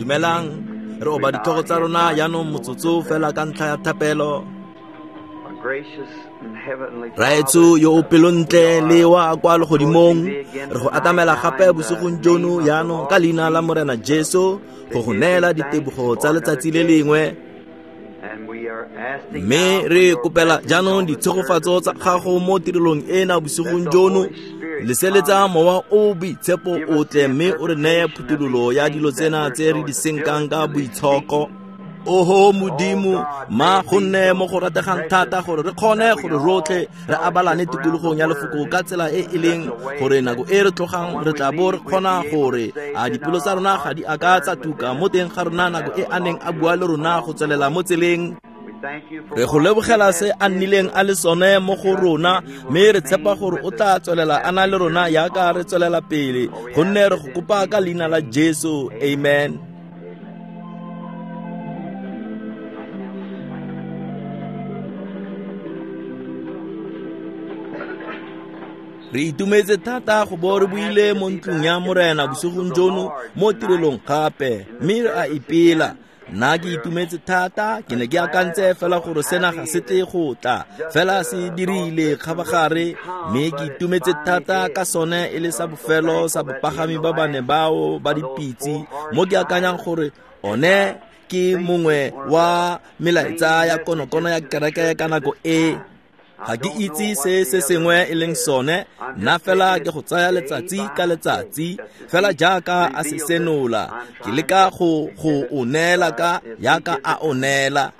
Dumelang, re oba ditlhogo tsa rona jaanong motsotso fela ka ntlha ya thapelo. Raetsho yo o pelontle le wa kwa legodimong, re go atamela gape bosigong jono jaanong ka leina la Morena Jesu go go neela ditebogo tsa letsatsi le lengwe. Mme re kopela jaanong ditshegofatso tsa gago mo tirelong ena bosigong jono. Leseletsa mowa o boitshepo o tle mme o re neye phuthololo ya dilo tsena tse re di senkang ka boitshoko. Oho Modimo, ma go nne mo go rategang thata gore re kgone gore rotlhe re abalane tikologong ya lefoko ka tsela e e leng gore nako e re tlogang re tla bo re kgona gore a dipelo tsa rona ga di a ka tsa tuka mo teng ga rona nako e a neng a bua le rona go tswelela mo tseleng. Re go lebogela se a nnileng a le sone mo go rona, mme re tshepa gore o tla tswelela a na le rona jaaka re tswelela pele, gonne re go kopa ka leina la Jesu. Amen. Re itumetse thata go bo re buile mo ntlong ya Morena bosigong jono mo tirelong gape, mme re a ipela. Nna ke itumetse thata, ke ne ke akantse fela gore sena ga se tle go tla, fela se dirile kgabagare, mme ke itumetse thata ka sone e le sa bofelo sa bopagami ba bane bao ba dipitse, mo ke akanyang gore one ke mongwe wa melaetsa ya konokono ya kereke ka nako e. Ga ke itse se se sengwe e leng sone, nna fela ke go tsaya letsatsi ka letsatsi, fela jaaka a se senola, ke leka go o neela ka jaaka a o neela.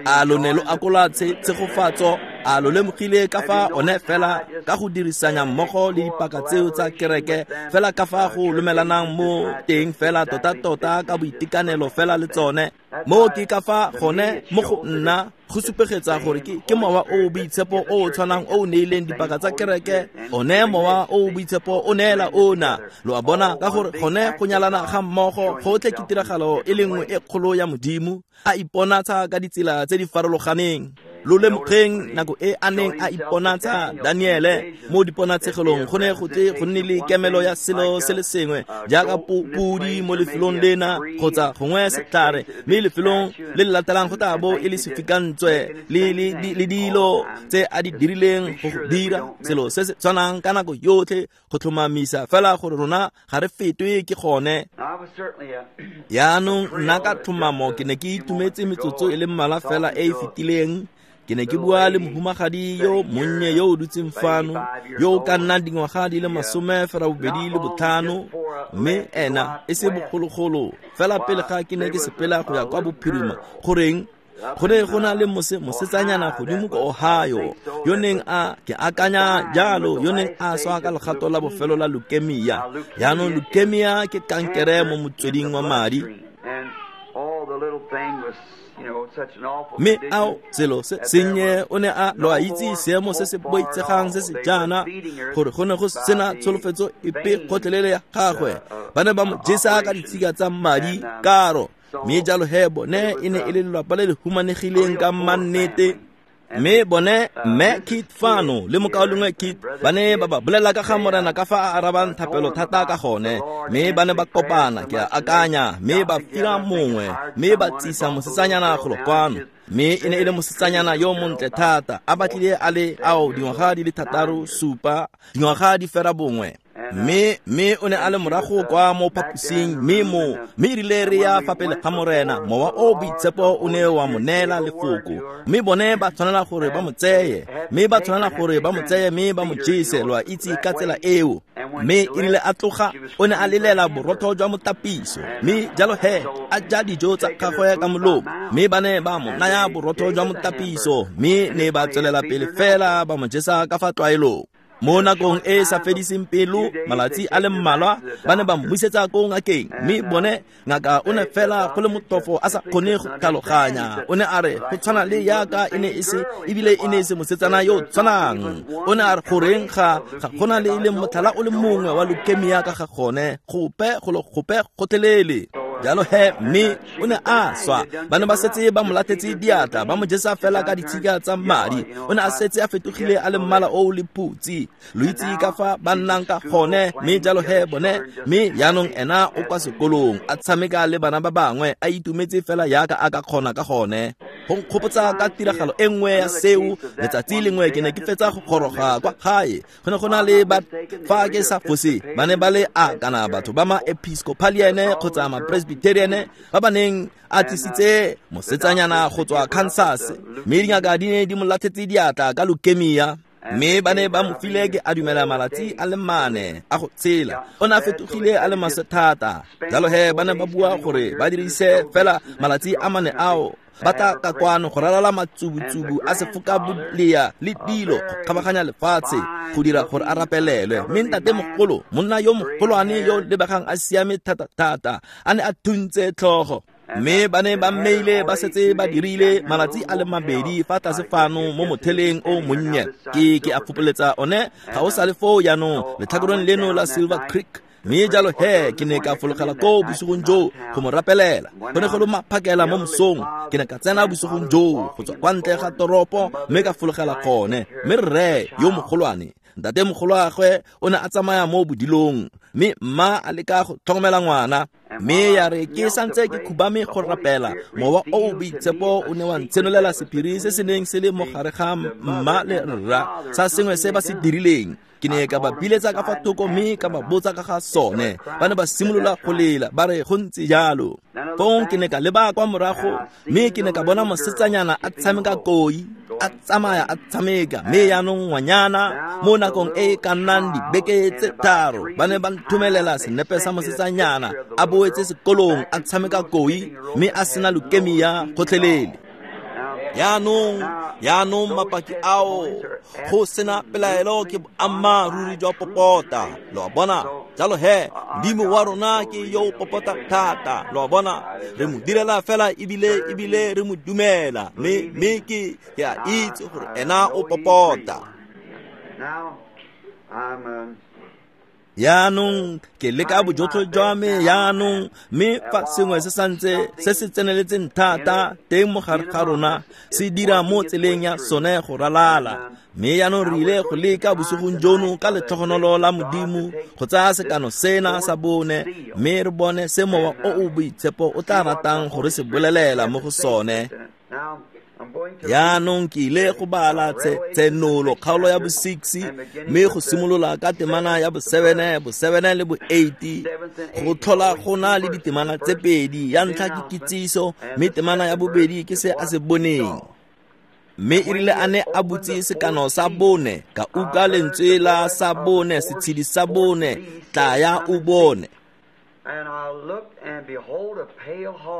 A lo ne lo akola tshegofatso, a lo lemogile ka fa one fela ka go dirisanya mmogo le dipaka tseo tsa kereke, fela ka fa go lomelanang mo teng fela tota-tota ka boitekanelo fela le tsone. Mo ke ka fa gone mo go nna go supegetsa gore ke mowa o boitshepo o o tshwanang o o neileng dipaka tsa kereke, one mowa o boitshepo o neela ona. Lo a bona, ka gore gone go nyalana ga mmogo gotlhe ke tiragalo e le nngwe e kgolo ya Modimo, a iponatsha ka ditsela tse di farologaneng. Lo lemogeng nako e a neng a iponatsha Daniele mo diponatshegelong, go ne go tle go nne le kemelo ya selo se le sengwe jaaka podi mo lefelong lena kgotsa gongwe setlhare, mme lefelong le le latelang go tla bo e le sefikantswe le dilo tse a di dirileng go dira selo se se tshwanang ka nako yotlhe go tlhomamisa fela gore rona ga re fetwe ke gone. Jaanong nna ka tlhomamo ke ne ke itumetse metsotso e le mmalwa fela e e fetileng. Ke ne ke bua le mohumagadi yo monnye yo o dutseng fano, yo o ka nnang dingwaga di le 85, mme ena e se bogologolo fela pele ga ke ne ke sepela go ya kwa bophirima. Goreng? Go ne go na le mosetsanyana godimo ko Ohio, yo neng a ke akanya jalo, yo neng a swa ka legato la bofelo la leukemia. Jaanong leukemia ke kankere mo motsweding wa madi. Mme ao selo se sennye o ne a lo a itse seemo se se boitsegang se se jaana, gore go ne go sena tsholofetso epe gotlhelele ya gagwe. Ba ne ba mo jesa ka ditshika tsa madi karo, mme jalo he bone e ne e le lelapa le le humanegileng ka mannete. Mme bone mme Kit fano le mokaulengwe Kit ba ne ba ba bolela ka ga Morena ka fa a arabang thapelo thata ka gone, mme ba ne ba kopana, ke a akanya, mme ba fira mongwe, mme ba tsisa mosetsanyana golo kwano. Mme e ne e le mosetsanyana yo montle thata, a batlile a le ao dingwaga di le 6, 7, dingwaga di fera bongwe. Mme o ne a le morago kwa mo phaposing, mme erile re ya fa pele ga Morena, mowa o boitshepo o ne wa mo neela lefoko, mme bone ba tshwanela gore ba mo tseye, mme ba tshwanela gore ba mo tseye mme ba mo jese, lo a itse ka tsela eo. Mme erile a tloga, o ne a lelela borotho jwa motapiso, mme jalo he a ja dijo tsa gagwe ka molomo, mme ba ne ba mo naya borotho jwa motapiso, mme ne ba tswelela pele fela ba mo jesa ka fa tlwaelong. Mo nakong e sa fediseng pelo, malatsi a le mmalwa, ba ne ba mmusetsa ko ngakeng, mme bone ngaka o ne fela go le motofo a sa kgone go tlhaloganya. O ne a re go tshwana le yaka e ne e se, ebile e ne e se mosetsana yo tshwanang. O ne a re goreng ga gona le e leng motlhala o le mongwe wa leukemia ka ga gone, gope go le gope gotlhelele. Jalo he mme o ne a swa. Ba ne ba setse ba mo latetse diatla, ba mo jesa fela ka ditshika tsa madi. O ne a setse a fetogile a le mmala o le phutsi. Lo itse ka fa ba nnang ka gone, mme jalo he bone, mme jaanong ena o kwa sekolong a tshameka le bana ba bangwe, a itumetse fela jaaka a ka kgona ka gone. Go nkgopotsa ka tiragalo e nngwe ya seo. Letsatsi lengwe ke ne ke fetsa go goroga kwa gae. Go ne go na le ba, fa ke sa fose, ba ne ba le a kana batho ba ma Episcopalian kgotsa ma Presbyterian ba ba neng a tlisitse mosetsanyana go tswa Kansas, mme dingaka di ne di mo latlhetse diatla ka leukemia, mme ba ne ba mo file ke a dumela malatsi a le 4 a go tshela. O ne a fetogile a le maswe thata. Jalo he ba ne ba bua gore ba dirise fela malatsi a 4 ao, ba tla ka kwano go ralala matsubutsubu a sefokabolea le dilo go kgabaganya lefatshe go dira gore a rapelelwe. Mme ntatemogolo, monna yo mogolwane yo lebegang a siame thata-thata, a ne a thuntse tlhogo. Mme ba ne ba mmeile ba setse ba dirile malatsi a le 2 fa tlase fano mo motheleng o monnye. Ke a fopoletsa one ga o sale foo jaanong letlhakoreng leno la Silver Creek. Mme jalo he ke ne ka fologela koo bosigong joo go mo rapelela. Go ne go le maphakela mo mosong. Ke ne ka tsena bosigong joo go tswa kwa ntle ga toropo mme ka fologela gone. Mme rre yo mogolwane, ntatemogoloagwe, o ne a tsamaya mo bodilong, mme mma a leka go tlhokomela ngwana. Mme ya re ke santse ke khubame go rapela, mowa o o boitshepo o ne wa ntshenolela sephiri se se neng se le mo gare ga mma le rra, sa sengwe se ba se dirileng. Ke ne ka ba biletsa ka fa thoko mme ka ba botsa ka ga sone. Ba ne ba simolola go lela, ba re go ntse jalo. Fong ke ne ka leba kwa morago mme ke ne ka bona mosetsanyana a tshameka koi, a tsamaya a tshameka. Mme jaanong ngwanyana mo nakong e e ka nnang dibeke tse 3, ba ne ba nthomelela senepe sa mosetsanyana a boetse sekolong a tshameka koi, mme a sena leukemia gotlhelele. Jaanong mapaki ao go sena pelaelo ke boammaaruri jwa popota. Lo a bona? Jalo he Modimo wa rona ke yo o popota thata. Lo a bona? Re mo direla fela ebile re mo dumela, mme ke a itse gore ena o popota. Jaanong ke leka bojotlhe jwa me jaanong, mme fa sengwe se santse se se tseneletseng thata teng mo gare ga rona se dira mo tseleng ya sone go ralala. Mme jaanong re ile go leka bosigong jono ka letlhogonolo la Modimo go tsaya sekano sena sa bone, mme re bone se mowa o o boitshepo o tla ratang gore se bolelela mo go sone. Jaanong ke ile go bala Tshenolo kgaolo ya bo-6, mme go simolola ka temana ya bo-7, bo-7 le bo-8, go tlhola go na le ditemana tse 2. Ya ntlha ke kitsiso, mme temana ya bobedi ke se a se boneng. Mme e rile a ne a butse sekano sa bone, ka utlwa lentswe la sa bone, setshedi sa bone, tlaya o bone.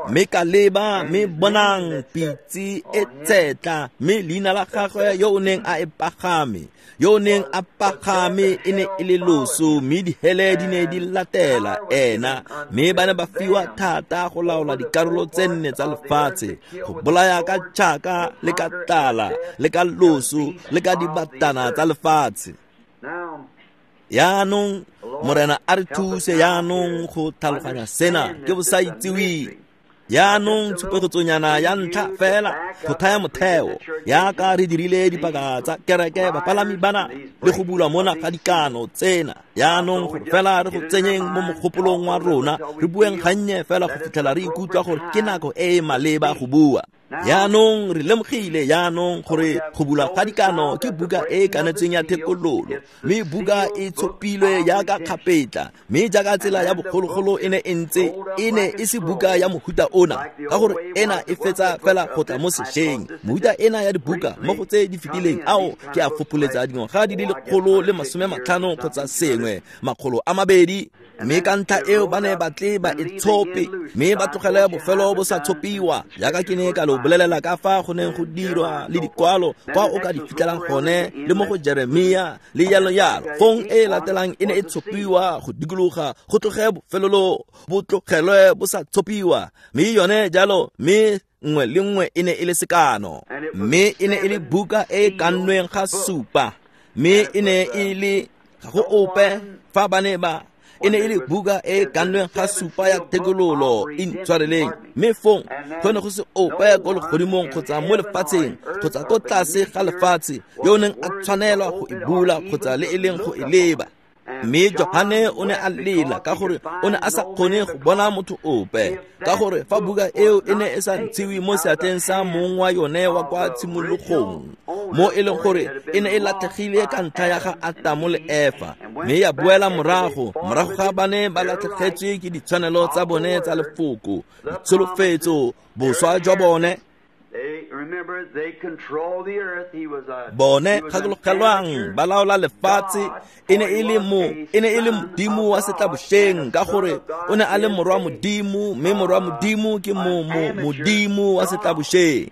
Mme ka leba, mme bonang pitse e tshetla, mme leina la gagwe yo o neng a e pagame, yo o neng a pagame e ne e le loso, mme dihele di ne di latela ena. Mme ba ne ba fiwa thata go laola dikarolo tse 4 tsa lefatshe, go bolaya ka tšhaka le ka tlala le ka loso le ka dibatana tsa lefatshe. Jaanong Morena a re thuse jaanong go tlhaloganya sena ke bosaitseweng. Jaanong tshupegetsonyana ya ntlha fela go thaya motheo, jaaka re dirile dipaka tsa kereke bapalami bana le go bulwa mona ga dikano tsena. Jaanong gore fela re go tsenyeng mo mogopolong wa rona, re bueng gannye fela go fitlhela re ikutlwa gore ke nako e e maleba go bua. Jaanong re lemogile jaanong gore go bulwa ga dikano ke buka e e kanetsweng ya thekololo, mme buka e tshopilwe jaaka kgapetla, mme jaaka tsela ya bogologolo e ne e ntse, e ne e se buka ya mohuta ona, ka gore ena e fetsa fela go tla mo sešweng. Mohuta ena ya dibuka mo go tse di fetileng ao ke a fopoletsa dingwaga di le 150 kgotsa sengwe, 200. Mme ka ntlha eo ba ne ba tle ba e tshope, mme ba tlogele bofelo bo sa tshopiwa, jaaka ke ne ka lo bolelela ka fa go neng go dirwa le dikwalo kwa o ka di fitlhelang gone, le mo go Jeremia le jalo jalo. Fong e latelang e ne e tshopiwa go dikologa, go tloge bofelolo bo tlogelwe bo sa tshopiwa, mme yone jalo, mme nngwe le nngwe e ne e le sekano, mme e ne e le buka e e kannweng ga 7, mme e ne e le ga go ope fa ba ne ba E ne e le buka e kannweng ga supa ya thekololo, intshwareleng. Mme fong go ne go se ope ko legodimong kgotsa mo lefatsheng kgotsa ko tlase ga lefatshe yo o neng a tshwanelwa go e bula kgotsa le e leng go e leba. Mme Johane o ne a lela ka gore o ne a sa kgone go bona motho ope, ka gore fa buka eo e ne e sa ntshiwe mo seatleng sa mong wa yone wa kwa tshimologong, mo e leng gore e ne e latlhegile ka ntlha ya ga Atamo le Efa, mme ya boela morago morago ga ba ne ba latlhegetswe ke ditshwanelo tsa bone tsa lefoko, ditsholofetso, boswa jwa bone. Bone gakologelwang ba laola lefatshe. E ne e le modimo wa setlabošeng, ka gore o ne a le morwa modimo, mme morwa modimo ke modimo wa setlabošeng.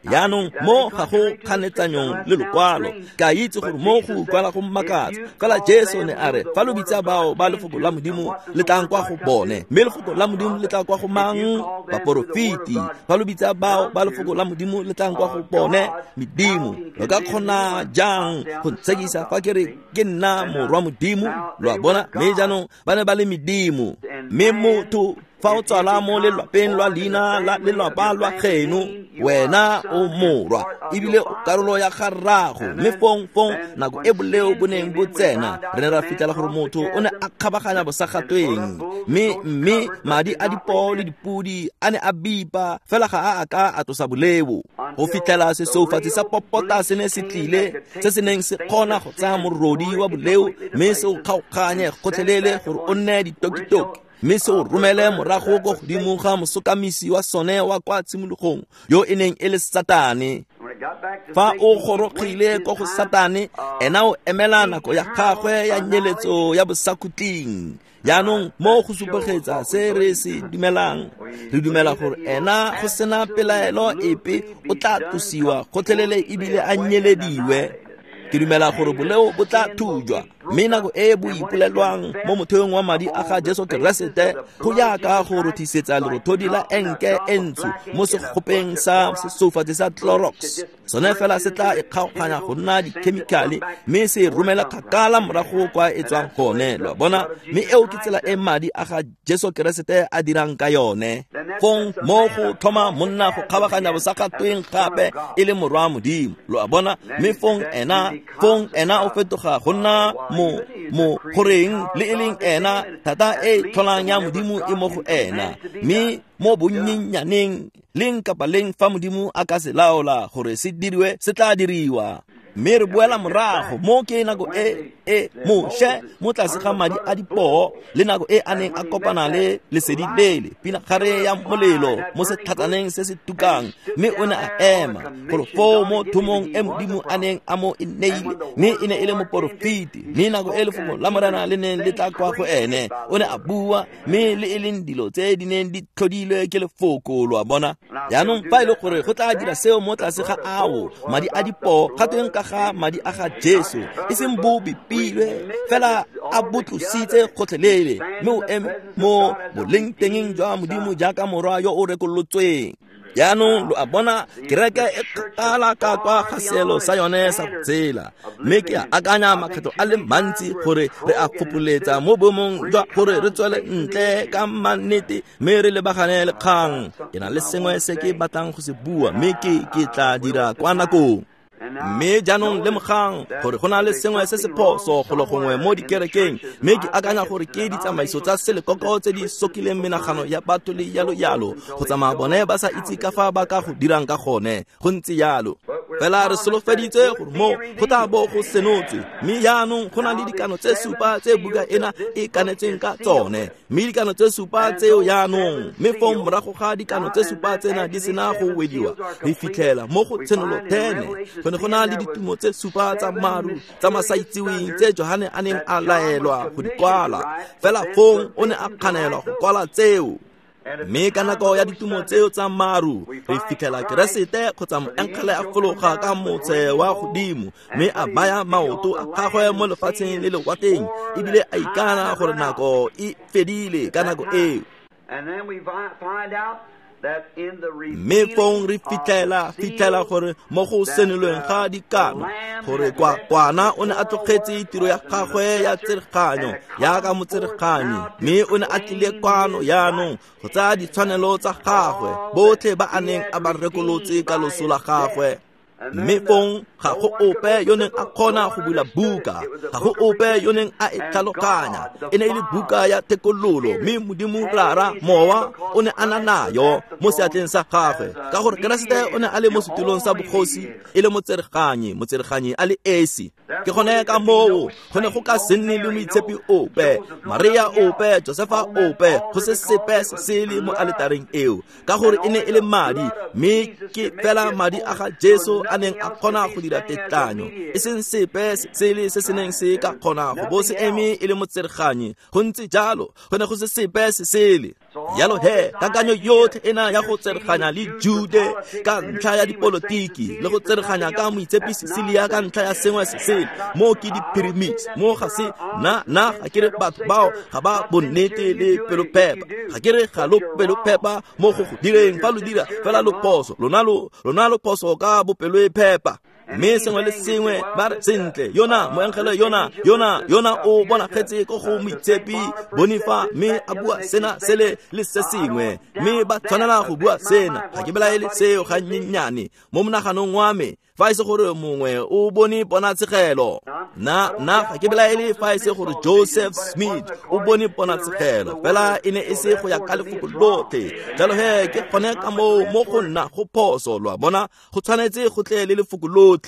Jaanong mo ga go kganetsanyong le lokwalo, ke a itse gore mo go utlwala go mmakatsa, fela Jesu ne a re fa lo bitsa bao ba lefoko la modimo le tlang kwa go bone, mme lefoko la modimo le tla kwa go mang? Baporofeti. Fa lo bitsa bao ba lefoko la modimo le tlang kwa go bone, medimo. Lo ka kgona jang go ntshekisa fa ke re ke nna morwa modimo? Lo a bona? Mme jaanong ba ne ba le medimo. Mme motho fa o tswala mo lelwapeng lwa leina la lelwapa lwa geno, wena o morwa ebile o karolo ya ga rrago. Mme fong nako e boleo bo neng bo tsena, re ne ra fitlhela gore motho o ne a kgabaganya bosagatweng, mme madi a dipoo le dipudi a ne a bipa, fela ga a ka a tlosa boleo go fitlhela sesoufatsi sa popota se ne se tlile, se se neng se kgona go tsaya morodi wa boleo mme se o kgaoganye gotlhelele gore o nne ditokitoki, mme se o romele morago ko godimo ga mosokamisi wa sone wa kwa tshimologong, yo e neng e le Satane. Fa o gorogile ko go Satane, ena o emela nako ya gagwe ya nyeletso ya bosakhutleng. Jaanong mo go supegetsa se re se dumelang, re dumela gore ena go sena pelaelo epe o tla tlosiwa gotlhelele ebile a nyelediwe. Ke dumela gore boleo bo tla thujwa, mme nako e bo ipolelwang mo motheong wa madi a ga Jesu Keresete, go jaaka go rothisetsa lerothodi la enke e ntsho mo segopeng sa sesoufatsi sa Clorox. Sone fela se tla e kgaoganya go nna dikhemikhale mme se romela kgakala morago kwa e tswang gone, lo a bona? Mme eo ke tsela e madi a ga Jesu Keresete a dirang ka yone. Fong mo go thoma monna go kgabaganya bosagatweng gape e le morwa modimo, lo a bona? Mme fong ena o fetoga go nna mo goreng le e leng ena thata e tlholang ya modimo e mo go ena, mme mo bonnyenyaneng leng kapa leng fa modimo a ka se laola gore se diriwe, se tla diriwa. Mme re boela morago mo ke nako e Moshe mo tlase ga madi a dipoo, le nako e a neng a kopana le lesedi lele, pinagare ya molelo mo setlhatsaneng se se tukang, mme o ne a ema golo foo mo thomong e modimo a neng a mo e neile, mme e ne e le moporofeti. Mme nako e lefoko la Morena le neng le tla kwa go ene, o ne a bua, mme le e leng dilo tse di neng di tlhodilwe ke lefoko, lo a bona? Jaanong fa e le gore go tla dira seo mo tlase ga ao madi a dipoo, ga tweng ka ga madi a ga Jesu, e seng bo bipilwe fela a bo tlositse gotlhelele, mme o eme mo bolengtengeng jwa modimo jaaka morwa yo o rekolotsweng. Jaanong lo a bona, kereke e kgakala ka kwa ga seelo sa yone sa go tshela, mme ke a akanya makgetho a le mantsi gore re a fopholetsa mo boemong jwa gore re tswele ntle ka mannete mme re lebagane le kgang. Ke na le sengwe se ke batlang go se bua, mme ke tla dira kwa nakong. Mme jaanong lemogang gore go na le sengwe se se phoso golo gongwe mo dikerekeng, mme ke akanya gore ke ditsamaiso tsa selekoko tse di sokileng menagano ya batho le yalo yalo, go tsamaya bone ba sa itse ka fa ba ka go dirang ka gone. Go ntse yalo. Fela re solofeditse gore mo go tla bo go senotswe, mme jaanong go na le dikano tse supa tse buka ena e kanetsweng ka tsone, mme dikano tse supa tseo jaanong, mme fong morago ga dikano tse supa tsena di sena go wediwa, re fitlhela mo go Tshenolo 10 go ne go na le ditumo tse supa tsa maru tsa masaitseweng tse Johane a neng a laelwa go di kwala, fela fong o ne a kganelwa go kwala tseo. Mme ka nako ya ditumo tseo tsa maru, re fitlhela Keresete kgotsa moengele a fologa ka motse wa godimo, mme a baya maoto a gagwe mo lefatsheng le lewatleng, ebile a ikana gore nako e fedile ka nako eo. Mme fong re fitlhela gore mo go senolweng ga dikano gore kwana o ne a tlogetse tiro ya gagwe ya tsereganyo jaaka motsereganyi, mme o ne a tlile kwano jaanong go tsaya ditshwanelo tsa gagwe botlhe ba a neng a ba rekolotse ka loso la gagwe. Mme fong ga go ope yo neng a kgona go bula buka, ga go ope yo neng a e tlhaloganya. E ne e le buka ya thekololo, mme Modimo Rara Mowa o ne a na nayo mo seatleng sa gagwe, ka gore Keresete o ne a le mo setulong sa bogosi e le motsereganyi a le esi. Ke gone ka moo go ne go ka se nne le moitshepi ope, Maria ope, Josefa ope, go se sepe se sele mo aletareng eo, ka gore e ne e le madi, mme ke fela madi a ga Jesu a neng a kgona go dira tetlanyo, e seng sepe sele se se neng se ka kgona go bo se eme e le motsereganyi. Go ntse jalo, go ne go se sepe se sele. Jalo he, kakanyo yotlhe ena ya go tsereganya le Jude ka ntlha ya dipolotiki le go tsereganya ka moitshepi Cecilia ka ntlha ya sengwe se sele, mo ke di-pyramids, mo ga se nna ga ke re batho bao ga ba bonnete le pelophepa, ga ke re ga lo pelophepa mo go go direng, fa lo dira fela lo phoso, lona lo phoso ka bopeloephepa. Mme sengwe le sengwe ba re sentle, yona moengele yona o bonagetse ko go moitshepi Bonifa, mme a bua sena sele le se sengwe, mme ba tshwanela go bua sena. Ga ke belaele seo ga nnyenyane mo monaganong wa me, fa e se gore mongwe o bone ponatshegelo. Nna ga ke belaele fa e se gore Joseph Smith o bone ponatshegelo, fela e ne e se go ya ka lefoko lotlhe. Jalo he ke gone ka moo mo go nna go phoso, lo a bona, go tshwanetse go tle le lefoko lotlhe.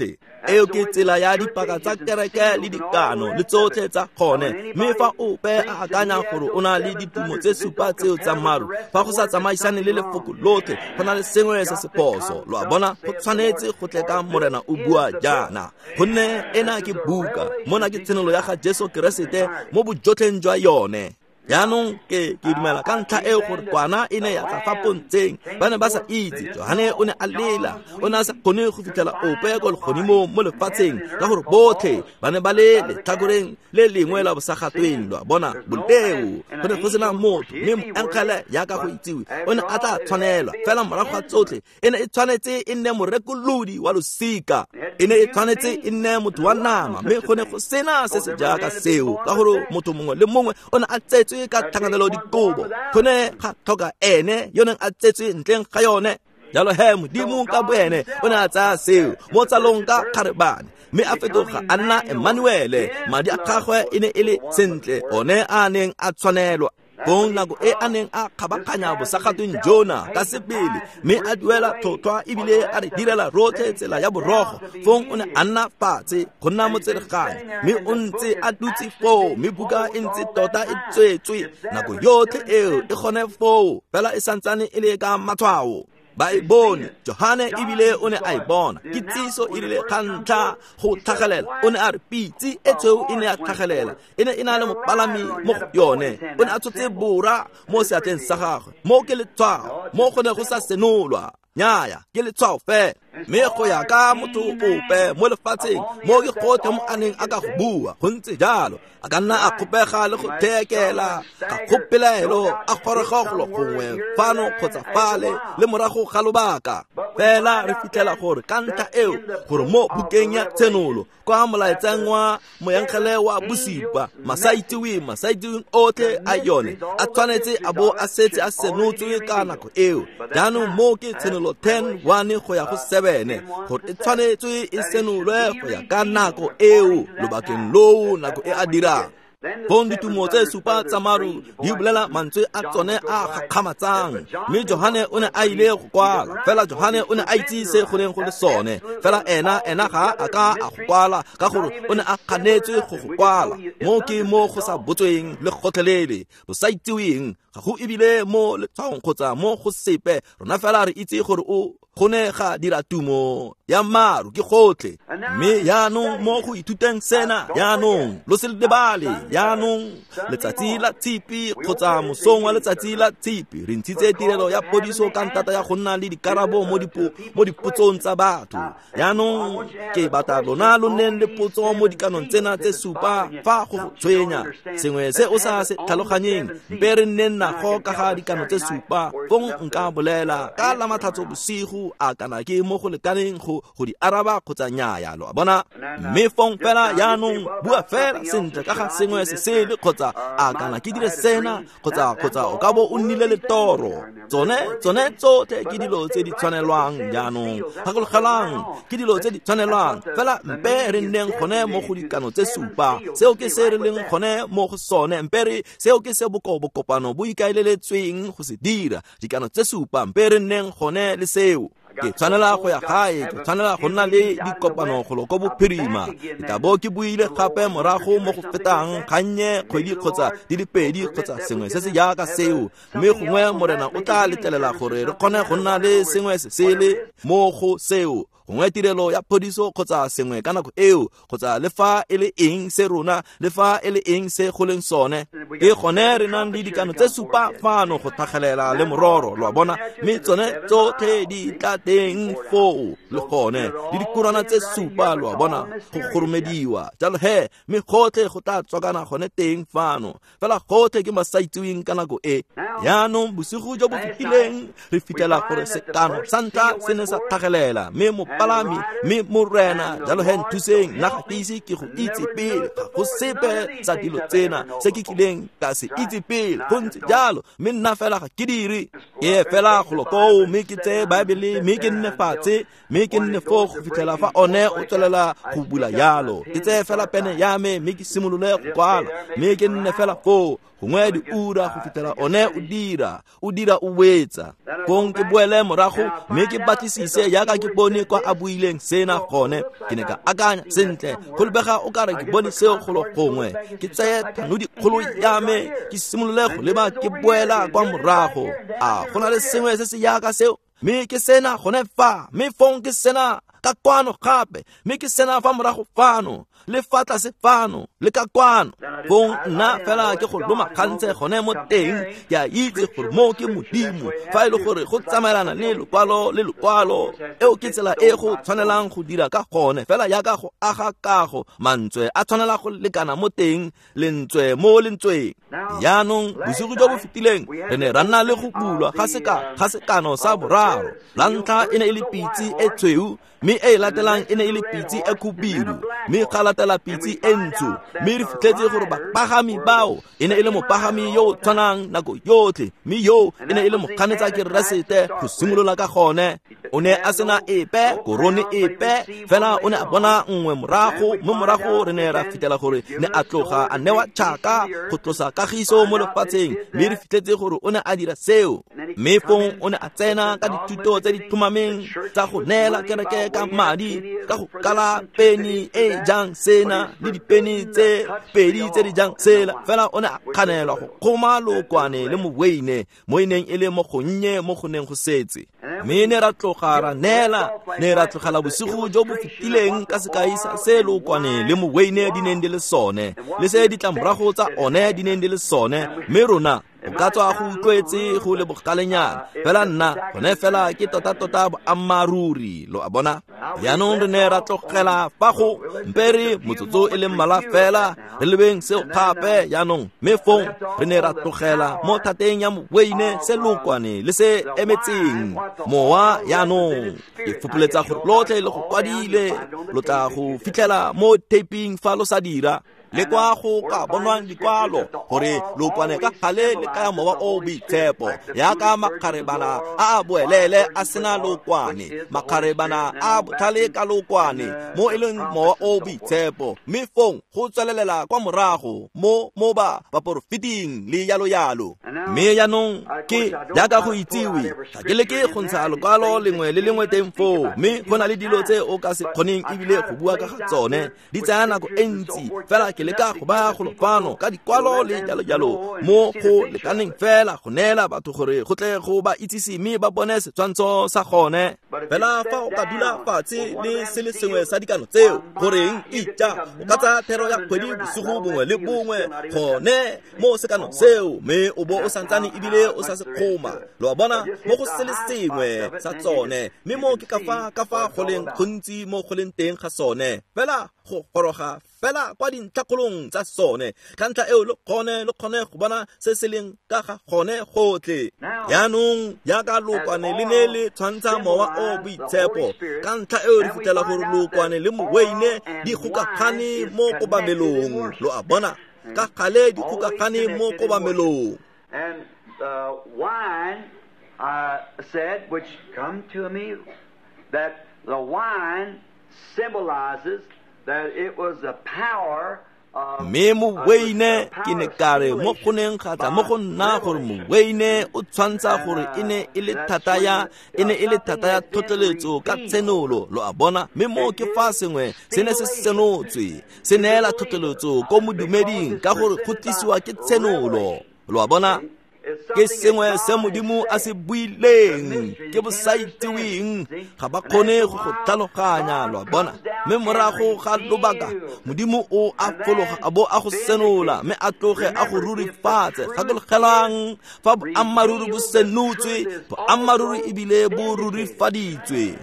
Eo ke tsela ya dipaka tsa kereke le dikano le tsotlhe tsa gone. Mme fa ope a akanya gore o na le ditumo tse supa tseo tsa maru, fa go sa tsamaisane le lefoko lotlhe, go na le sengwe se se phoso, lo a bona. Go tshwanetse go tle ka Morena o bua jaana, gonne ena ke buka, mona ke tshenolo ya ga Jesu Keresete mo bojotlheng jwa yone. Jaanong ke dumela ka ntlha eo gore kwana e ne ya tla fa pontsheng, ba ne ba sa itse. Johane o ne a lela, o ne a sa kgone go fitlhela ope ko legodimong mo lefatsheng, ka gore botlhe ba ne ba le letlhakoreng le lengwe la bosagatweng, lo a bona, boleo. Go ne go sena motho, mme moengele jaaka go itsiwe o ne a tla tshwanelwa. Fela morago ga tsotlhe e ne e tshwanetse e nne morekolodi wa losika, e ne e tshwanetse e nne motho wa nama, mme go ne go sena se se jaaka seo, ka gore motho mongwe le mongwe o ne a tsetswe ka tlhakanelo dikobo. Go ne ga tlhoka ene yo neng a tsetswe ntleng ga yone. Jalo he Modimo ka boene o ne a tsaya seo mo tsalong ka kgarebane, mme a fetoga a nna Emmanuele. Madi a gagwe e ne e le sentle one a neng a tshwanelwa. Fong nako e a neng a kgabaganya bosagatweng jona ka sebele, mme a duela tlhotlhwa ebile a re direla rotlhe tsela ya borogo, fong o ne a nna fatshe go nna motsereganyi, mme o ntse a dutse foo, mme buka e ntse tota e tswetswe nako yotlhe eo e gone foo, fela e santsane e le ka matshwao. Ba e bone, Johane ebile o ne a e bona. Kitsiso e rile ga ntlha go tlhagelela, o ne a re pitse e tshweu e ne ya tlhagelela, e ne e na le mopalami mo go yone, o ne a tshotse bora mo seatleng sa gagwe. Mo ke letshwao, mo go ne go sa senolwa. Nnyaya, ke letshwao fela. Mme go ya ka motho ope mo lefatsheng, mo ke gotlhe mo a neng a ka go bua, go ntse jalo. A ka nna a kgopega le go thekela ga kgopelaelo, a goroga golo gongwe fano kgotsa fale le morago ga lobaka. Fela re fitlhela gore ka ntlha eo gore mo bukeng ya Tshenolo, kwa molaetseng wa moengele wa bosupa, masaitseweng otlhe a yone a tshwanetse a bo a setse a senotswe ka nako eo. Jaanong mo ke Tshenolo 10:1 go ya go 7, gore e tshwanetswe e senolwe go ya ka nako eo, lobakeng loo nako e a dirang. Fong ditumo tse supa tsa maru di bolela mantswe a tsone a gakgamatsang, mme Johane o ne a ile go kwala. Fela Johane o ne a itse se go neng go le sone, fela ena ga a ka a go kwala, ka gore o ne a kganetswe go go kwala. Mo ke mo go sa botsweng le gotlhelele, bosaitseweng, ga go ebile mo letshwaong kgotsa mo go sepe. Rona fela re itse gore o go ne ga dira tumo ya maru ke gotlhe. Mme jaanong mo go ithuteng sena, jaanong lo se lebale, jaanong letsatsi la tshipi kgotsa mosong wa letsatsi la tshipi re ntshitse tirelo ya podiso ka ntata ya go nna le dikarabo mo dipotsong tsa batho. Jaanong ke batla lona lo nneng le potso mo dikanong tsena tse supa fa go go tshwenya sengwe se o sa se tlhaloganyeng, mpe re nneng nago ka ga dikano tse supa, fong nka bolela ka la Matlhatso bosigo a kana ke mo go lekaneng go di araba kgotsa nnyaya, lo a bona. Mme fong fela jaanong bua fela sentle ka ga sengwe se sele kgotsa a kana ke dire sena kgotsa o ka bo o nnile le toro. Tsone tsotlhe ke dilo tse di tshwanelwang jaanong. Gakologelang, ke dilo tse di tshwanelwang. Fela mpe re nneng gone mo go dikano tse supa. Seo ke se re leng gone mo go sone. Mpe re seo ke se bokopano bo ikaeleletsweng go se dira. Dikano tse supa, mpe re nneng gone le seo. Ke tshwanela go ya gae, ke tshwanela go nna le dikopano golo ko bophirima. Ke tla bo ke buile gape morago mo go fetang gannye kgwedi kgotsa di le pedi kgotsa sengwe se se jaaka seo. Mme gongwe Morena o tla letlelela gore re kgone go nna le sengwe se sele mo go seo. Gongwe tirelo ya phodiso kgotsa sengwe ka nako eo, kgotsa le fa e le eng se rona, le fa e le eng se go leng sone. Ke gone re nang le dikano tse supa fano go tlhagelela le mororo, lo a bona. Mme tsone tsotlhe di tla teng foo le gone, le dikurwana tse supa, lo a bona, go goromediwa. Jalo he, mme gotlhe go tla tswakana gone teng fano. Fela gotlhe ke masaitseweng ka nako e. Jaanong bosigo jo bo fetileng re fitlhela gore sekano sa ntlha se ne sa tlhagelela, mme mopalami, mme Morena, jalo he nthuseng, nna ga ke ise ke go itse pele, ga go sepe sa dilo tsena se ke kileng ka se itse pele. Go ntse jalo, mme nna fela ga ke dire. Ke fela golo koo, mme ke tseye Baebele, mme ke nne fatshe, mme ke nne foo go fitlhela fa one o tswelela go bula jalo. Ke tseye fela pene ya me, mme ke simolole go kwala, mme ke nne fela foo gongwe diura go fitlhela one o dira o wetsa. Fong ke boele morago mme ke batlisise jaaka ke bone kwa a buileng sena gone. Ke ne ka akanya sentle, go lebega o kare ke bone seo golo gongwe. Ke tseye thanodikgolo ya me, ke simolole go leba ke boela kwa morago. A go na le sengwe se se jaaka seo? Mme ke sena gone fa, mme fong ke sena ka kwano gape, mme ke sena fa morago fano, le fa tlase fano, le ka kwano. Fong nna fela ke go loma gantse gone mo teng, ke a itse gore mo ke Modimo. Fa e le gore go tsamaelana le lokwalo le lokwalo, eo ke tsela e go tshwanelang go dira ka gone. Fela jaaka go aga kago, mantswe a tshwanela go lekana mo teng, lentswe mo lentsweng. Jaanong bosigo jo bo fetileng re ne ra nna le go bulwa ga sekano sa boraro. La ntlha e ne e le pitse e tshweu, mme e latelang e ne e le pitse e khubidu, mme ga latela pitse e ntsho. Mme re fitlhetse gore bapagami bao e ne e le mopagami yo o tshwanang nako yotlhe, mme yo e ne e le mokganetsa Keresete go simolola ka gone. O ne a sena epe korone epe, fela o ne a bona nngwe morago, mme morago re ne ra fitlhela gore ne a tloga a newa tšhaka go tlosa kagiso mo lefatsheng, mme re fitlhetse gore o ne a dira seo. Mme fong o ne a tsena ka dithuto tse di tlhomameng tsa go neela kereke ka madi, ka go kala peni e jang sena le dipeni tse pedi tse di jang sela. Fela o ne a kganelwa go kgoma lookwane le moweine mo e neng e le mo gonnye mo go neng go setse. Mme ne ra tloga ra neela, ne ra tlogela bosigo jo bo fetileng ka sekai sa se lookwane le moweine di neng di le sone, le se ditlamorago tsa one di neng di le sone. Mme rona o ka tswa go utlwetse go le bogalenyana, fela nna gone fela ke tota-tota boammaaruri, lo a bona. Jaanong re ne ra tlogela fa go mpe re motsotso e le mmalwa fela re lebeng seo gape jaanong. Mme fong re ne ra tlogela mo thateng ya moweine se lookwane le se emetseng mowa. Jaanong ke fopoletsa gore lotlhe le go kwadile, lo tla go fitlhela mo taping fa lo sa dira, le kwa go ka bonwang dikwalo gore lookwane ka gale le kaya mowa o boitshepo, jaaka makgarebana a a boelele a sena lookwane, makgarebana a botlhale ka lookwane, mo e leng mowa o boitshepo. Mme fong go tswelelela kwa morago mo ba baporofeting le yalo yalo. Mme jaanong ke jaaka go itsiwe, ga ke leke go ntsha lokwalo lengwe le lengwe teng foo, mme go na le dilo tse o ka se kgoneng ebile go bua ka ga tsone, di tsaya nako e ntsi. Fela ke leka go baya golo fano ka dikwalo le jalo jalo mo go lekaneng fela go neela batho gore go tle go ba itsise mme ba bone setshwantsho sa gone. Fela fa o ka dula fatshe le se le sengwe sa dikano tseo, goreng itja o ka tsaya thero ya kgwedi bosigo bongwe le bongwe gone mo sekano seo, mme o bo o santsane ebile o sa se kgoma, lo a bona, mo go se le sengwe sa tsone. Mme mo ke ka fa go leng gontsi mo go leng teng ga sone, fela go goroga fela kwa dintlhakgolong tsa sone, ka ntlha eo lo kgone go bona se se leng ka ga gone gotlhe. Jaanong jaaka lookwane le ne le tshwantsha mowa o boitshepo, ka ntlha eo re fitlhela gore lookwane le moweine di gokagane mo kobamelong. Lo a bona, ka gale di gokagane mo kobamelong. And the wine, I said, which come to me, that the wine symbolizes that it was the power of Mme moweine ke ne ka re mo go neng ga tla mo go nna gore moweine o tshwantsha gore e ne e le thata ya tlhotlheletso ka tshenolo. Lo a bona, mme mo ke fa sengwe se ne se senotswe, se neela tlhotlheletso ko modumeding ka gore go tlisiwa ke tshenolo. Lo a bona, ke sengwe se Modimo a se buileng, ke bosaitseweng, ga ba kgone go go tlhaloganya. Lo a bona, mme morago ga lobaka Modimo o a fologa a bo a go senola, mme a tloge a go rurifatse. Gakologelang, fa boammaaruri bo senotswe, boammaaruri ebile bo rurifaditswe.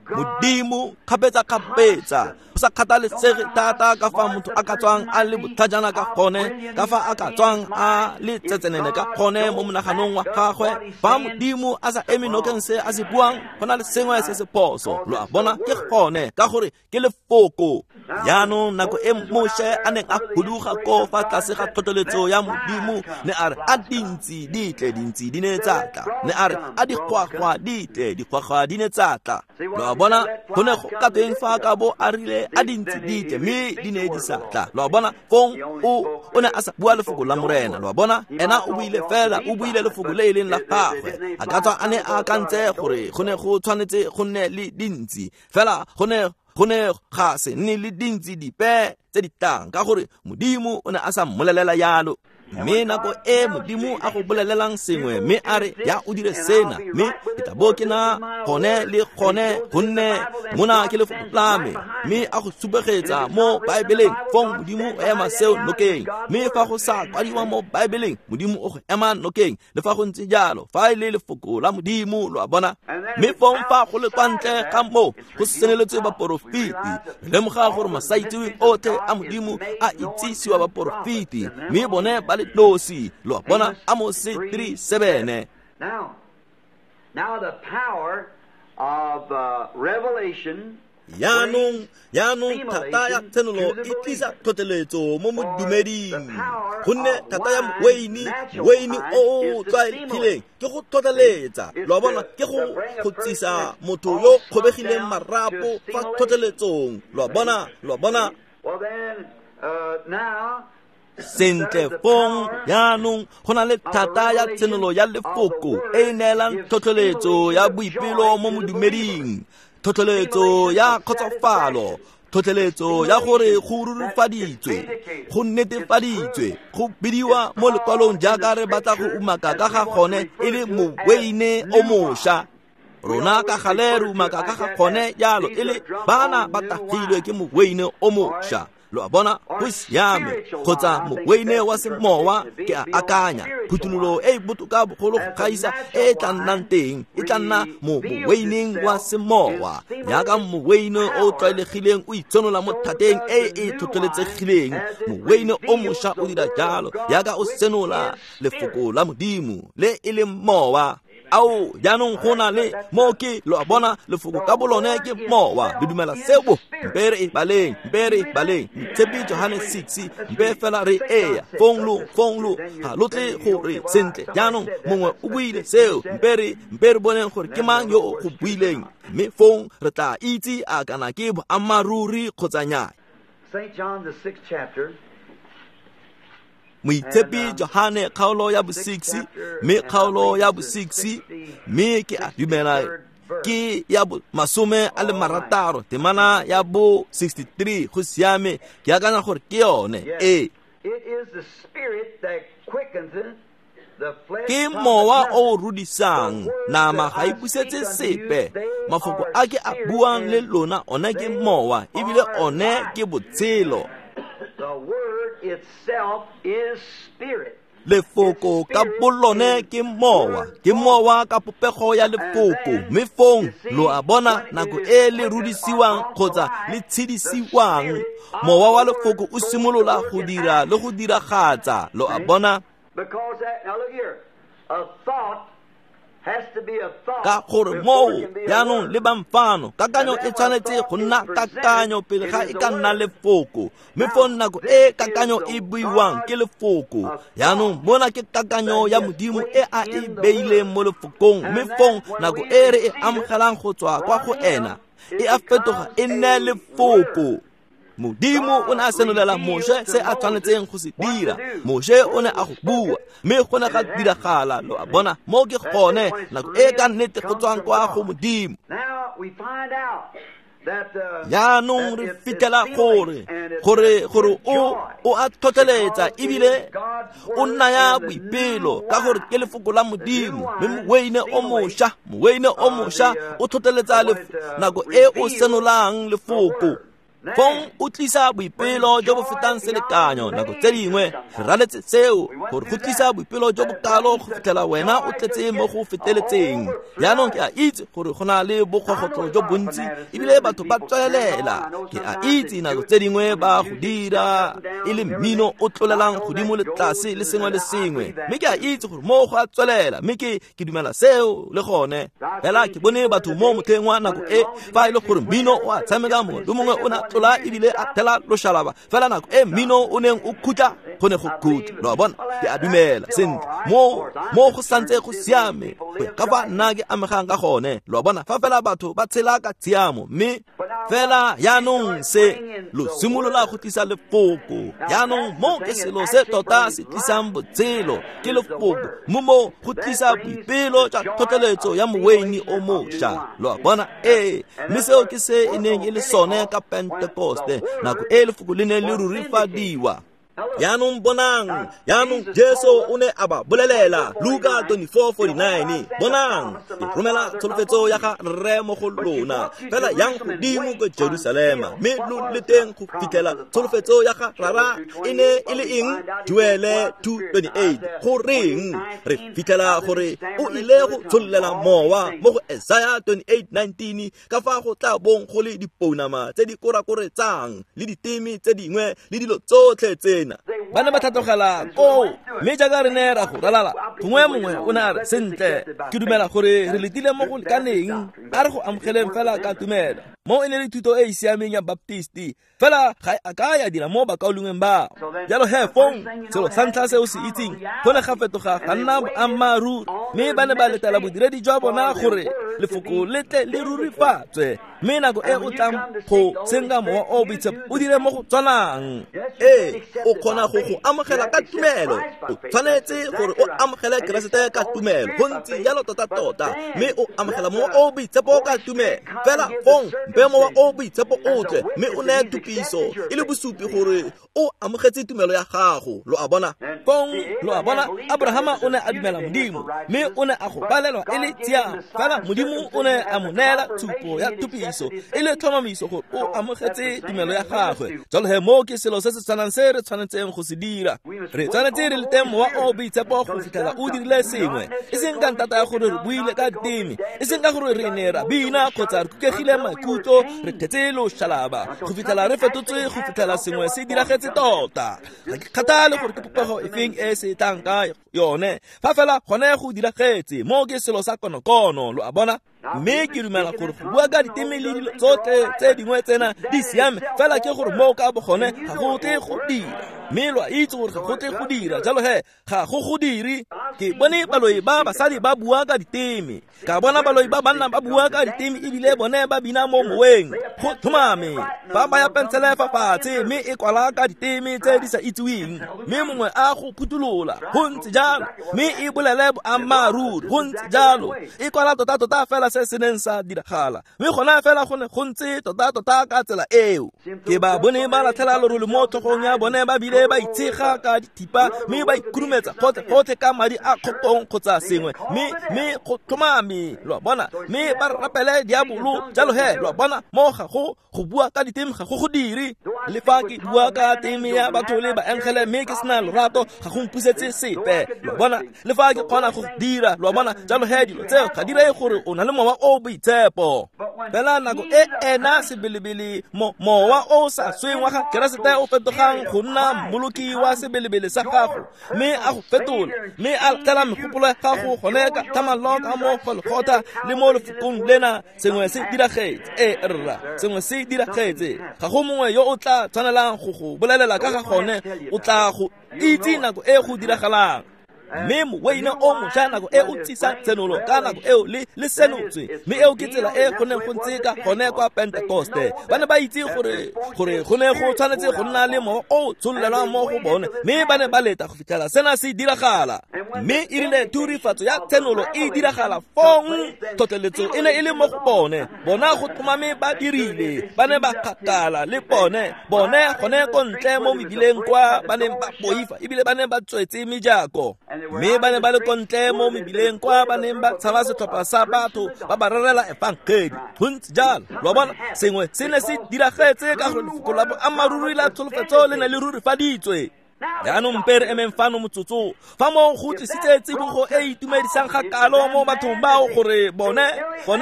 Modimo kgapetsa-kgapetsa, go sa kgathalesege thata ka fa motho a ka tswang a le botlhajana ka gone, ka fa a ka tswang a le tsetsenene ka gone mo monaganong wa gagwe, fa Modimo a sa eme nokeng se a se buang, go na le sengwe se se phoso. Lo a bona, ke gone, ka gore ke lefoko. Jaanong nako e Moshe a neng a huduga ko fa tlase ga tlhotlheletso ya Modimo, ne a re a dintsi di tle, dintsi di ne tsa tla. Ne a re a digwagwa di tle, digwagwa di ne tsa tla. Lo a bona, go ne go ka tweng fa ka bo a rile a dintsi di tle, mme di ne di sa tla. Lo a bona, fong o ne a sa bua lefoko la Morena. Lo a bona, ena o buile fela, o buile lefoko le e leng la gagwe. A ka tswa a ne a akantse gore go ne go tshwanetse go nne le dintsi, fela go ne ga se nne le dintsi dipe tse di tlang, ka gore Modimo o ne a sa mmolelela yalo. Mme nako e Modimo a go bolelelang sengwe, mme a re ya o dire sena, mme ke tla bo ke na gone le gone, gonne mona ke lefoko la me, mme a go supegetsa mo Baebeleng, fong Modimo o ema seo nokeng. Mme fa go sa kwadiwa mo Baebeleng, Modimo o go ema nokeng. Le fa go ntse jalo, fa e le lefoko la Modimo. Lo a bona, mme fong fa go le kwa ntle ga moo go seneletswe baporofeti, re lemoga gore masaitseweng otlhe a Modimo a itsisiwa baporofeti, mme bone ba le nosi. Lo a bona, Amose 3:7. Now the power of revelation. Jaanong thata ya tshenolo e tlisa tlhotlheletso mo modumeding, gonne thata ya moweine o o tlwaelegileng ke go tlhotlheletsa. Lo a bona, ke go tsisa motho yo kgobegileng marapo fa tlhotlheletsong. Lo a bona. Sentle fong jaanong go na le thata ya tshenolo ya lefoko e e neelang tlhotlheletso ya boipelo mo modumeding, tlhotlheletso ya kgotsofalo, tlhotlheletso ya gore go rurifaditswe, go netefaditswe, go bidiwa mo lekwalong jaaka re batla go umaka ka ga gone e le moweine o mošwa. Rona ka gale re umaka ka ga gone jalo e le bana ba tagilwe ke moweine o mošwa. Lo a bona, go siame. Kgotsa moweine wa semowa, ke a akanya phuthololo e e botoka bogolo go gaisa e e tla nnang teng e tla nna mo moweineng wa semowa, jaaka moweine o tlwaelegileng o itshenola mo thateng e e tlhotlheletsegileng. Moweine o mošwa o dira jalo, jaaka o senola lefoko la Modimo le e leng mowa. Ao, jaanong go na le mo ke, lo a bona, lefoko ka bolone ke mowa. Le dumela seo? Mpe re e baleng, Moitshepi Johane 6, mpe fela re eya fong lo ga lo tle gore sentle. Jaanong mongwe o buile seo, mpe re boneng gore ke mang yo o go buileng, mme fong re tla itse a kana ke boammaaruri kgotsa nnyaa. St. John the 6th chapter. Moitshepi Johane kgaolo ya bo-6, mme kgaolo ya bo-6, mme ke a dumela ke ya 60, temana ya bo-63. Go siame, ke akanya gore ke yone. Ee, ke mowa o rudisang, nama ga e busetse sepe. Mafoko a ke a buang le lona one ke mowa, ebile one ke botshelo. The word itself is spirit. Lefoko ka bolone ke mowa ka popego ya lefoko, mme fong lo a bona nako e le rudisiwang kgotsa le tshedisiwang, mowa wa lefoko o simolola go dira le go diragatsa, lo a bona. Ka gore moo jaanong le bamfano, kakanyo e tshwanetse go nna kakanyo pele ga e ka nna lefoko, mme fong nako e kakanyo e buiwang ke lefoko. Jaanong mona ke kakanyo ya Modimo e a e beileng mo lefokong, mme fong nako e re e amogelang go tswa kwa go ena e a fetoga e nne lefoko. Modimo o ne a senolela Moshe se a tshwanetseng go se dira. Moshe o ne a go bua, mme go ne ga diragala, lo a bona. Mo ke gone nako e ka nnete go tswang kwa go Modimo. Jaanong re fitlhela gore o a tlhotlheletsa ebile o naya boipelo ka gore ke lefoko la Modimo, mme moweine o mošwa o tlhotlheletsa nako e o senolang lefoko. Fong o tlisa boipelo jo bo fetang selekanyo. Nako tse dingwe re raletse seo gore go tlisa boipelo jo bokalo go fitlhela wena o tletse mo go feteletseng. Jaanong ke a itse gore go na le bokgogotlo jo bontsi ebile batho ba tswelela. Ke a itse nako tse dingwe ba go dira e le mmino o tlolelang godimo le tlase le sengwe le sengwe, mme ke a itse gore mo go a tswelela, mme ke dumela seo le gone. Fela ke bone batho mo motlheng wa nako e fa e le gore mmino o a tshameka, mongwe le mongwe o ne a tlola ebile a thela loshalaba, fela nako e mmino o neng o khutla go ne go khutla, lo a bona. Ke a dumela sentle mo go santse go siame go ya ka fa nna ke amegang ka gone, lo a bona, fa fela batho ba tshela ka tshiamo. Mme fela jaanong se lo simolola go tlisa lefoko. Jaanong mo ke selo se tota se tlisang botshelo, ke lefoko, mo mo go tlisa boipelo jwa tlhotlheletso ya moweine o mošwa, lo a bona. Ee, mme seo ke se e neng e le sone ka Pentekoste, nako e lefoko le neng le rurifadiwa. Jaanong bonang, jaanong Jesu o ne a ba bolelela, Luka 24:49, bonang, ke romela tsholofetso ya ga Rre mo go lona, fela yang godimo ko Jerusalema, mme lo leteng go fitlhela tsholofetso ya ga Rara e ne e le eng? Joele 2:28. Goreng re fitlhela gore o ile go tshollela mowa mo go Isaiah 28:19, ka fa go tla bong go le dipounama tse di korakoretsang le diteme tse dingwe le dilo tsotlhe tsena. Ba ne ba tlhatlogela koo, mme jaaka re ne ra go ralala, gongwe mongwe o ne a re, sentle, ke dumela gore re letile mo go lekaneng, a re go amogeleng fela ka tumelo. Mo e ne le thuto e e siameng ya Baptisti, fela ga e a ka ya dira mo bakaulengweng bao. Jalo he fong, selo sa ntlha se o se itseng, go ne ga fetoga ga nna boammaaruri, mme ba ne ba letela bodiredi jwa bona gore lefoko le tle le rurifatswe. Mme nako e o tlang go senka mowa o boitshepo o dire mo go tshwanang. Ee, o kgona go go amogela ka tumelo. O tshwanetse gore o amogele Keresete ka tumelo, go ntse jalo tota-tota, mme o amogela mowa o boitshepo ka tumelo. Fela fong mpe mowa o boitshepo o tle, mme o neye tupiso e le bosupi gore o amogetse tumelo ya gago, lo a bona. Fong lo a bona, Abrahama o ne a dumela Modimo, mme o ne a go balelwa e le tshiamo. Fela Modimo o ne a mo neela tshupo ya tupiso e le tlhomamiso gore o amogetse tumelo ya gagwe. Jalo he mo ke selo se se tshwanang se re tshwanetseng go se dira. Re tshwanetse re lete mowa o boitshepo go fitlhela o dirile sengwe, e seng ka ntata ya gore re buile ka diteme, e seng ka gore re ne ra bina kgotsa re kukegile maikutlo, re thetse loshalaba, go fitlhela re fetotswe, go fitlhela sengwe se diragetse tota. Ga ke kgathale gore ke popego efeng e se tlang ka yone, fa fela gone go diragetse, mo ke selo sa konokono, lo a bona. Mme ke dumela gore go bua ka diteme le dilo tsotlhe tse dingwe tsena di siame, fela ke gore mo ka bogone ga go tle go dira. Mme lo a itse gore ga go tle go dira, jalo he ga go go dire. Ke bone baloi ba basadi ba bua ka diteme, ka bona baloi ba banna ba bua ka diteme, ebile bone ba bina mo moweng. Go tlhomame, ba baya pensele fa fatshe mme e kwala ka diteme tse di sa itsiweng, mme mongwe a go phuthulola, go ntse jalo, mme e bolele boammaaruri, go ntse jalo, e kwala tota-tota fela se se neng sa diragala, mme gona fela go ne go ntse tota-tota ka tsela eo. Ke ba bone ba latlhela lorole mo tlhogong ya bone, ba bile ba itshega ka dithipa, mme ba ikhurumetsa gotlhe-gotlhe ka madi a kgopong kgotsa sengwe, mme go tlhomame, lo a bona, mme ba rapele diabolo. Jalo he, lo a bona, mo ga go bua ka diteme ga go go dire. Le fa ke bua ka teme ya batho le baengele mme ke sena lorato, ga go mpusetse sepe, lo a bona. Le fa ke kgona go dira, lo a bona. Jalo he, dilo tseo ga di reye gore o na le mowa o boitshepo. Fela nako e ena sebelebele mowa o sa sweng wa ga Keresete o fetogang go nna mmoloki wa sebelebele sa gago, mme a go fetola, mme a tlela megopolo ya gago gone ka tlhamallo ka mo Golgotha le mo lefokong lena, sengwe se diragetse. Ee rra, sengwe se diragetse. Ga go mongwe yo o tla tshwanelang go go bolelela ka ga gone, o tla go itse nako e go diragalang. Mme moweine o mošwa nako e o tsisa tshenolo ka nako eo le senotswe, mme eo ke tsela e go neng go ntse ka gone kwa Pentekoste. Ba ne ba itse gore go ne go tshwanetse go nna le mowa o tshololelwang mo go bone, mme ba ne ba leta go fitlhela sena se diragala. Mme e rile thurifatso ya tshenolo e diragala, fong tlhotlheletso e ne e le mo go bone. Bona go tlhomame ba dirile, ba ne ba kgakala le bone gone ko ntle mo mebileng kwa ba neng ba boifa, ebile ba ne ba tswetse mejako. Mme ba ne ba le ko ntle mo mebileng kwa ba neng ba tshaba setlhopha sa batho ba ba rerela efangedi. Go ntse jalo, lo a bona, sengwe se ne se diragetse ka gore lefoko la boammaaruri la tsholofetso le ne le rurifaditswe. Jaanong mpe re emeng fano motsotso, fa moo go tlisitse tsibogo e itumedisang ga kalo mo bathong bao gore bone go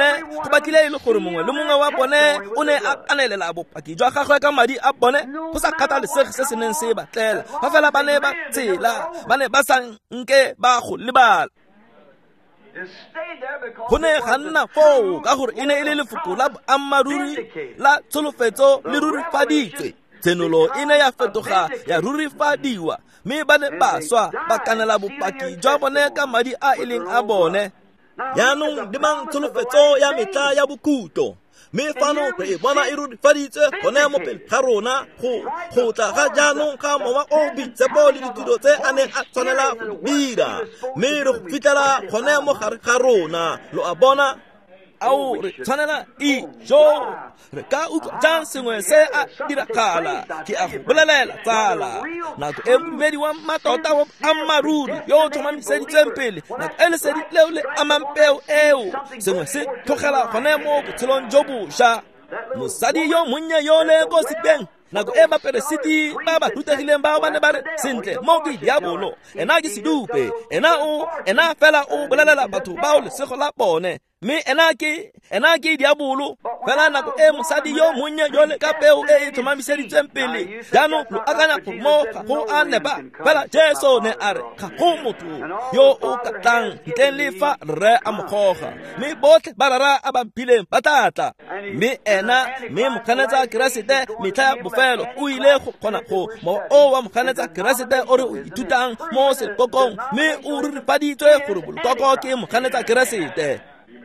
batlile e le gore mongwe le mongwe wa bone o ne a kanelela bopaki jwa gagwe ka madi a bone, go sa kgathalesege se se neng se batlela, fa fela ba ne ba tsela, ba ne ba sa nke ba go lebala. Go ne ga nna foo ka gore e ne e le lefoko la boammaaruri la tsholofetso le rurifaditswe. Tshenolo e ne ya fetoga ya rurifadiwa, mme ba ne ba swa ba kanela bopaki jwa bone ka madi a e leng a bone. Jaanong lemang tsholofetso ya metlha ya bokhutlo, mme fano re e bona e rurifaditswe gone mo pele ga rona, go tla ga jaanong ga mowa o boitshepo le ditiro tse a neng a tshwanela go dira, mme re go fitlhela gone mo gare ga rona, lo a bona. Ao re tshwanela ijo, re ka utlwa jang sengwe se a diragala? Ke a go bolelela tsala, nako e modumedi wa mmatota wa boammaaruri yo o tlhomamiseditsweng pele, nako e lesedi leo le amang peo eo, sengwe se tlogela gone mo botshelong jo bošwa. Mosadi yo monnye yole ko sedibeng, nako e baperesiti ba ba rutegileng bao ba ne ba re, sentle, mo ke diabolo, ena ke sedupe, ena fela o bolelela batho bao lesego la bone, mme ena ke diabolo. Fela nako e mosadi yo monnye yole ka peo e e tlhomamiseditsweng pele, jaanong lo akanya gore mo ga go a nepa, fela Jesu ne a re ga go motho yo o ka tlang ntleng le fa rre a mo goga, mme botlhe ba rara a ba mphileng ba tla tla. Mme ena, mme moganetsa Keresete metlha ya bofelo o ile go kgona go mowa o wa moganetsa Keresete o re o ithutang mo sekokong, mme o rurifaditswe gore bolokoko ke moganetsa Keresete.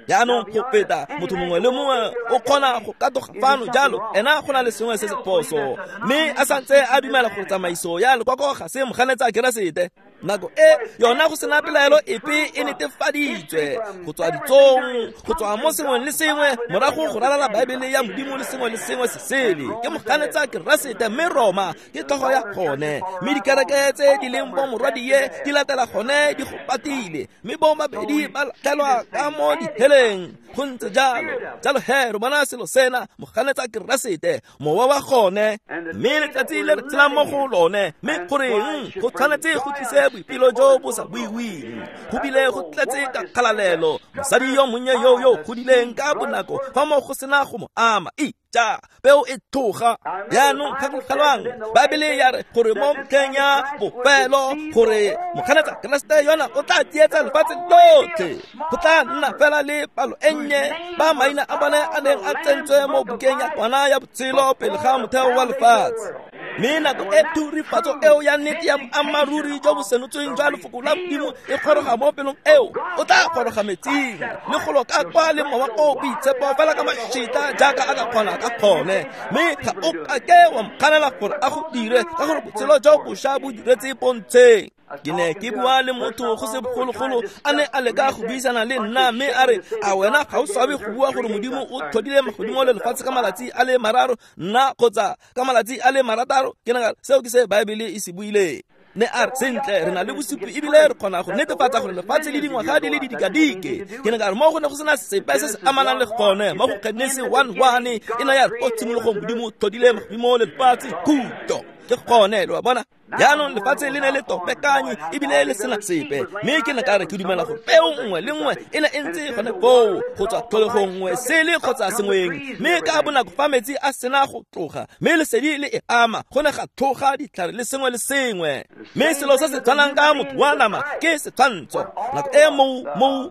Jaanong go feta motho mongwe le mongwe o kgona go katoga fano jalo, ena go na le sengwe se se phoso, mme a santse a dumela gore tsamaiso ya lekoko ga se moganetsa Keresete. Nako e yona go sena pelaelo epe e netefaditswe go tswa ditsong, go tswa mo sengweng le sengwe, morago go ralala Baebele ya Modimo le sengwe le sengwe se sele, ke moganetsa Keresete. Mme Roma ke tlhogo ya gone, mme dikereke tse di leng bo morwadie di latela gone di go patile, mme bo mabedi ba latlhelwa ka mo diheleng. Go ntse jalo. Jalo he, re bona selo sena, moganetsa Keresete, mowa wa gone, mme letsatsi le re tshelang mo go lone. Mme goreng go tshwanetse go tlise boipelo jo bo sa buiweng, go bile go tletse ka kgalalelo. Mosadi yo monnye yo godileng ka bonako fa mo go sena go mo ama, ja peo e tloga. Jaanong gakologelwang, Baebele ya re gore mo metlheng ya bofelo gore moganetsa Keresete yona o tla tsietsa lefatshe lotlhe. Go tla nna fela le palo e nnye ba maina a bone a neng a tsentswe mo bukeng ya kwana ya botshelo pele ga motheo wa lefatshe. Mme nako e thurifatso eo ya nnete ya boammaaruri jo bo senotsweng jwa lefoko la Modimo e kgoroga mo pelong eo, o tla kgoroga metsing le golo ka kwa le mowa o boitshepo fela ka mashita jaaka a ka kgona ka gone, mme ga o kake wa mokganela gore a go dire, ka gore botshelo jo bošwa bo diretse pontsheng. Ke ne ke bua le motho go se bogologolo, a ne a leka go buisana le nna, mme a re, a wena ga o swabe go bua gore Modimo o tlhodile magodimo le lefatshe ka malatsi a le mararo, nna kgotsa ka malatsi a le marataro? Ke nagana seo ke se Baebele e se buileng. Ne a re sentle re na le bosupi ebile re kgona go netefatsa gore lefatshe le dingwaga di le didikadike. Ke ne ka re mo go ne go sena sepe se se amanang le gone mo go Genesi 1:1 e ne ya re ko tshimologong Modimo o tlhodile magodimo le lefatshe khutlo. Ke gone lo a bona. Jaanong lefatshe le ne le topekanye ebile le sena sepe, mme ke ne ka re ke dumela gore peo nngwe le nngwe e ne e ntse gone foo go tswa tlholegong nngwe sele kgotsa sengweng, mme ka bonako fa metsi a sena go tloga mme lesedi le e ama go ne ga tlhoga ditlhare le sengwe le sengwe. Mme selo se se tshwanang ka motho wa nama ke setshwantsho. Nako e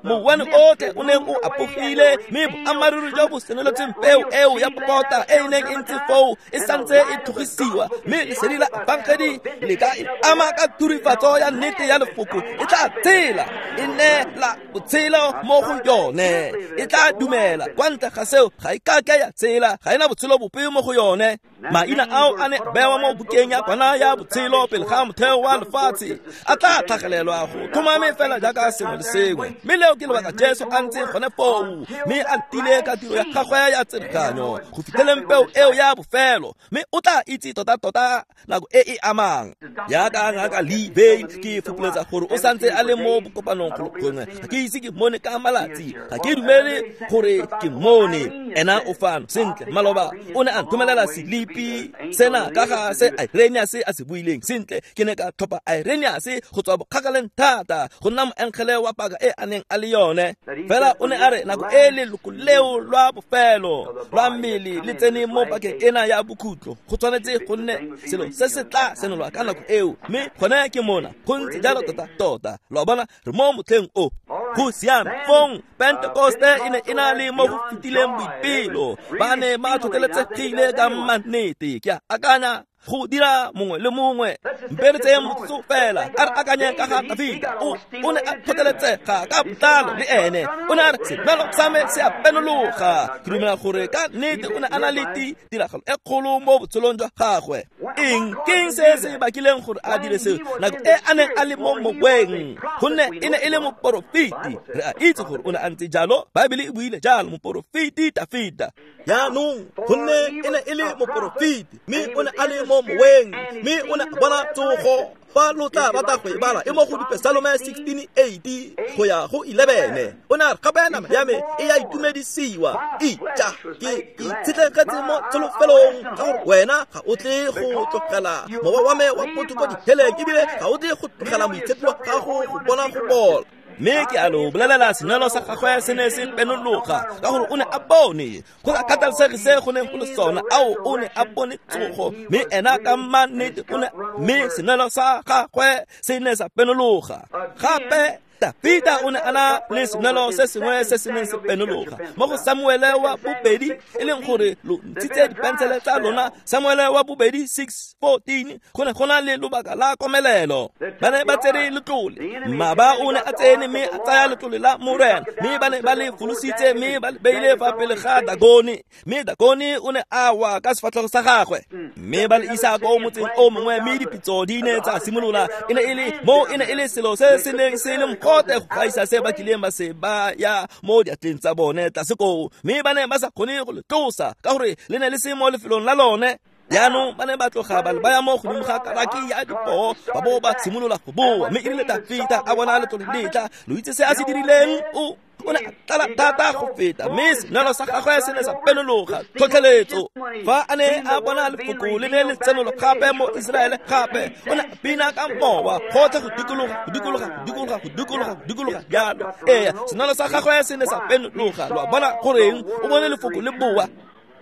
mouwane otlhe o neng o apogile, mme boammaaruri jo bo senoletseng peo eo ya popota e e neng e ntse foo e santse e tlhogisiwa, mme lesedi la efangedi le ka e ama ka turifatso ya nnete ya lefoko, e tla tshela, e neela botshelo mo go yone, e tla dumela. Kwa ntle ga seo ga e kake ya tshela, ga ena botshelo bope mo go yone. Maina ao a ne bewa mo bukeng ya kwana ya botshelo pele ga motheo wa lefatshe, a tla tlhagelelwa go tlhomame fela jaaka sengwe le sengwe. Mme leo ke lebaka Jesu a ntse gone foo, mme a letile ka tiro ya gagwe ya tsereganyo go fitlheleng peo eo ya bofelo, mme o tla itse tota-tota nako e e amang. Jaaka ngaka Lee Vayle, ke fopoletsa gore o santse a le mo bokopanong golo gongwe. Ga ke ise ke mmone ka malatsi, ga ke dumele gore ke mmone. Ena o fano sentle. Maloba o ne a nthomelela selipi sena ka ga se Irenaeus a se buileng. Sentle, ke ne ka tlhopha Irenaeus go tswa bokgakaleng thata go nna moengele wa paka e a neng a le yone. Fela o ne a re nako e leloko leo lwa bofelo lwa mmele le tsene mo pakeng ena ya bokhutlo, go tshwanetse go nne selo se se tla senolwa ka nako eo, mme gone ke mona go ntse jalo tota-tota. Lo a bona, re mo motlheng o. Go siame. Fong Pentekoste e ne e na le mo go fetileng boipelo, ba ne ba tlhotlheletsegile ka mannete. Ke a akanya go dira mongwe le mongwe. Mpe re tseye motsotso fela a re akanye ka ga Dafita. O ne a tlhotlheletsega ka botlalo le ene. O ne a re senwelo sa me se a penologa. Ke dumela gore ka nnete o ne a na le tiragalo e kgolo mo botshelong jwa gagwe. Eng ke eng se se bakileng gore a dire seo nako e a neng a le mo moweng? Gonne e ne e le moporofeti. Re a itse gore o ne a ntse jalo, Baebele e buile jalo, moporofeti Dafita. Jaanong gonne e ne e le moporofeti, mme o ne a le mo moweng, mme o ne a bona tsogo. Fa lo tla rata go e bala e mo go Dipesalome 16:8 go ya go 11. O ne a re gape nama ya me e ya itumedisiwa, ija ke itshetlegetse mo tsholofelong, ka gore wena ga o tle go tlogela mowa wa me wa botho ko diheleng, ebile ga o tle go tlogela moitshepi wa gago go bona go bola. Mme ke a lo bolelela, senwelo sa gagwe se ne se penologa ka gore o ne a bone go sa kgathalesege se go neng go le sona. Ao, o ne a bone tsogo, mme ena ka mannete o ne, mme senwelo sa gagwe se ne sa penologa. Gape Dafita o ne a na le senwelo se sengwe se se neng se penologa mo go Samuele wa bobedi, e leng gore lo ntshitse dipensele tsa lona. Samuele wa bobedi 6:14, go ne go na le lobaka la komelelo. Ba ne ba tsere letlole, mmaba o ne a tsene mme a tsaya letlole la Morena, mme ba ne ba le folositse mme ba le beile fa pele ga Dagone, mme Dagone o ne a wa ka sefatlhego sa gagwe, mme ba le isa ko motseng o mongwe, mme dipitso di ne tsa simolola. E ne e le mo, e ne e le selo se se neng se le go gaisa se ba kileng ba se ba ya mo diatleng tsa bone tlase koo, mme ba ne ba sa kgone go le tlosa ka gore le ne le se mo lefelong la lone. Jaanong ba ne ba tloga ba le baya mo godimo ga karaki ya dipoo, ba bo ba simolola go boa. Mme erile Dafita a bona letlole le tla, lo itse se a se dirileng? O ne a tlala thata go feta, mme senwelo sa gagwe se ne sa penologa. Tlhotlheletso. Fa a ne a bona lefoko le ne le tsenolo gape mo Iseraele gape, o ne a bina ka mowa gotlhe go dikologa, go dikologa, go dikologa, go dikologa, go dikologa jalo. Ee, senwelo sa gagwe se ne sa penologa. Lo a bona goreng? O bone lefoko le boa.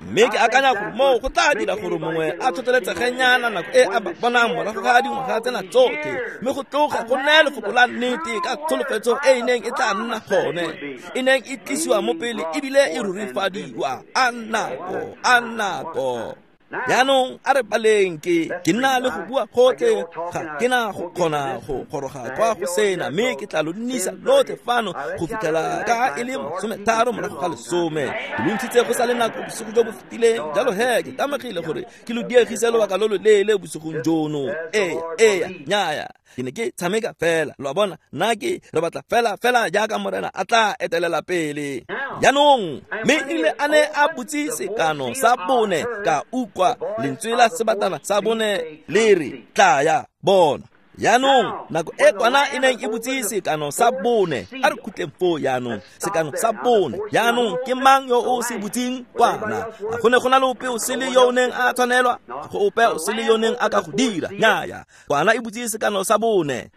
Mme ke akanya gore moo go tla dira gore mongwe a tlhotlheletsegenyana nako e a ba bonang morago ga dingwaga tsena tsotlhe, mme go tloga go nne lefoko la nnete ka tsholofetso e e neng e tla nna gone, e neng e tlisiwa mo pele ebile e rurifadiwa. A nako, a nako. Jaanong a re baleng, ke nna le go bua gotlhe, ga ke na go kgona go goroga kwa go sena, mme ke tla lo nnisa lotlhe fano go fitlhela ka e le 9:30. Ke lo ntshitse go sa le nako bosigo jo bo fetileng, jalo he ke tamegile gore ke lo diegise lobaka lo lo leele bosigong jono. Ee, nnyaya, ke ne ke tshameka fela. Lo a bona, nna ke re batla fela fela jaaka Morena a tla etelela pele. Jaanong mme erile a ne a butse sekano sa bone, ka utlwa lentswe la sebatana sa bone le re, tlaya bona. Jaanong nako e kwana e neng e butse sekano sa bone, a re khutleng foo jaanong, sekano sa bone. Jaanong ke mang yo o se butseng kwana? A go ne go na le ope o sele yo o neng a tshwanelwa? Ga go ope o sele yo o neng a ka go dira. Nnyaya, kwana e butse sekano sa bone.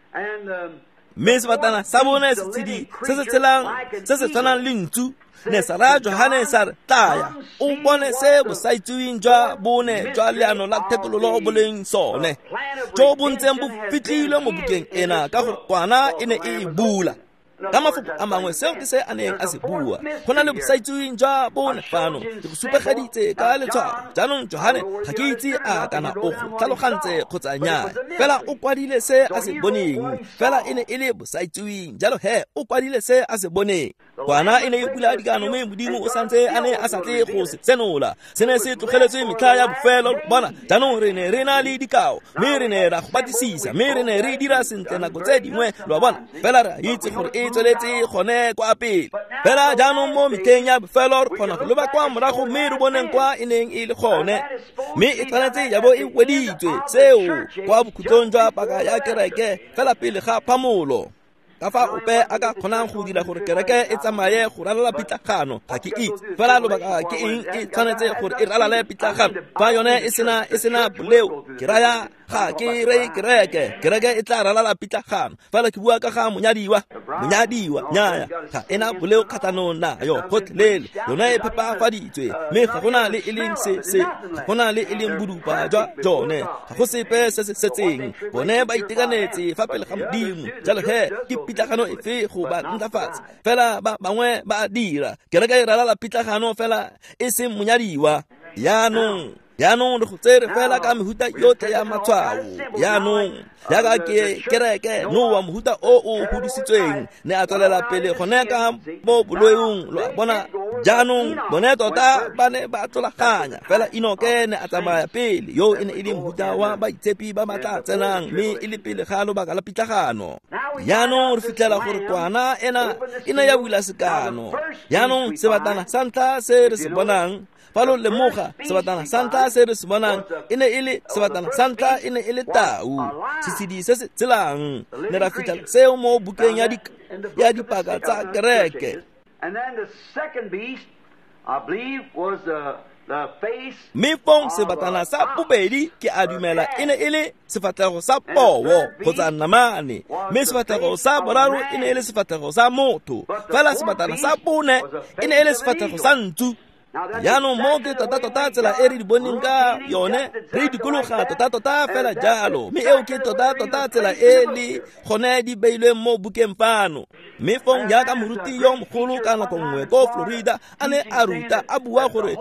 Mme sebatana sa bone setshedi se se tshelang se se tshwanang le ntsu ne sa raya Johane sa re, tlaya o bone se bosaitseweng jwa bone jwa leano la thekololo bo leng sone, jo bo ntseng bo fitlhilwe mo bukeng ena, ka gore kwana e ne e e bula. Ka mafoko a mangwe, seo ke se a neng a se bua. Go na le bosaitseweng jwa bone fano, ke go supegeditse ka letshwao. Jaanong Johane ga ke itse a kana o go tlhalogantse kgotsa nnyaa, fela o kwadile se a se boneng, fela e ne e le bosaitseweng, jalo he o kwadile se a se boneng. Kwana e ne e bula dikano, mme Modimo o santse a ne a sa tle go se senola. Se ne se tlogeletswe metlha ya bofelo. Bona, jaanong re ne re na le dikao, mme re ne ra go batlisisa, mme re ne re dira sentle nako tse dingwe, lo a bona, fela re a itse gore e tsweletse gone kwa pele. Fela jaanong mo metlheng ya bofelo re kgona go leba kwa morago mme re boneng kwa e neng e le gone, mme e tshwanetse ya bo e weditswe seo kwa bokhutlong jwa paka ya kereke, fela pele ga phamolo. Ka fa ope a ka kgonang go dira gore kereke e tsamaye go ralala pitlagano, ga ke itse. Fela lobaka ke eng e tshwanetse gore e ralale pitlagano fa yone e sena boleo? Ke raya ga ke reye kereke, kereke e tla ralala pitlagano, fela ke bua ka ga monyadiwa. Monyadiwa, nnyaya, ga ena boleo kgatlhanong nayo gotlhelele, yone e phepafaditswe, mme ga gona le e leng se ga gona le e leng bodupa jwa jone, ga go sepe se se setseng. Bone ba itekanetse fa pele ga Modimo, jalo he ke pitlagano efe go ba ntlafatsa? Fela ba bangwe ba dira kereke e ralala pitlagano, fela e seng monyadiwa. Jaanong re go tsere fela ka mehuta yotlhe ya matshwao. Jaanong jaaka ke kereke Noa, mohuta o o godisitsweng, ne a tswelela pele gone ka mo boloeng, lo a bona. Jaanong bone tota ba ne ba tlolaganya, fela Enoke ne a tsamaya pele, yo e ne e le mohuta wa baitshepi ba ba tla tsenang, mme e le pele ga lobaka la pitlagano. Jaanong re fitlhela gore kwana ena e ne ya bula sekano. Jaanong sebatana sa ntlha se re se bonang, fa lo lemoga, sebatana sa ntlha se re se bonang e ne e le sebatana sa ntlha e ne e le tau, setshedi se se tshelang. Ne ra fitlhela seo mo bukeng ya dipaka tsa kereke. Mme fong sebatana sa bobedi ke a dumela e ne e le sefatlhego sa poo kgotsa namane, mme sefatlhego sa boraro e ne e le sefatlhego sa motho, fela sebatana sa bone e ne e le sefatlhego sa ntsu. Jaanong mo ke tota-tota tsela e re di boneng ka yone, re dikologa tota-tota fela jalo, mme eo ke tota-tota tsela e le gone di beilweng mo bukeng fano. Mme fong jaaka moruti yo mogolo ka nako nngwe ko Florida a ne a ruta a bua gore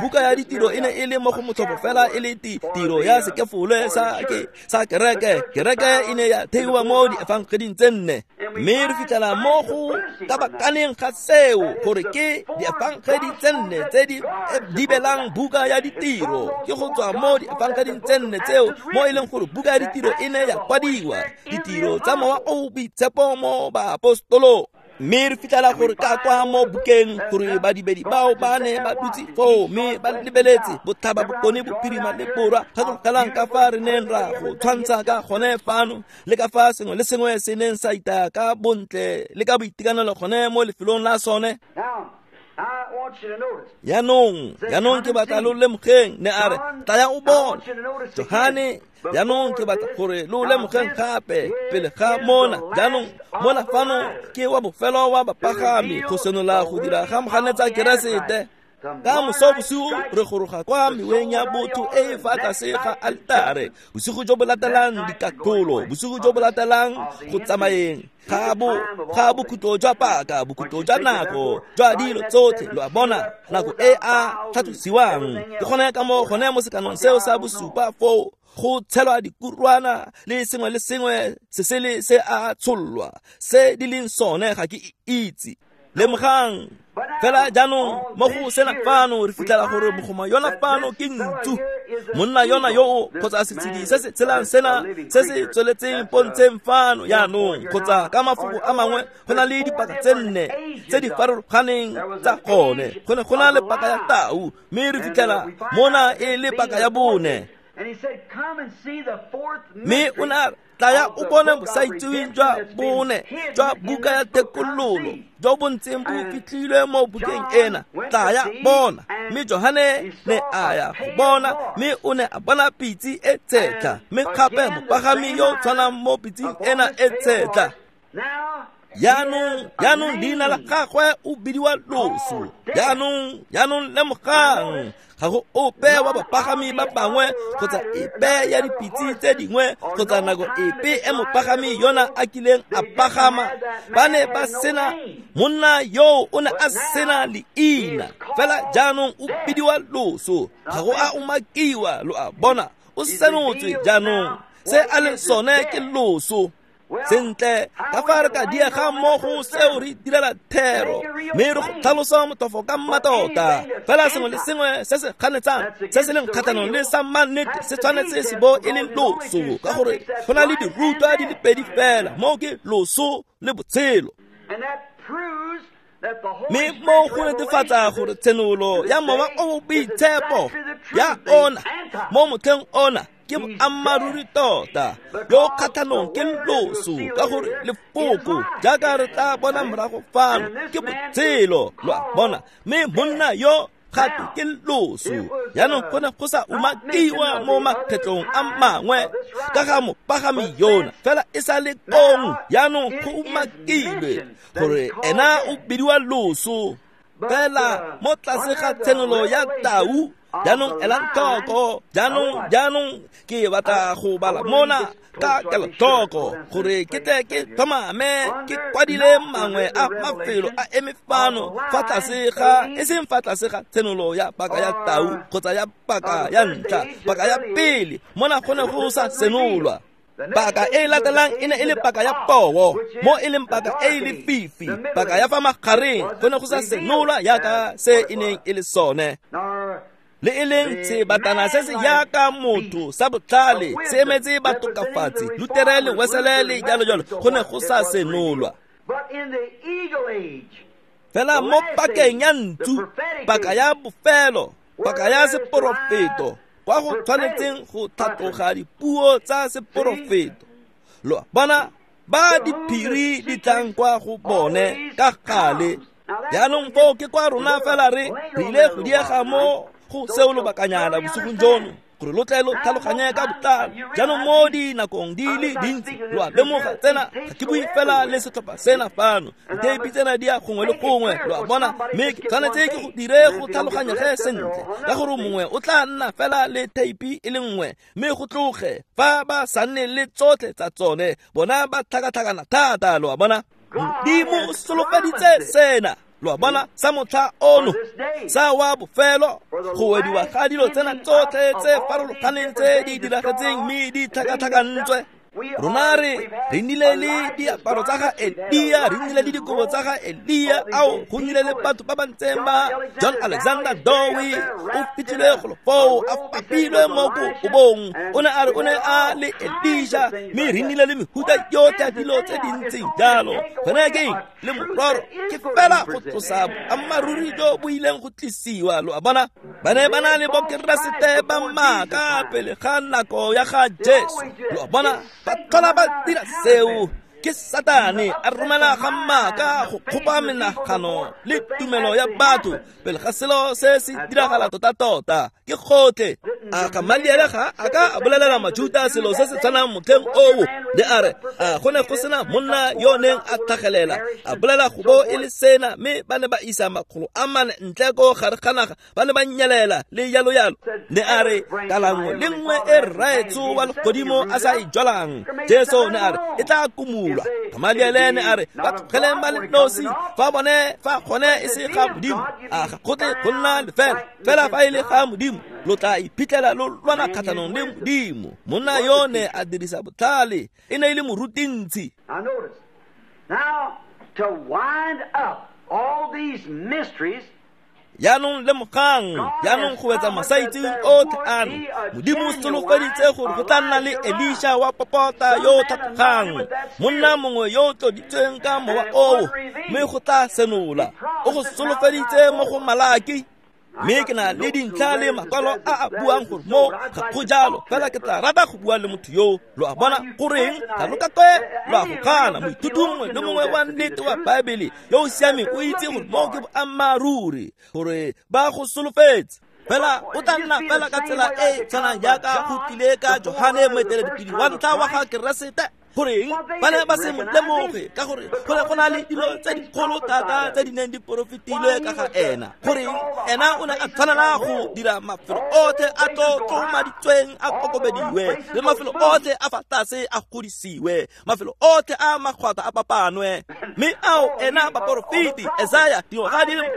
buka ya ditiro e ne e le mo go motlhofo fela e le tiro ya sekefole sa kereke. Kereke e ne ya theiwa mo diefangeding tse nne, mme re fitlhela mo go kabakaneng ga seo gore ke diefangedi tse nne tse di dibelang buka ya ditiro. Ke go tswa mo diefangeding tse nne tseo mo e leng gore buka ya ditiro e ne ya kwadiwa, ditiro tsa mowa o boitshepo mo baapostolong. Mme re fitlhela gore ka kwa mo bukeng gore badibedi bao ba ne ba dutse foo mme ba lebeletse botlhaba, bokone, bophirima le borwa. Gakologelang ka fa re neng ra go tshwantsha ka gone fano, le ka fa sengwe le sengwe se neng sa itaya ka bontle le ka boitekanelo gone mo lefelong la sone. Jaanong ke batla lo lemogeng, ne a re, tlaya o bone. Johane, jaanong ke batla gore lo lemogeng gape pele ga mona. Jaanong mona fano ke wa bofelo wa bapagami go senola go dira ga moganetsa Keresete. Ka moso bosigo re goroga kwa meweng ya botho e e fa tlase ga altare. Bosigo jo bo latelang dikatlholo, bosigo jo bo latelang go tsamayeng ga bokhutlo jwa paka, bokhutlo jwa nako, jwa dilo tsotlhe, lo a bona, nako e a tlhatlosiwang. Ke gone ka mo gone mo sekanong seo sa bosupa foo go tshelwa dikurwana le sengwe le sengwe se sele se a tshollwa, se di leng sone ga ke itse. Lemogang fela jaanong mo go sena fano re fitlhela gore mogoma yona fano ke ntsu, monna yona yo kgotsa setshedi se se tshelang sena se se tsweletseng pontsheng fano jaanong, kgotsa ka mafoko a mangwe go na le dipaka tse nne tse di farologaneng tsa gone. Go ne go na le paka ya tau, mme re fitlhela mona e le paka ya bone. Mme o ne a re, tlaya o bone bosaitseweng jwa bone jwa buka ya thekololo jo bo ntseng bo fitlhilwe mo bukeng ena, tlaya bona. Mme Johane ne a ya go bona, mme o ne a bona pitse e tshetlha, mme gape mopagami yo o tshwanang mo pitseng ena e tshetlha. Jaanong leina la gagwe o bidiwa Loso. Jaanong lemogang, ga go ope wa bapagami ba bangwe kgotsa epe ya dipitse tse dingwe kgotsa nako epe e mopagami yona a kileng a pagama, ba ne ba sena monna yoo, o ne a sena leina. Fela jaanong o bidiwa Loso, ga go a umakiwa, lo a bona, o senotswe jaanong se a leng sone ke loso. Sentle, ka fa re ka diega mmogo seo re direla thero, mme re go tlhalosa motofo ka mmatota. Fela sengwe le sengwe se se kganetsang se se leng kgatlhanong le sa mannete se tshwanetse se bo e le loso, ka gore go na le dirutwa di le pedi fela, moo ke loso le botshelo. Mme mo go netefatsa gore tshenolo ya Mowa o o Boitshepo ya ona mo motlheng ona ke boammaaruri tota, yo kgatlhanong ke loso, ka gore lefoko jaaka re tla bona morago fano ke botshelo, lo a bona. Mme monna yo gape ke loso. Jaanong go ne go sa umakiwa mo makgetlong a mangwe ka ga mopagami yona, fela e sa le kong jaanong go umakilwe gore ena o bidiwa loso. Fela mo tlase ga tshenolo ya tau, jaanong elang tlhoko, jaanong ke batla go bala mona ka kelotlhoko gore ke tle ke tlhomame ke kwadile mangwe a mafelo a eme fano fa tlase ga, e seng fa tlase ga tshenolo ya paka ya tau kgotsa ya paka ya ntlha, paka ya pele mona go ne go sa senolwa. Paka e latelang e ne e le paka ya poo, mo e leng paka e e lefifi, paka ya fa magareng go ne go sa senolwa yaka se e neng e le sone. Le e leng sebatana se se yaka motho sa botlhale se emetse batokafatsi, Lutere le Wesele le jalo jalo, go ne go sa senolwa. Fela mo pakeng ya ntsu, paka ya bofelo, paka ya seporofeto, kwa go tshwanetseng go tlhatloga dipuo tsa seporofeto, lo bona ba diphiri di tlang kwa go bone ka gale. Jaanong foo ke kwa rona fela re ile go diega mo go seo lobakanyana bosigong jono, gore lo tle lo tlhaloganye ka botlalo. Jaanong mo dinakong di le dintsi lo a lemoga tsena, ga ke bue fela le setlhopha sena fano, ditheipi tsena di ya gongwe le gongwe, lo a bona. Mme ke tshwanetse ke go dire go tlhaloganyege sentle, ka gore mongwe o tla nna fela le theipi e le nngwe, mme go tloge fa ba sa nne le tsotlhe tsa tsone, bona ba tlhakatlhakana thata, lo a bona. Modimo o solofeditse sena, lo a bona, sa motlha ono, sa wa bofelo, go wediwa ga dilo tsena tsotlhe tse farologaneng tse di diragetseng mme di tlhakatlhakantswe. Rona re nnile le diaparo tsa ga Elia, re nnile le dikobo tsa ga Elia, ao go nnile le batho ba ba ntseng ba John Alexander Dowie o fitlhilwe golo foo a fapilwe mo kobong, o ne a re o ne a le Elisha, mme re nnile le mehuta yotlhe ya dilo tse di ntseng jalo. Gone ke eng? Le mororo ke fela go tlosa boammaaruri jo bo ileng go tlisiwa, lo a bona. Ba ne ba na le bokeresete ba maaka pele ga nako ya ga Jesu, lo a bona. Ba tlhola ba dira seo, ke Satane a romela ga maaka go kgopa menagano le tumelo ya batho pele ga selo se se diragala tota-tota. Ke gotlhe. A Gamaliele ga a ka a bolelela Majuta selo se se tshwanang motlheng oo, le a re a go ne go sena monna yo neng a tlhagelela a bolela go bo e le sena, mme ba ne ba isa 400 ntle ko gare ga naga, ba ne ba nyelela le jalo jalo. Ne a re kala nngwe le nngwe e rraetsho wa legodimo a sa e jwalang, Jesu ne a re e tla kumulwa. Gamaliele ne a re ba tlogeleng ba le nosi, fa bone fa gone e se ga Modimo, a ga go tle go nna lefela, fela fa e le ga Modimo lo tla iphitlhela lo lwana kgatlhanong le Modimo. Monna yo ne a dirisa botlhale, e ne e le morutintsi. Now, to wind up all these mysteries, Jaanong lemogang, jaanong go wetsa masaitseweng otlhe ano, Modimo o solofeditse gore go tla nna le Elisha wa popota yo o tlhatlogang, monna mongwe yo o tloditsweng ka mowa oo, mme go tla senola. O go solofeditse mo go Malaki. Mme ke na le dintlha le makwalo a a buang gore mo ga go jalo, fela ke tla rata go bua le motho yo. Lo a bona goreng ga lo ka kwe lo a go gana? Moithuti mongwe le mongwe wa nnete wa Baebele yo o siameng o itse gore mo ke boammaaruri, gore ba go solofetse. Fela o tla nna fela ka tsela e e tshwanang jaaka go tlile ka Johane moeteledipele wa ntlha wa ga Keresete. Goreng ba ne ba se mo lemoge? Ka gore go ne go na le dilo tse dikgolo thata tse di neng di porofetilwe ka ga ena. Goreng ena o ne a tshwanela go dira mafelo otlhe a tlotlomaditsweng a kokobediwe, le mafelo otlhe a fa tlase a godisiwe, mafelo otlhe a magwata a papanwe. Mme ao ena baporofeti Esaya dingwaga di le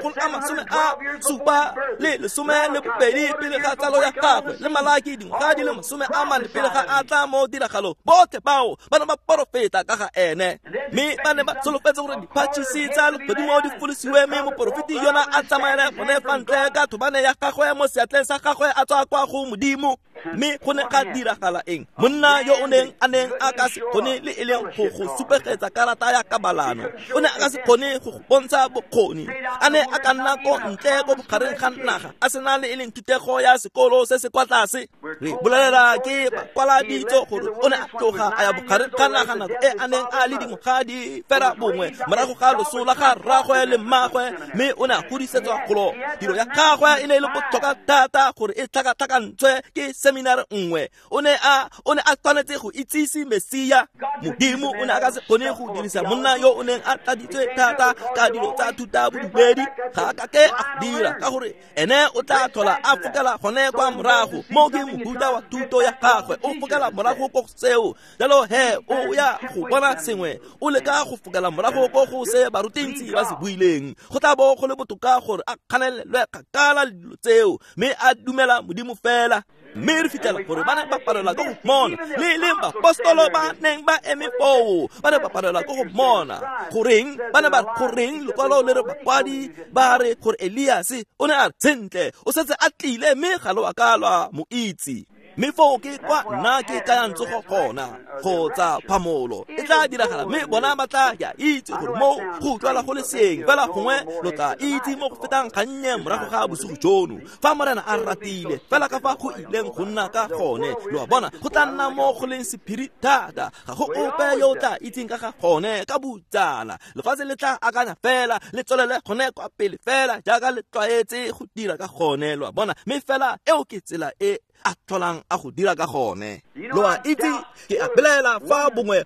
772 pele ga tsalo ya gagwe, le Malaki dingwaga di le 40 pele ga a tla mo tiragalo, botlhe bao ba ne ba porofeta ka ga ene. Mme ba ne ba solofetse gore diphatšhisi tsa legodimo di folosiwe, mme moporofeti yona a tsamaele gone fa ntle ka thobane ya gagwe mo seatleng sa gagwe a tswa kwa go Modimo. Mme go ne ga diragala eng? Monna yo o neng a neng a ka se kgone le e leng go go supegetsa karata ya kabalano, o ne a ka se kgone go go bontsha bokgoni, a ne a ka nna ko ntle ko bogareng ga naga a sena le e leng thutego ya sekolo se se kwa tlase. Re bolelela ke bakwaladitso gore o ne a tloga a ya bogareng ga naga nako e a neng a le dingwaga di fera bongwe morago ga loso la ga rragwe le mmagwe, mme o ne a godisetswa golo. Tiro ya gagwe e ne e le botlhokwa thata gore e tlhakatlhakantshwe ke seminar nngwe. O ne a tshwanetse go itsise Mesia. Modimo o ne a ka se kgone go dirisa monna yo o neng a tladitswe thata ka dilo tsa thuta bodumedi. Ga a ka ke a dira, ka gore ene o tla tlhola a fokela gone kwa morago. Mo ke mohuta wa thuto ya gagwe, o fokela morago ko go seo. Jalo he o ya go bona sengwe, o leka go fokela morago ko go se barutintsi ba se buileng. Go tla bo go le botoka gore a kganelelwe kgakala le dilo tseo, mme a dumela Modimo fela. Mme re fitlhela gore ba ne ba palelwa ke go mmona, le leng bapostolo ba neng ba eme foo ba ne ba palelwa ke go mmona. Goreng ba ne ba goreng lekwalo le re bakwadi ba re gore Eliase o ne a re sentle o setse a tlile, mme ga lo a ka lwa mo itse. Mme foo ke kwa nna ke kayang tsogo gona, kgotsa phamolo e tla diragala, mme bona ba tla ya itse gore mo go utlwala go le seng. Fela gongwe lo tla itse mo go fetang gannye morago ga bosigo jono, fa Morena a ratile, fela ka fa go ileng go nna ka gone. Lo a bona, go tla nna mo go leng sephiri thata, ga go ope yo o tla itseng ka ga gone ka botsala. Lefatshe le tla akanya fela, le tswelele gone kwa pele fela jaaka le tlwaetse go dira ka gone. Lo a bona, mme fela eo ke tsela e a tlholang a go dira ka gone. Lo a itse, ke a belaela fa bongwe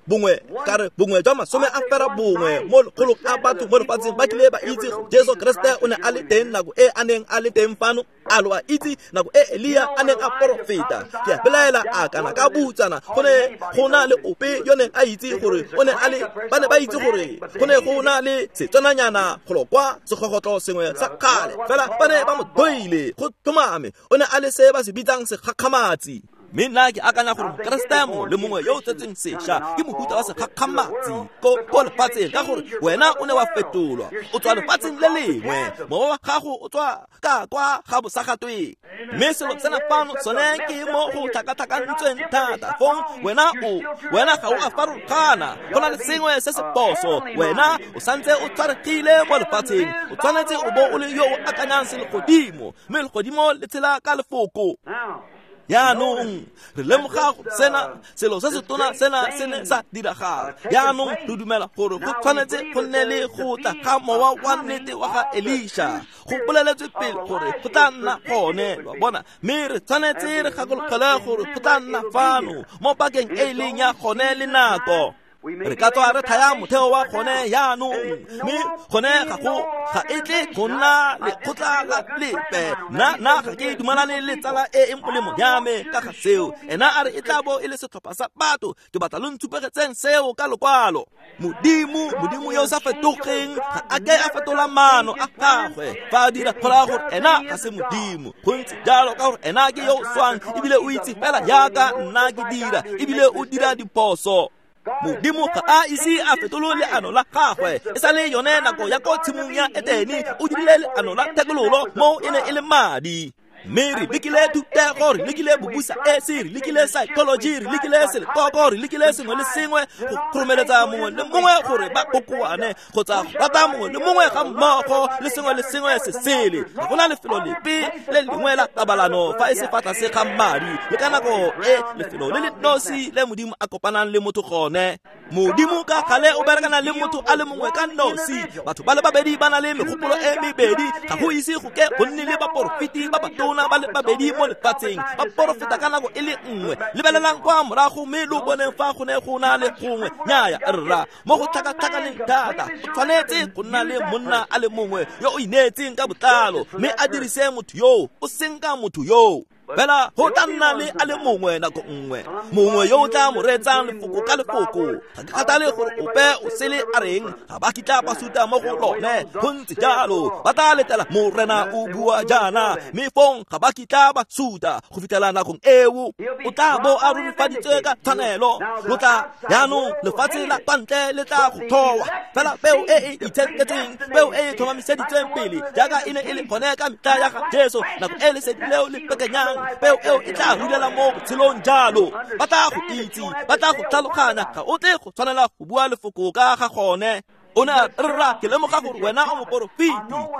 ka re bongwe jwa 90 mo lekgolong a batho mo lefatsheng ba kile ba itse Jesu Kriste o ne a le teng nako e a neng a le teng fano. A lo a itse nako e Elia a neng a porofeta? Ke a belaela a kana ka butsana go ne go na le ope yo neng a itse gore o ne a le, ba ne ba itse gore go ne go na le setswananyana golo kwa segogotlo sengwe sa kgale, fela ba ne ba mo doile go tlhomame. O ne a le se ba se bitsang segakgamatsi. Mme nna ke akanya gore Mokeresete mongwe le mongwe yo o tsetseng sešwa ke mohuta wa segakgamatsi ko lefatsheng, ka gore wena o ne wa fetolwa, o tswa lefatsheng le lengwe, mowa wa gago o tswa ka kwa ga bosagatweng. Mme selo sena fano sone ke mo go tlhakatlhakantsweng thata. Fong wena ga o a farologana, go na le sengwe se se phoso. Wena o santse o tshwaregile mo lefatsheng, o tshwanetse o bo o le yo o akanyang selegodimo, mme legodimo le tshela ka lefoko. Jaanong re lemoga sena selo se se tona sena se ne sa diragala. Jaanong re dumela gore go tshwanetse go nne le go tla ga mowa wa nnete wa ga Elisha. Go boleletswe pele gore go tla nna gone, lo bona. Mme re tshwanetse re gakologelwe gore go tla nna fano mo pakeng e e leng ya gone le nako. Re ka tswa re thaya motheo wa gone jaanong, mme gone ga e tle go nna lekgotla la lepe. Nna ga ke dumalane le tsala e e molemo ya me ka ga seo. Ena a re e tla bo e le setlhopha sa batho. Ke batla lo ntshupegetseng seo ka lokwalo. Modimo yo o sa fetogeng ga a ke a fetola maano a gagwe. Fa a dira go raya gore ena ga se Modimo. Go ntse jalo ka gore ena ke yo o swang, ebile o itse fela jaaka nna ke dira, ebile o dira diphoso. Modimo ga a ise a fetole leano la gagwe. E sa le yone nako ya ko tshimong ya Etene, o dirile leano la thekololo mo e ne e le madi. Mme re lekile thutego, re lekile bobusa esi, re lekile psychology, re lekile selekoko, re lekile sengwe le sengwe go kgoromeletsa mongwe le mongwe gore ba kokoane kgotsa go rata mongwe le mongwe ga mmogo le sengwe le sengwe se sele. Ga gona lefelo lepe le lengwe la kabalano fa e se fa tlase ga madi, le ka nako e lefelo le le nosi le Modimo a kopanang le motho gone. Modimo ka gale o berekana le motho a le mongwe ka nosi. Batho ba le babedi ba na le megopolo e mebedi. Ga go ise go ke go nne le baporofeti ba batona ba le babedi mo lefatsheng ba porofeta ka nako e le nngwe. Lebelelang kwa morago mme lo boneng fa go ne go na le gongwe. Nnyaya rra, mo go tlhakatlhakaneng thata go tshwanetse go nna le monna a le mongwe yo o ineetseng ka botlalo, mme a dirise motho yoo, o senka motho yoo. Fela go tla nna le a le mongwe nako nngwe, mongwe yo o tla mo reetsang lefoko ka lefoko. Ga ke kgathale gore ope o sele a reng, ga ba kitla ba suta mo go lone. Go ntse jalo, ba tla letela Morena o bua jaana, mme fong ga ba kitla ba suta go fitlhela nakong eo. O tla bo a rurifaditswe ka tshwanelo. Lo tla jaanong lefatshe la kwa ntle le tla go tlhowa. Fela peo e e itshenketsweng, peo e e tlhomamiseditsweng pele jaaka e ne e le gone ka metlha ya ga Jesu, nako e lesedi leo le pekenyang, peo eo e tla rulela mo botshelong jalo. Ba tla go itse, ba tla go tlhaloganya, ga o tle go tshwanela go bua lefoko ka ga gone. O ne a rra, ke lemoga gore wena o moporofeti,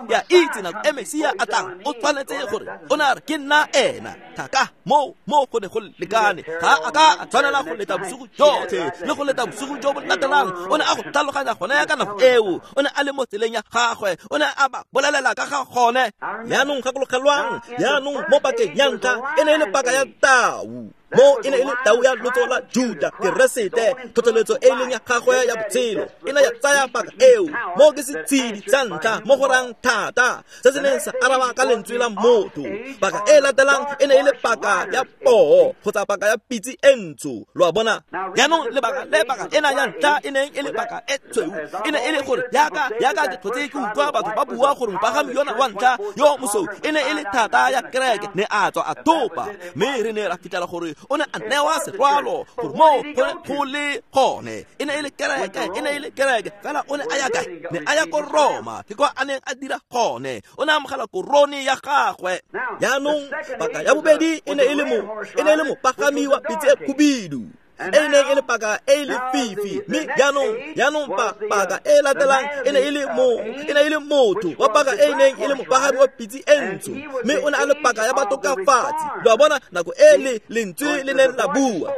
ke a itse nako e Mesia a tlang o tshwanetse gore. O ne a re ke nna ena. Thaka mo go ne go lekane. Ga a ka a tshwanela go leta bosigo jotlhe le go leta bosigo jo bo latelang. O ne a go tlhaloganya gone ka nako eo. O ne a le mo tseleng ya gagwe, o ne a ba bolelela ka ga gone. Jaanong gakologelwang, jaanong mo pakeng ya ntlha e ne e le paka ya tau. Mo e ne e le tau ya lotso la Juda, Keresete, tlhotlheletso e leng ya gagwe ya botshelo e ne ya tsaya paka eo. Mo ke setshedi sa ntlha mo go rang thata se se neng sa araba ka lentswe la motho. Paka e latelang e ne e le paka ya poo kgotsa paka ya pitse e ntsho. Lo a bona? Jaanong lebaka le paka ena ya ntlha e neng e le paka e tshweu e ne e le gore yaka ke tlhotse ke utlwa batho ba bua gore mopagami yona wa ntlha yo mosweu e ne e le thata ya kereke, ne a tswa a topa. Mme re ne ra fitlhela gore o ne a newa serwalo gore mo go le gone e ne e le kereke, e ne e le kereke. Fela o ne a ya kae? Ne a ya ko Roma, ke kwa a neng a dira gone. O ne a amogela korone ya gagwe. Jaanong paka ya bobedi e ne e le mopagami wa pitse e khubidu, e neng e le paka e le fifi. Mme jaanong paka e latelang e ne e le motho wa paka e neng e le mopagami wa pitse e ntsho, mme o ne a le paka ya batokafatsi. Lo a bona nako e le lentswe le neng la bua.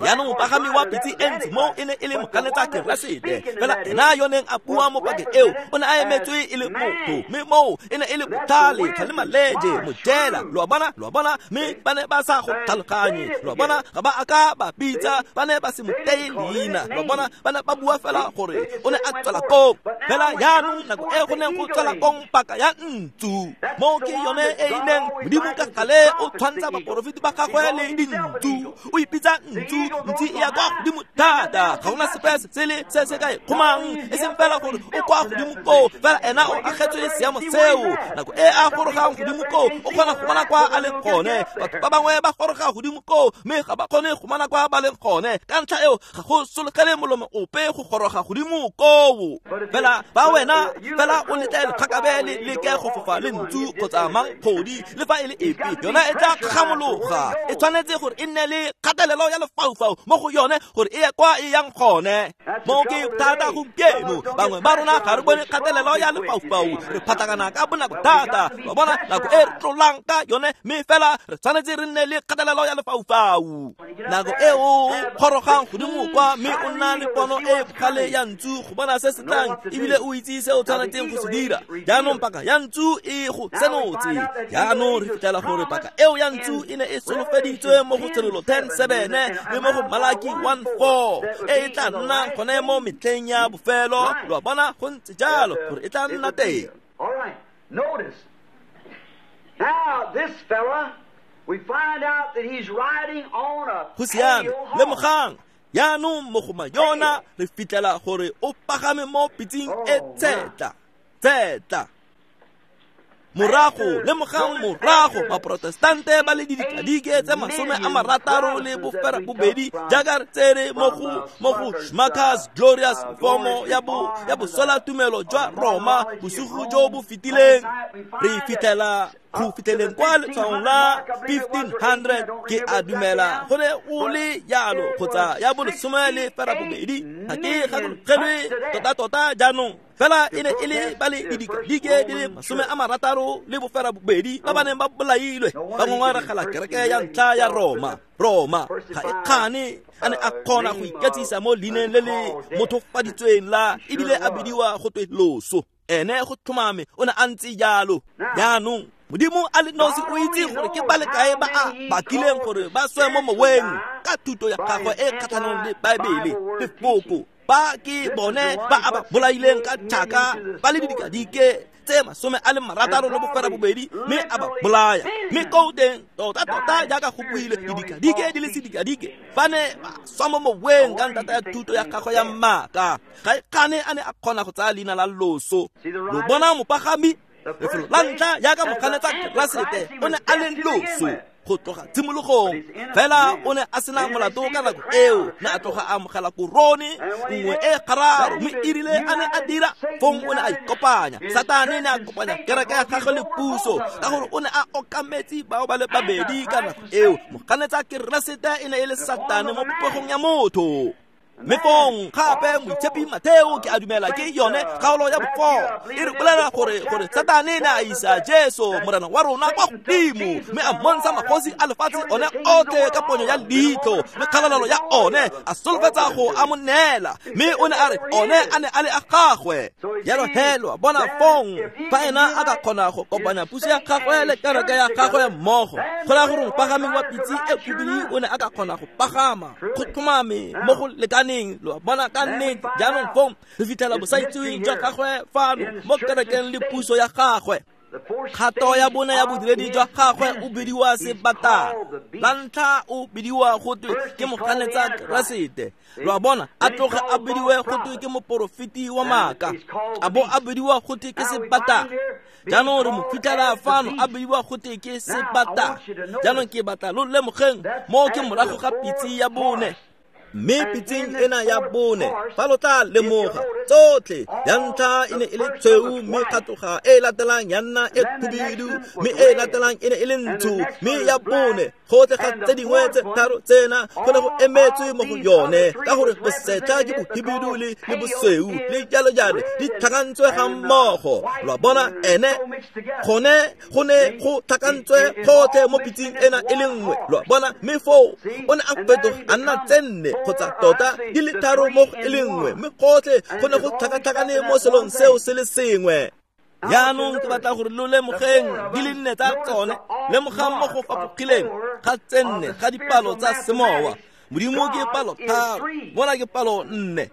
Jaanong mopagami wa pitse e ntsho mo e ne e le moganetsa Keresete. Fela ena yo neng a bua mo pakeng eo o ne a emetswe e le motho, mme moo e ne e le botlhale, tlhale maleje, mojela. Lo a bona, mme ba ne ba sa go tlhaloganye. Lo a bona, ga ba a ka ba bitsa, ba ne ba se mo teye leina. Lo a bona, ba ne ba bua fela gore o ne a tswela kong. Fela jaanong nako e go neng go tswela kong paka ya ntsu, mo ke yone e e neng Modimo ka gale o tshwantsha baporofeti ba gagwe le dintsu. O ipitsa ntsu, ntsi e ya kwa godimo thata, ga gona sepe se sele se se ka e kgomang, e seng fela gore o kwa godimo koo, fela ena o agetswe seemo seo. Nako e a gorogang godimo koo o kgona go bona kwa a leng gone. Batho ba bangwe ba goroga godimo koo mme ga ba kgone go bona kwa ba leng gone. Ka ntlha eo ga go sologele molomo ope go goroga godimo koo. Fela ba wena fela o letle letlhakabe le leke go fofa le ntsu kgotsa mankgodi le fa e le epe, yona e tla kgamologa. E tshwanetse gore e nne le kgatelelo ya lefaufau mo go yone gore e ye kwa e yang gone. Mo ke thata gompieno, bangwe ba rona ga re bone kgatelelo ya lefaufau, re phatlakana ka bonako thata. Ba bona nako e re tlolang ka yone, mme fela re tshwanetse re nne le kgatelelo ya lefaufau. Nako e o gorogang godimo kwa mme o nna le pono e bogale ya ntsu go bona se se tlang, ebile o itse se o tshwanetseng go se dira. Jaanong paka ya ntsu e go senotse. Jaanong re fitlhela gore paka eo ya ntsu e ne e solofeditswe mo go Tshenolo 10:7 le mo go Malaki 1:4, e e tla nnang gone mo metlheng ya bofelo. Lo a bona, go ntse jalo gore e tla nna teng. All right, notice. Now this fella, we find out that he's riding on a Go siame, lemogang. Jaanong mogoma yona re fitlhela gore o pagame mo pitseng e tshetla. Tshetla. Morago lemogang morago baprotestante ba le didikadike tse 62 jaaka re tsere mo go Schmacker's Glorious Formo ya bosola tumelo jwa Roma bosigo jo bo fetileng. Re fitlhela go fitlheleng kwa letshwaong la 1500 ke a dumela go ne o le jalo kgotsa ya bo 18 ga ke gakologelwe tota-tota jaanong. Fela e ne e le ba le didikadike di le 62 ba ba neng ba bolailwe ba ngongoregela kereke ya ntlha ya Roma. Roma ga e kgane a ne a kgona go iketsisa mo leineng le le mothofaditsweng la ebile a bidiwa go twe loso. Ene go tlhomame o ne a ntse jalo. Jaanong Modimo a le nosi o itse gore ke ba le kae ba a bakileng gore ba swe mo moweng ka thuto ya gagwe e kgatlhanong le Baebele lefoko. Ba ke bone ba a ba bolaileng ka tšhaka ba le didikadike tse 62 mme a ba bolaya. Mme ko teng tota-tota jaaka go buile didikadike di le sedikadike ba ne ba swa mo moweng ka ntata ya thuto ya gagwe ya maaka. Ga e kgane a ne a kgona go tsaya leina la loso. Lo bona mopagami lefelo la ntlha jaaka moganetsa Keresete o ne a le loso go tloga tshimologong, fela o ne a sena molato ka nako eo, ne a tloga a amogela korone nngwe e gararo, mme erile a ne a dira fong o ne a ikopanya. Satane ne a kopanya kereke ya gagwe le puso ka gore o ne a okametse bao ba le babedi ka nako eo. Moganetsa Keresete e ne e le Satane mo popegong ya motho. Mme fong gape moitshepi Matheo ke a dumela ke yone kgaolo ya bo4 e re bolela gore Satane ne a isa Jesu morena wa rona kwa godimo mme a mmontsha magosi a lefatshe one otlhe ka ponyo ya leitlho le kgalalelo ya one, a solofetsa go a mo neela, mme o ne a re one a ne a le a gagwe. Jalo he lo a bona fong fa ena a ka kgona go kopanya puso ya gagwe le kereke ya gagwe mmogo, go raya gore mopagameng wa pitse e khubidi o ne a ka kgona go pagama go tlhomame mo go lekaneng. Lo bona ka nnete jaanong fong re fitlhela bosaitseweng jwa gagwe fano mo kerekeng le puso ya gagwe. Kgato ya bone ya bodiredi jwa gagwe o bidiwa sebatana. La ntlha o bidiwa go twe ke moganetsa Keresete. Lo a bona a tloge a bidiwe go twe ke moporofeti wa maaka, a bo a bidiwa go twe ke sebatana. Jaanong re mo fitlhela fano a bidiwa go twe ke sebatana. Jaanong ke batla lo lemogeng mo ke morago ga pitse ya bone. Mme pitseng ena ya bone fa lo tla lemoga tsotlhe ya ntlha e ne e le tshweu, mme kgatoga e latelang ya nna e khubidu, mme e latelang e ne e le ntsho, mme ya bone gotlhe ga tse dingwe tse tharo tsena go ne go emetswe mo go yone ka gore bosetlha ke bohibidu le bosweu le jalo jalo di tlhakantswe ga mmogo. Lo a bona ene gone go ne go tlhakantswe gotlhe mo pitseng ena e le nngwe. Lo a bona mme foo o ne a fetoga a nna tse nne kgotsa tota di le tharo mo e le nngwe, mme gotlhe go ne go tlhakatlhakane mo selong seo se le sengwe. Jaanong ke batla gore lo lemogeng di le nne tsa tsone. Lemogang mo go fapogileng ga tse nne ga dipalo tsa semowa. Modimo ke palo 3, mona ke palo 4.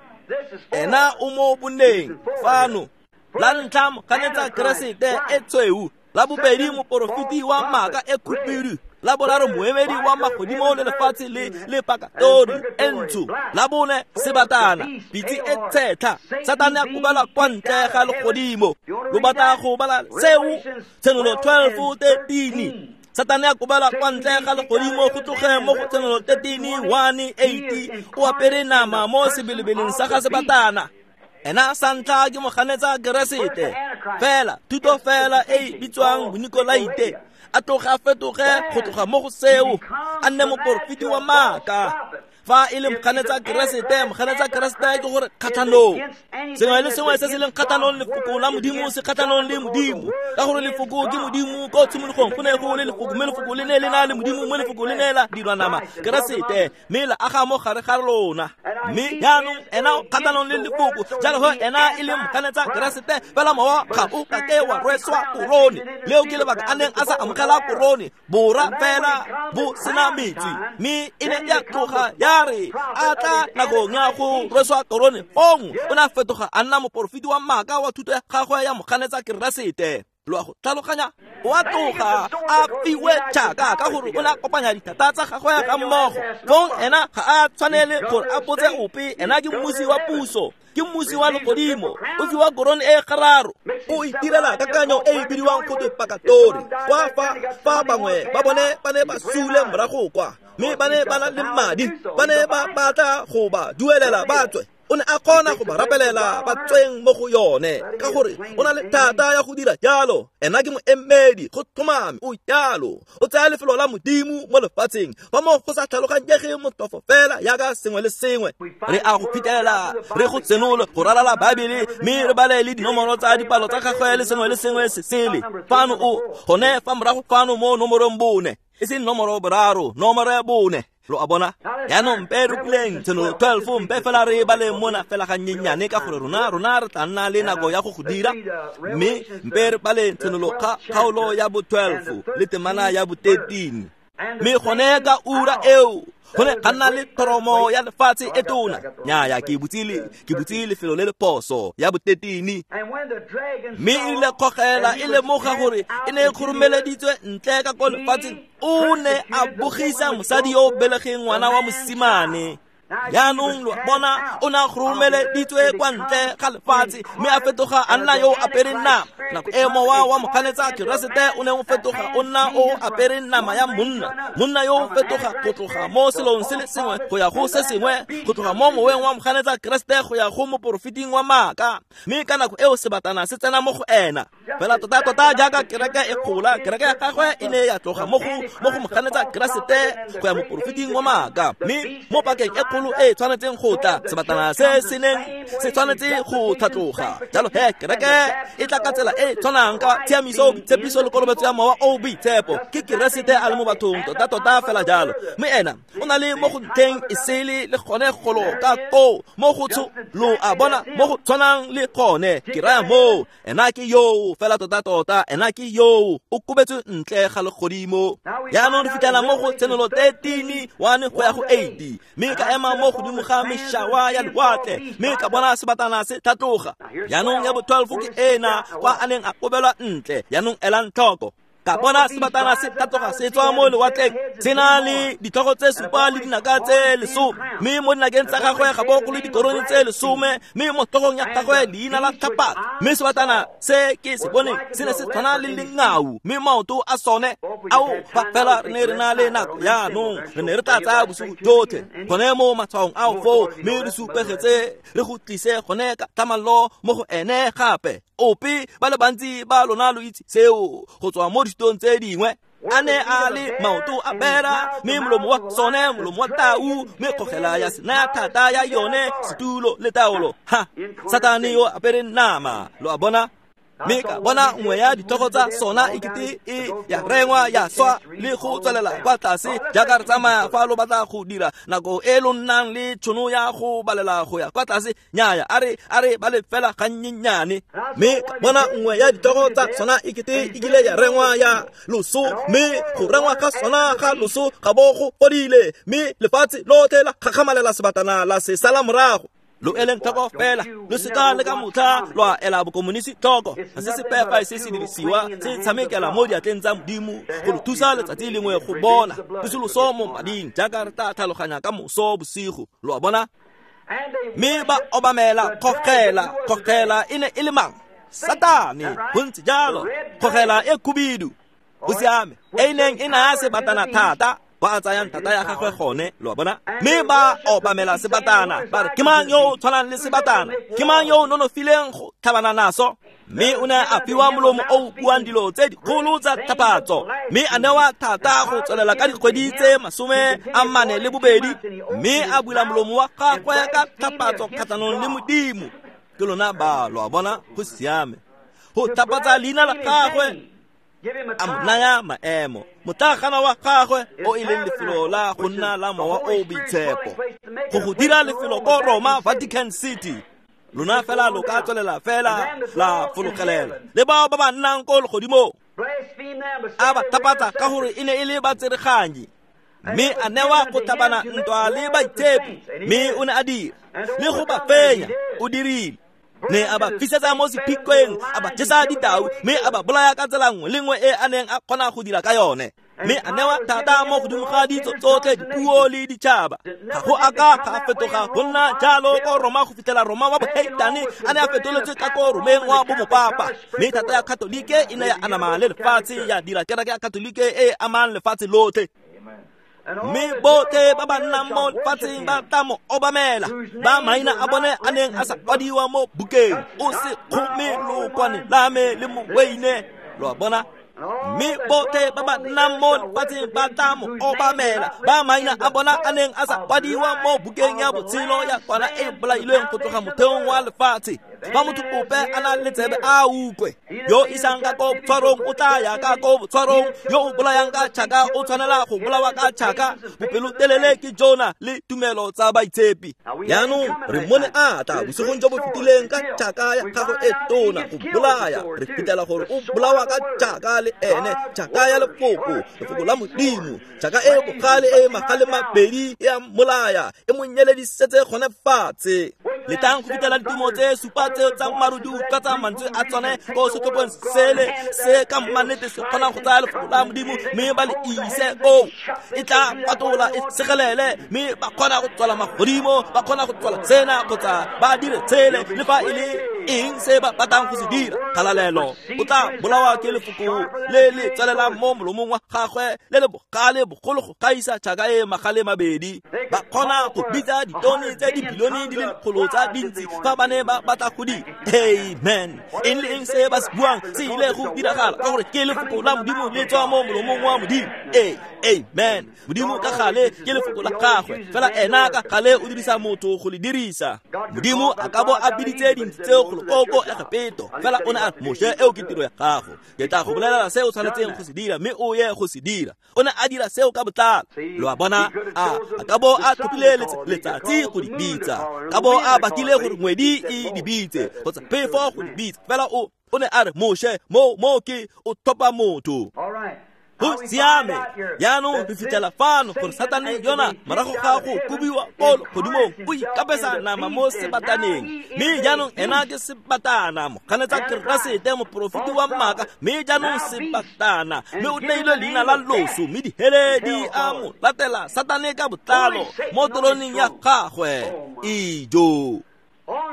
Ena o mo boneng fano. La ntlha moganetsa Keresete e tshweu, la bobedi moporofeti wa maaka e khubidu, la boraro moemedi wa magodimo le lefatshe le pakatori e ntsho, la bone sebatana pitse e tshetlha. Satane a kobela kwa ntle ga legodimo. Lo batla go bala seo Tshenolo 12:13. Satane a kobela kwa ntle ga legodimo go tloge mo go Tshenolo 13:1-8 o apere nama mo sebelebeleng sa ga sebatana. Ena sa ntlha ke moganetsa Keresete fela thuto fela e bitswang Bonikolaite, a tloga a fetoge go tloga mo go seo a nne moporofeti wa maaka. Fa e le moganetsa Keresete, moganetsa Keresete ke gore kgatlhanong sengwe le sengwe se se leng kgatlhanong lefoko la Modimo se kgatlhanong le Modimo, ka gore lefoko ke Modimo. Ko tshimologong go ne go le lefoko, mme lefoko le ne le na le Modimo, mme lefoko le ne la dirwa nama Keresete, mme la aga mo gare ga lona. Mme jaanong ena o kgatlhanong le lefoko, jalo go ena e le moganetsa Keresete fela mowa ga o ka ke wa rweswa korone. Leo ke lebaka a neng a sa amogela korone, bora fela bo sena metswi, mme e ne ya tloga ya re a tla nakong ya go rweswa korone fong o ne a fetoga a nna moporofeti wa maaka wa thuto ya gagwe ya moganetsa Keresete. Lo a go tlhaloganya? O a tloga a fiwe tšhaka ka gore o ne a kopanya dithata tsa gagwe ga mmogo. Fong ena ga a tshwanele gore a botse ope, ena ke mmusi wa puso, ke mmusi wa legodimo, o fiwa korone e gararo. O itirela kakanyo e e bidiwang go twe pakatori, kwa fa bangwe ba bone ba ne ba sule morago kwa, mme ba ne ba na le madi, ba ne ba batla go ba duelela ba tswe. O ne a kgona go ba rapelela ba tsweng mo go yone, ka gore o na le thata ya go dira jalo. Ena ke moemedi, go tlhomame o jalo. O tsaya lefelo la Modimo mo lefatsheng, fa mo go sa tlhaloganyege motlhofo fela yaka sengwe le sengwe. Re a go phitela, re go tsenole go ralala Baebele, mme re bale le dinomoro tsa dipalo tsa gagwe le sengwe le sengwe se sele. Fano o gone fa morago fano mo nomorong 4, e seng nomoro 3, nomoro 4. Lo a bona? Jaanong mpe re puleng Tshenolo 12, mpe fela re bale mona fela gannyenyane ka gore rona re tla nna le nako ya go go dira. Mme mpe re bale Tshenolo kgaolo ya bo 12 le temana ya bo 13. Mme gone ka ura eo go ne ga nna le thoromo ya lefatshe e tona. Nnyaya, ke butse lefelo le le phoso ya bo 13. Mme e rile kgogela e lemoga gore e ne e kgoromeleditswe ntle ka ko lefatsheng, o ne a bogisa mosadi yo o belegeng ngwana wa mosimane. Jaanong lo bona, o ne a kgoromeleditswe kwa ntle ga lefatshe, mme a fetoga a nna yo o apereng nama. Nako e mowa wa moganetsa Keresete o ne o fetoga o nna o apereng nama ya monna. Monna yo o fetoga go tloga mo selong se le sengwe go ya go se sengwe, go tloga mo moweng wa moganetsa Keresete go ya go moporofeting wa maaka. Mme ka nako eo sebatana se tsena mo go ena. Fela tota-tota jaaka kereke e gola, kereke ya gagwe e ne ya tloga mo go moganetsa Keresete go ya moporofeting wa maaka. Mme mo pakeng e kgolo e tshwanetseng go tla, sebatana se se neng se tshwanetse go tlhatloga. Jalo he kereke e tla ka tsela e tshwanang ka tshiamiso, boitshepiso le kolobetso ya mowa o boitshepo. Ke Keresete a le mo bathong tota-tota fela jalo. Mme ena o na le mo go ntlheng e sele le gone golo ka koo mo go tsho, lo a bona, mo go tshwanang le gone. Ke raya moo, ena ke yoo fela tota-tota, ena ke yoo o kobetswe ntle ga legodimo. Jaanong re fitlhela mo go Tshenolo 13 1 go ya go 8. Mme ka ema mo godimo ga mešawa ya lewatle, mme ka bona sebatana se tlhatloga. Jaanong ya bo 12 ke ena kwa a neng a kobelwa ntle. Jaanong elang tlhoko. Ka bona sebatana se tlhatloga se tswa mo lewatleng, se na le ditlhogo tse 7 le dinaka tse 10, mme mo dinakeng tsa gagwe ga bo go le dikorone tse 10, mme mo tlhogong ya gagwe leina la tlhapatso. Mme sebatana se ke se boneng se ne se tshwana le lengau, mme maoto a sone ao fa fela re ne re na le nako jaanong, re ne re tla tsaya bosigo jotlhe gone mo matshwaong ao foo, mme re supegetse re go tlise gone ka tlhamallo mo go ene gape. Ope ba le bantsi ba lona lo itse seo go tswa mo dithutong tse dingwe. A ne a le maoto a bera, mme molomo wa sone molomo wa tau, mme kgogela ya se naya thata ya yone setulo le taolo. Ha, Satane yo apereng nama, lo a bona? Mme ka bona nngwe ya ditlhogo tsa sona e kete e ya rengwa ya swa le go tswelela kwa tlase jaaka re tsamaya fa lo batla go dira nako e lo nnang le tšhono ya go balela go ya kwa tlase. Nnyaya, a re bale fela gannyenyane. Mme ka bona nngwe ya ditlhogo tsa sona e kete e kile ya rengwa ya loso, mme go rengwa ga sona ga loso ga bo go fodile, mme lefatshe lotlhe la gakgamalela sebatana la se sala morago. Lo eleng tlhoko fela, lo seka le ka motlha lwa ela bokomonisi tlhoko. Ga se sepe fa se se dirisiwa se tshamekela mo diatleng tsa Modimo go lo thusa letsatsi lengwe go bona pusoloso mo mading, jaaka re tla tlhaloganya ka moso bosigo. Lo a bona? Mme ba obamela kgogela. Kgogela e ne e le mang? Satane, go ntse jalo. Kgogela e khubidu, go siame, e neng e naya sebatana thata, ba tsayang thata ya gagwe gone, lo a bona? Mme ba obamela sebatana, ba re, ke mang yo o tshwanang le sebatana? Ke mang yo o nonofileng go tlhabana naso? Mme o ne a fiwa molomo o o buang dilo tse dikgolo tsa tlhapatso, mme a newa thata go tswelela ka dikgwedi tse 42, mme a bula molomo wa gagwe ka tlhapatso kgatlhanong le Modimo. Ke lona ba, lo a bona? Go siame. Go tlhapatsa leina la gagwe, a mo naya maemo. Motlagana wa gagwe o e leng lefelo la go nna la mowa o boitshepo, go dira lefelo ko Roma, Vatican City. Lona fela lo ka tswelela fela la fologelela le bao ba ba nnang ko legodimong. A ba tlhapatsa ka gore e ne e le batsereganyi, mme a newa go tlhabana ntwa le baitshepi, mme o ne a dira le go ba fenya. O dirile. Ne a ba fisetsa mo sephikweng, a ba jesa ditau, mme a ba bolaya ka tsela nngwe le nngwe e a neng a kgona go dira ka yone. Mme a newa thata mo godimo ga ditso tsotlhe, dipuo le ditšhaba. Ga go a ka ga fetoga go nna jalo ko Roma go fitlhela Roma wa boheitane a ne a fetoletswe ka ko Romeng wa bomopapa. Mme thata ya Katolike e ne ya anama le lefatshe, ya dira kereke ya Katolike e e amang lefatshe lotlhe. Mme botlhe ba ba nnang mo lefatsheng ba tla mo obamela, ba maina a bone a neng a sa kwadiwa mo bukeng. O se kgome lookwane la me le moweine, lo a bona. Mme botlhe ba ba nnang mo lefatsheng ba tla mo obamela, ba maina a bona a neng a sa kwadiwa mo bukeng ya botshelo ya kwana e bolailweng go tloga motheong wa lefatshe. Fa motho ope a na le tsebe a utlwe. Yo isang ka ko botshwarong o tla ya ka ko botshwarong, yo o bolayang ka tšhaka o tshwanela go bolawa ka tšhaka. Bopelotelele ke jona le tumelo tsa baitshepi. Jaanong re mmone a tla bosigong jo bo fetileng ka tšhaka ya gagwe e tona go bolaya. Re fitlhela gore o bolawa ka tšhaka le ene, tšhaka ya lefoko, lefoko la Modimo, tšhaka e bogale e magale mabedi e a mmolaya, e mo nyeledisetse gone fatshe. Letang go fitlhela ditumo tse supa tseo tsa maru di utlwa tsa mantswe a tsone ko setlhopheng sele se ka mannete se kgonang go tsaya lefoko la Modimo mme ba le ise koo. E tla patola e segelele, mme ba kgona go tswala magodimo, ba kgona go tswala tsena kgotsa ba dire tshele le fa e le eng se ba batlang go se dira. Kgalalelo o tla bolawa ke lefoko le le tswelelang mo molomong wa gagwe le le bogale bogolo go gaisa tšhaka e magale mabedi. Ba kgona go bitsa ditone tse dibilione di le lekgolo tsa dintsi fa ba ne ba batla go di. Amen. Eng le eng se ba se buang se ile go diragala ka gore ke lefoko la Modimo le tswa mo molomong wa Modimo. Amen. Modimo ka gale ke lefoko la gagwe, fela ena ka gale o dirisa motho go le dirisa. Modimo a ka bo a biditse dintsi tseo go lekoko Egepeto, fela o ne a re, Moshe, eo ke tiro ya gago, ke tla go bolelela se o tshwanetseng go se dira mme o ye go se dira. O ne a dira seo ka botlalo. Lo a bona, a ka bo a tlhophile letsatsi go di bitsa, ka bo a bakile gore ngwedi e di bitse kgotsa phefo go di bitsa, fela o ne a re, Moshe, mo ke o tlhopha motho. Go siame. Jaanong re fitlhela fano gore Satane yona morago ga go kobiwa ko legodimong o ikapesa nama mo sebataneng, mme jaanong ena ke sebatana, moganetsa Keresete, moporofeti wa maaka, mme jaanong sebatana, mme o neilwe leina la loso, mme dihele di a mo latela Satane ka botlalo mo teroneng ya gagwe. Ijo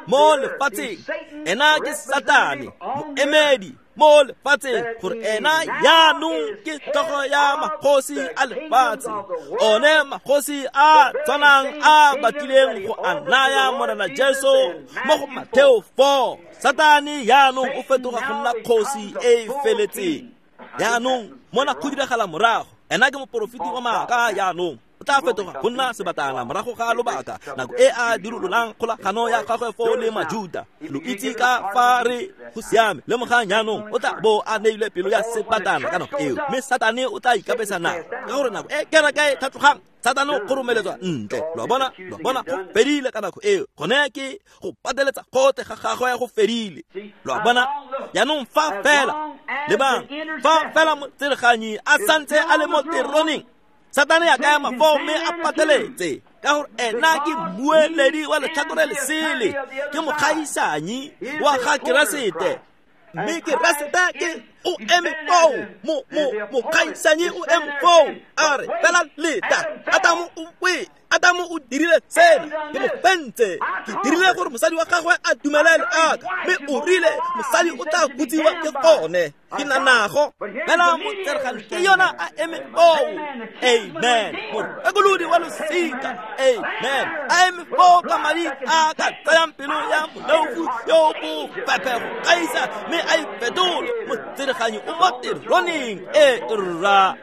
mo lefatsheng ena ke Satane, moemedi mo lefatsheng, gore ena jaanong ke tlhogo ya magosi a lefatshe, one magosi a tshwanang a batlileng go a naya Morena Jesu mo go Matheo 4. Satane jaanong o fetoga go nna kgosi e e feletseng. Jaanong mona go diragala morago, ena ke moporofeti wa maaka jaanong o tla fetoga go nna sebatana morago ga lobaka, nako e a dirololang kgolagano ya gagwe fo le Majuda. Lo itse ka fa re go siame, lemogang jaanong o tla bo a neilwe pelo ya sebatana ka nako eo, mme Satane o tla ikapesa nako ka gore nako e kereke e tlhatlogang, Satane o kgoromeletswa ntle. Lo a bona, go fedile ka nako eo, gone ke go pateletsa gotlhe ga gagwe go fedile. Lo a bona, jaanong fa fela lebang, fa fela motsereganyi a santse a le mo teroneng, Satane a ka ema foo mme a pateletse, ka gore ena ke mmueledi wa letlhakore lesele, ke mokgaisanyi wa ga Keresete. Mme Keresete ke o eme foo, mokgaisanyi o eme foo, a re fela leta, Adamo o wele, Adamo o dirile sena, ke mo fentse, ke dirile gore mosadi wa gagwe a dumelele aka, mme o rile mosadi o tla hutsiwa ke gone, ke na nago. Fela motseregane ke yona a eme foo. Amen. Morekolodi wa losika. Amen. A eme foo ka madi a ka tsayang pelo ya moleofu yo bo fephe go gaisa, mme a e fetole. Motsereganyi o mo teroneng e rra.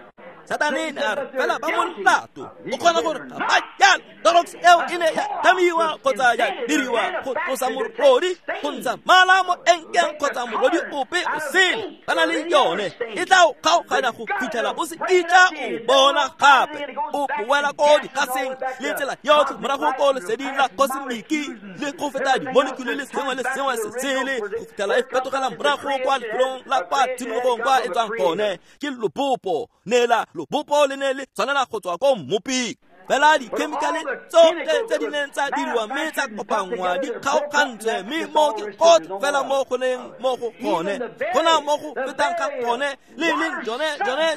Satane ne a re fela ba molato o kgona gore ga ba jalo. Torox eo e ne ya tlhamiwa kgotsa ya diriwa go tlosa morodi, go ntsha mala mo enkeng kgotsa morodi ope o sele. Ba na le yone e tla o kgaoganya go fitlhela o se kitla o bona gape. O boela ko digaseng le tsela yotlhe morago ko leseding la kosemiki le go feta dimolekule le sengwe le sengwe se sele go fitlhela e fetogela morago kwa lefelong la kwa tshimologong kwa e tswang gone. Ke lobopo, neela lobopo le ne le tshwanela go tswa ko mmoping. Fela dikhemikhale tsotlhe tse di neng tsa diriwa mme tsa kopanngwa di kgaogantswe, mme mo ke gotlhe fela mo go leng mo go gone. Go na mo go fetang ga gone, le leng jone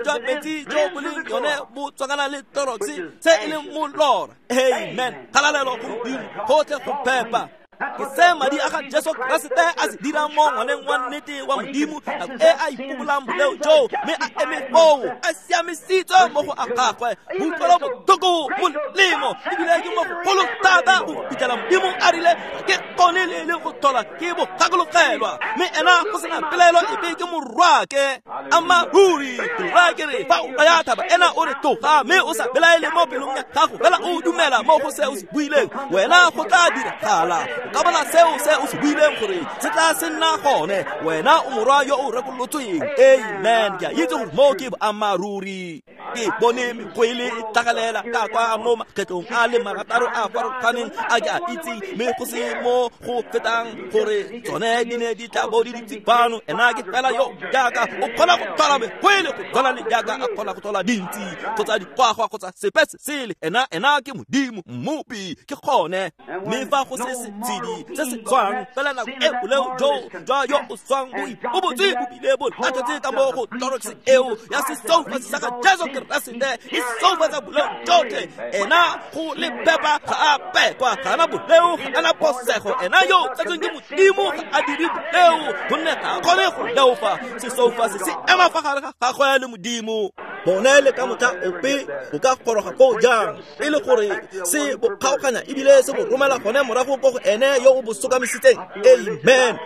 jwa metsi jo bo leng jone bo tswakana le Clorox se e leng molora. Amen. Kgalalelo go Modimo, gotlhe go phepa. Ke se madi a ga Jesu Keresete a se dirang mo ngwaneng wa nnete wa Modimo nako e a ipobolang boleo joo, mme a eme foo a siamisitswe mo go a gagwe. Boutlwelo botlhoko molemo ebile ke mo gogolo thata go fitlhela Modimo a rile ke kgone le le go tlhola ke bo gakologelwa, mme ena go sena pelaelo epe ke morwake. Ammaruri ke raya ke re, fa o raya thaba ena o re tloga, mme o sa belaele mo pelong ya gago, fela o dumela mo go se o se buileng, wena go tla diragala. O ka bona seo se o se buileng gore se tla se nna gone. Wena o morwa yo o rekolotsweng. Amen. Ke a itse gore mo ke boammaaruri. Ke bone mekwele e tlhagalela ka kwa mo makgetlong a le marataro a farologaneng a ke a itseng, mme go se mo go fetang gore tsone di ne di tla bo di dutse fano. Ena ke fela yo jaaka o kgona go tlhola mekwele go tshwana le jaaka a kgona go tlhola dintsi kgotsa dikgwagwa kgotsa sepe se sele. Ena ke Modimo mmopi, ke gone. Mme fa go se setshedi se se tswang fela nako e boleo jo jwa yo o swang bo ipobotse bo bile bo latlhetse ka mo go Clorox eo ya sesoufatsi sa ga Jesu Keresete e soufatsa boleo jotlhe. Ena go le phepa ga a pekwa, ga ana boleo, ga ana phosego. Ena yo tsetsweng ke Modimo ga a dire boleo, gonne ga a kgone go leofa. Sesoufatsi se ema fa gare ga gagwe le Modimo. Bone le ka motlha ope o ka goroga koo jang e le gore se bo kgaoganya ebile se bo romela gone morago ko go ene yo o bo sokamisitseng. Amen.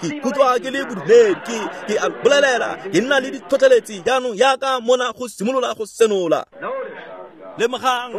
Ke ikutlwa ke le bodumedi, ke a bolelela, ke nna le ditlhotlheletsi jaanong yaka mona go simolola go senola. Lemogang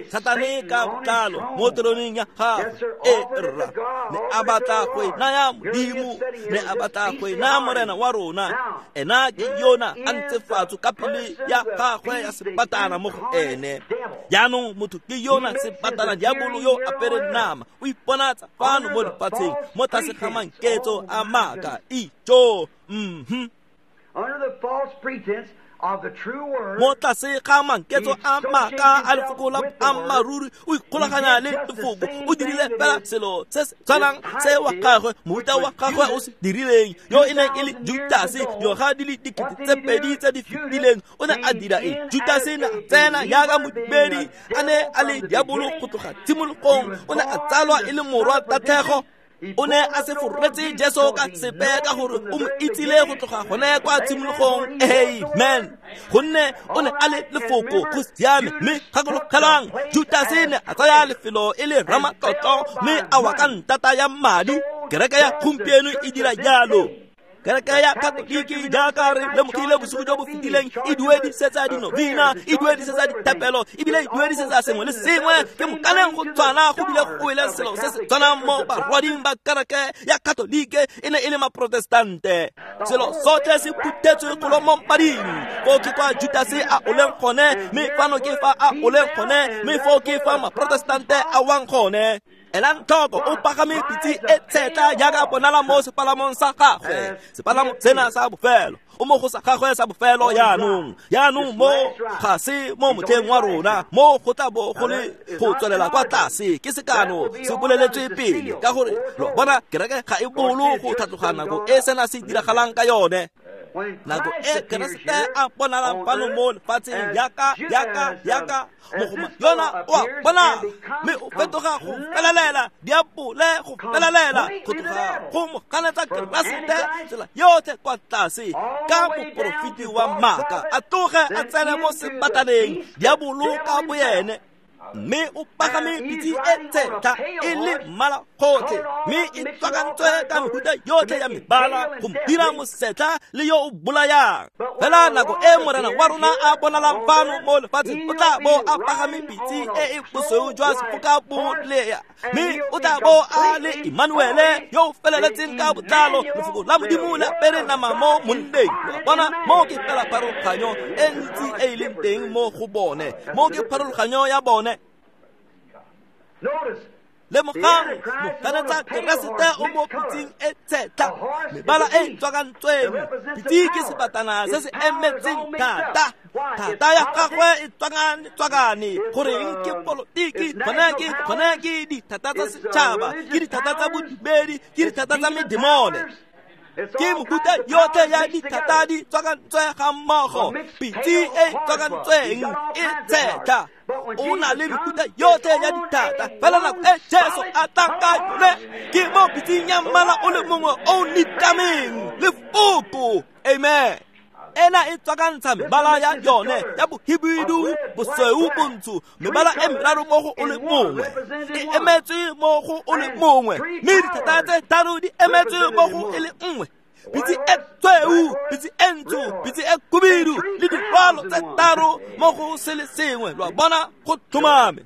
Satane ka botlalo mo teroneng ya gagwe. E rra, ne a batla go e naya Modimo, ne a batla go e naya Morena wa rona. Ena ke yona a ntse fatsho ka pele ya gagwe ya sebatana mo go ene. Jaanong motho ke yona sebatana, diabolo yo apere nama, o iponatsa fano mo lefatsheng mo tlase ga manketso a maaka. Ijo. Under the false pretense of the true word, Mo tlase ga manketso a maaka a lefoko la boammaaruri, o ikgolaganya le lefoko. O dirile fela selo se se tshwanang se wa gagwe moruta wa gagwe o se dirileng, yo e neng e le Judase dingwaga di le 2000 tse di fetileng. O ne a dira eng? Judase ne a tsena jaaka modumedi, a ne a le diabolo go tloga tshimologong. O ne a tsalwa e le morwa tatlhego. O ne a se foretse Jesu ka sepe ka gore o mo itsile go tloga gone kwa tshimologong. Amen. Gonne o ne a le lefoko, go siame. Mme gakologelwang, Judase ne a tsaya lefelo e le ramatlotlo mme a wa ka ntata ya madi. Kereke ya gompieno e dira jalo. Kereke ya Katoliki jaaka re lemogile bosigo jo bo fetileng e duedisetsa dinovina, e duedisetsa dithapelo, ebile e duedisetsa sengwe le sengwe. Ke mokaneng go tshwana, go bile go wele selo se se tshwanang mo barwading ba kereke ya Katolike e ne e le maprotestante. Selo sotlhe se phuthetswe golo mo mading. Foo ke kwa Judase a oleng gone, mme fano ke fa a oleng gone, mme foo ke fa maprotestante a wang gone. Elang tlhoko, o pagame pitse e tshetla jaaka bonala mo sepalamong sa gagwe, sepalamo sena sa bofelo. O mo go sa gagwe sa bofelo jaanong. Jaanong mo ga se mo motlheng wa rona, mo go tla bo go le go tswelela kwa tlase. Ke sekano se boleletswe pele, ka gore lo bona kereke ga e bolo go tlhatloga nako e sena se diragalang ka yone. Nako e Keresete a bonalang fano mo lefatsheng yaka mogoma yona o a bonala, mme o fetoga go felelela diabole, go felelela go tloga go mo ganetsa Keresete tsela yotlhe kwa tlase ka moporofeti wa maaka, a tloge a tsene mo sebataneng diabolo ka boyene. Mme o pagame pitse e tshetla e le mmala gotlhe, mme e tswakantswe ka mehuta yotlhe ya mebala go mo dira mosetla le yo o bolayang. Fela nako e Morena wa rona a bonalang fano mo lefatsheng, o tla bo a pagame pitse e e bosweu jwa sefoka bolea, mme o tla bo a le Emmanuele yo o feleletseng ka botlalo, lefoko la Modimo le apere nama mo monneng. Lo bona, mo ke fela pharologanyo e ntsi e e leng teng mo go bone, mo ke pharologanyo ya bone. Notice, Lemogang moganetsa Keresete o mo pitseng e tshetlha, mebala e tswakantsweng. Pitse ke sebatana se se emetseng thata. Thata ya gagwe e tswakane. Goreng ke polotiki, gone ke dithata tsa setšhaba, ke dithata tsa bodumedi, ke dithata tsa medemone. Ke mofuta yotlhe ya dithata di tswakantswe ga mmogo. Pitse e tswakantsweng e tshetlha. O na le mefuta yotlhe ya dithata. Fela nako e Jesu a tlang ka yone ke mo pitseng ya mmala o le mongwe o nitameng, lefoko. Amen. Ena e tswakantsha mebala ya yone ya bohibidu, bosweu, bontsho, mebala e meraro mo go o le mongwe. E emetswe mo go o le mongwe, mme dithata tse tharo di emetswe mo go e le nngwe. Pitse e tshweu, pitse e ntsho, pitse e khubidu le dirwalo tse tharo mo go se le sengwe. Lo a bona, go tlhomame.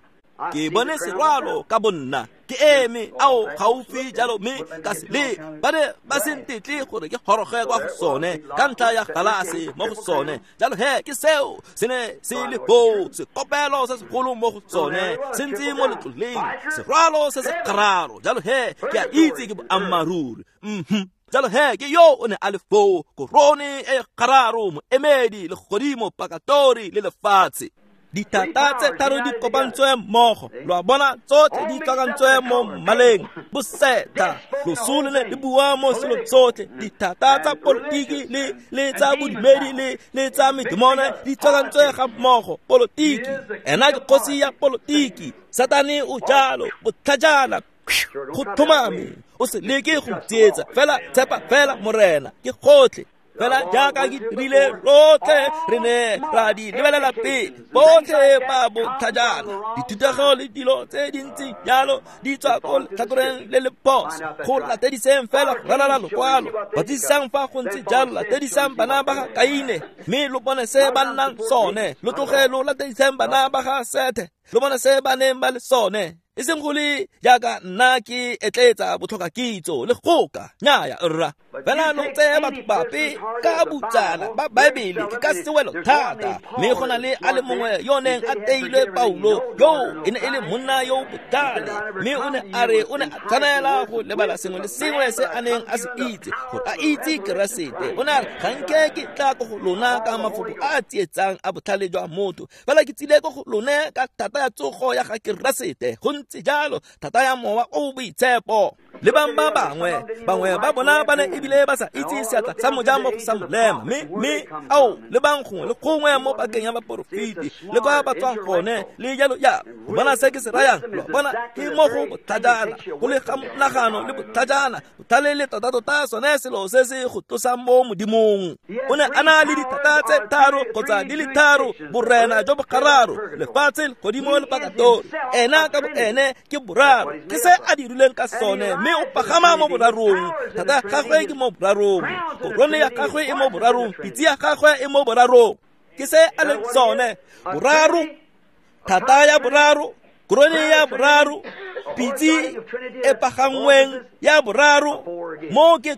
Ke bone serwalo ka bonna, ke eme ao gaufi jalo mme ka se le ba ne ba se ntetle gore ke goroge kwa go sone ka ntlha ya galase mo go sone. Jalo he ke seo se ne se le foo, sekopelo se segolo mo go sone se ntse mo letloleng, serwalo se se gararo. Jalo he ke a itse ke boammaaruri. Jalo he ke yo o ne a le foo, korone e gararo, moemedi, legodimo, pakatori le lefatshe. Dithata tse tharo di kopantswe mmogo. Lo a bona, tsotlhe di tswakantswe mo mmaleng. Bosetha, loso le ne le bua mo selong sotlhe. Dithata tsa polotiki le tsa bodumedi le tsa medemone di tswakantswe ga mmogo. Polotiki, ena ke kgosi ya polotiki. Satane o jalo, botlhajana. Go tlhomame, o se leke go tsietsa, fela tshepa fela Morena, ke gotlhe. Fela jaaka ke dirile rotlhe re ne ra di lebelela pele, botlhe ba botlhajana. Dithutego le dilo tse dintsi jalo di tswa ko letlhakoreng le le phoso. Go latediseng fela go ralala lokwalo. Batlisisang fa go ntse jalo, latedisang bana ba ga Kaine, mme lo bone se ba nnang sone. Lo tloge lo latediseng bana ba ga Sethe, lo bone se ba neng ba le sone. E seng go le jaaka nna ke etletsa botlhoka kitso le goka, nnyaya rra. Fela lo tseye batho bape ka botsana ba Baebele ke ka sewelo thata. Mme go na le a le mongwe yo neng a teilwe Paulo, yo e ne e le monna yo botlhale, mme o ne a re o ne a tshwanela go lebala sengwe le sengwe se a neng a se itse gore a itse Keresete. O ne a re, ga nke ke tla ko go lona ka mafoko a a tsietsang a botlhale jwa motho, fela ke tsile ko go lone ka thata ya tsogo ya ga Keresete. Go ntse jalo, thata ya mowa o boitshepo. Le bang ba bangwe ba bona ba ne ebile ba sa itse seatla sa moja mo go sa molema. Mme ao le bang gongwe le gongwe mo pakeng ya baporofeti le kwa ba tswang gone le jalo ya. Go bona se ke se rayang, lo bona ke mo go botlhajana, go le ga monagano le botlhajana. Botlhale le tota-tota sone selo se se go tlosang mo Modimong. O ne a na le dithata tse tharo kgotsa di le tharo, borena jo bo gararo, lefatshe, legodimo le pakatori. Ena ka boene ke boraro, ke se a dirileng ka sone, mme o pagama mo borarong. Thata ya gagwe ke mo borarong, korone ya gagwe e mo borarong, pitse ya gagwe e mo borarong. Ke se a leng sone, boraro, thata ya boraro, korone ya boraro, pitse e pagangweng ya boraro. Mo ke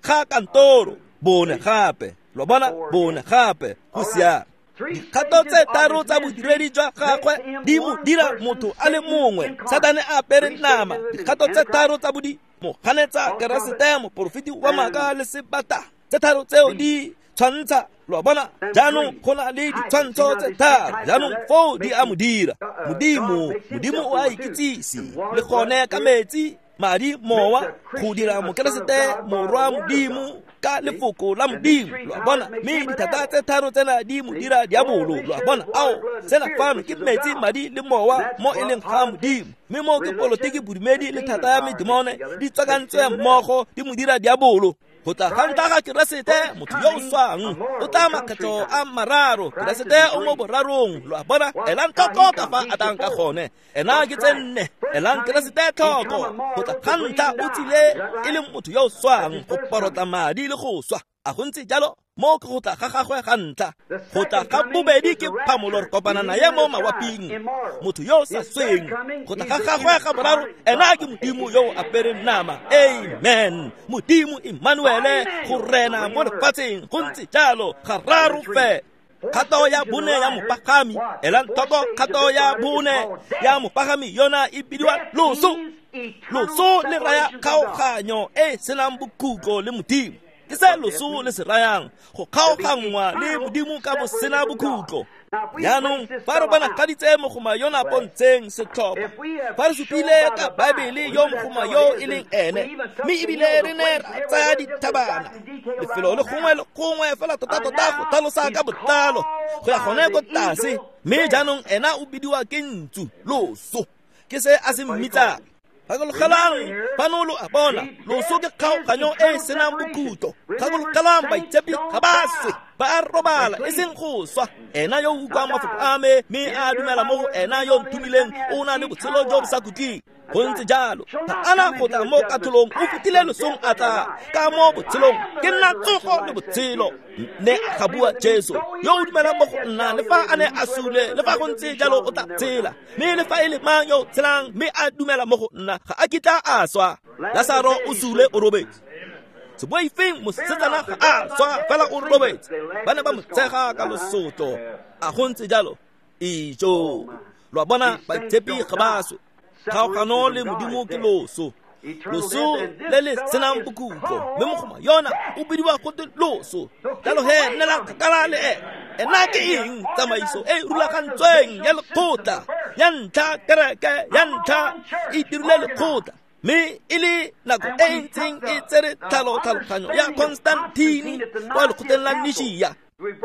ga kantoro, bone gape. Lo bona, bone gape, go siame. Dikgato tse tharo tsa bodiredi jwa gagwe di mo dira motho a le mongwe. Satane a apere nama. Dikgato tse tharo tsa moganetsa Keresete, moporofeti wa maaka le sebata. Tse tharo tseo di tshwantsha, lo bona. Jaanong go na le ditshwantsho tse tharo. Jaanong foo di a mo dira Modimo o a ikitsise le gone ka metsi, madi, mowa, go dira Mokeresete morwa Modimo ka lefoko la Modimo. Lo a bona, mme dithata tse tharo tsena di mo dira diabolo. Lo a bona, ao tsena fano ke metsi, madi le mowa mo e leng ga Modimo. Mme mo ke polotiki, bodumedi le thata ya medemone di tswakantswe mmogo di mo dira diabolo. Go tla ga ntlha ga Keresete, motho yo o swang o tla makgetlho a mararo. Keresete o mo borarong. Lo a bona, elang tlhoko ka fa a tlang ka gone. Ena ke tse nne. Elang Keresete tlhoko. Go tla ga ntlha o tsile e le motho yo o swang, go porotla madi le go swa. A go ntse jalo, mo ke go tla ga gagwe ga ntlha. Go tla ga bobedi ke phamolo, re kopana naye mo mawaping, motho yo o sa sweng. Go tla ga gagwe ga boraro, ena ke Modimo yo o apereng nama. Amen. Modimo Emmanuele, go rena mo lefatsheng. Go ntse jalo, gararo fe. Kgato ya bone ya mopagami, elang tlhoko, kgato ya bone ya mopagami yona e bidiwa loso. Loso le raya kgaoganyo e senang bokhutlo le Modimo. Ke se loso le se rayang, go kgaoganngwa le Modimo ka bosena bokhutlo. Jaanong fa re bonagaditse mogoma yona pontsheng setlhopha, fa re supile ka Baebele yo mogoma yo e leng ene, mme ebile re ne ra tsaya dithabana lefelo le gongwe le gongwe fela tota-tota go tlhalosa ka botlalo go ya gone ko tlase. Mme jaanong ena o bidiwa ke ntsu, loso ke se a se mmitsang. Gakologelang fano lo a bona, loso ke kgaoganyo e e senang bokhutlo. Gakologelang baitshepi ga ba swe, ba a robala e seng go swa. Ena yo o utlwang mafoko a me mme a dumela mo go ena yo nthomileng o na le botshelo jo bo sa khutleng. Go ntse jalo, ga ana go tla mo katlholong, o fetile losong a tla ka mo botshelong. Ke nna tsogo le botshelo, ne ga bua Jesu. Yo o dumelang mo go nna, le fa a ne a sule, le fa go ntse jalo o tla tshela. Mme le fa e le mang yo o tshelang mme a dumela mo go nna, ga a kitla a swa. Lasaro o sule o robetse. Seboifeng mosetsana ga a swa, fela o robetse. Ba ne ba mo tshega ka losotlo. A go ntse jalo? Ijo. Lo a bona, baitshepi ga ba swe. Kgaogano le Modimo ke loso. Loso le le senang bokhutlo, mme mogoma yona o bidiwa gote loso. Jalo he nnela kgakala le ene. Ena ke eng? Tsamaiso e rulagantsweng ya lekgotla ya ntlha, kereke ya ntlha e dirile lekgotla, mme e le nako e ntseng e tsere tlhaloganyo ya Constantine kwa lekgotleng la Nishia.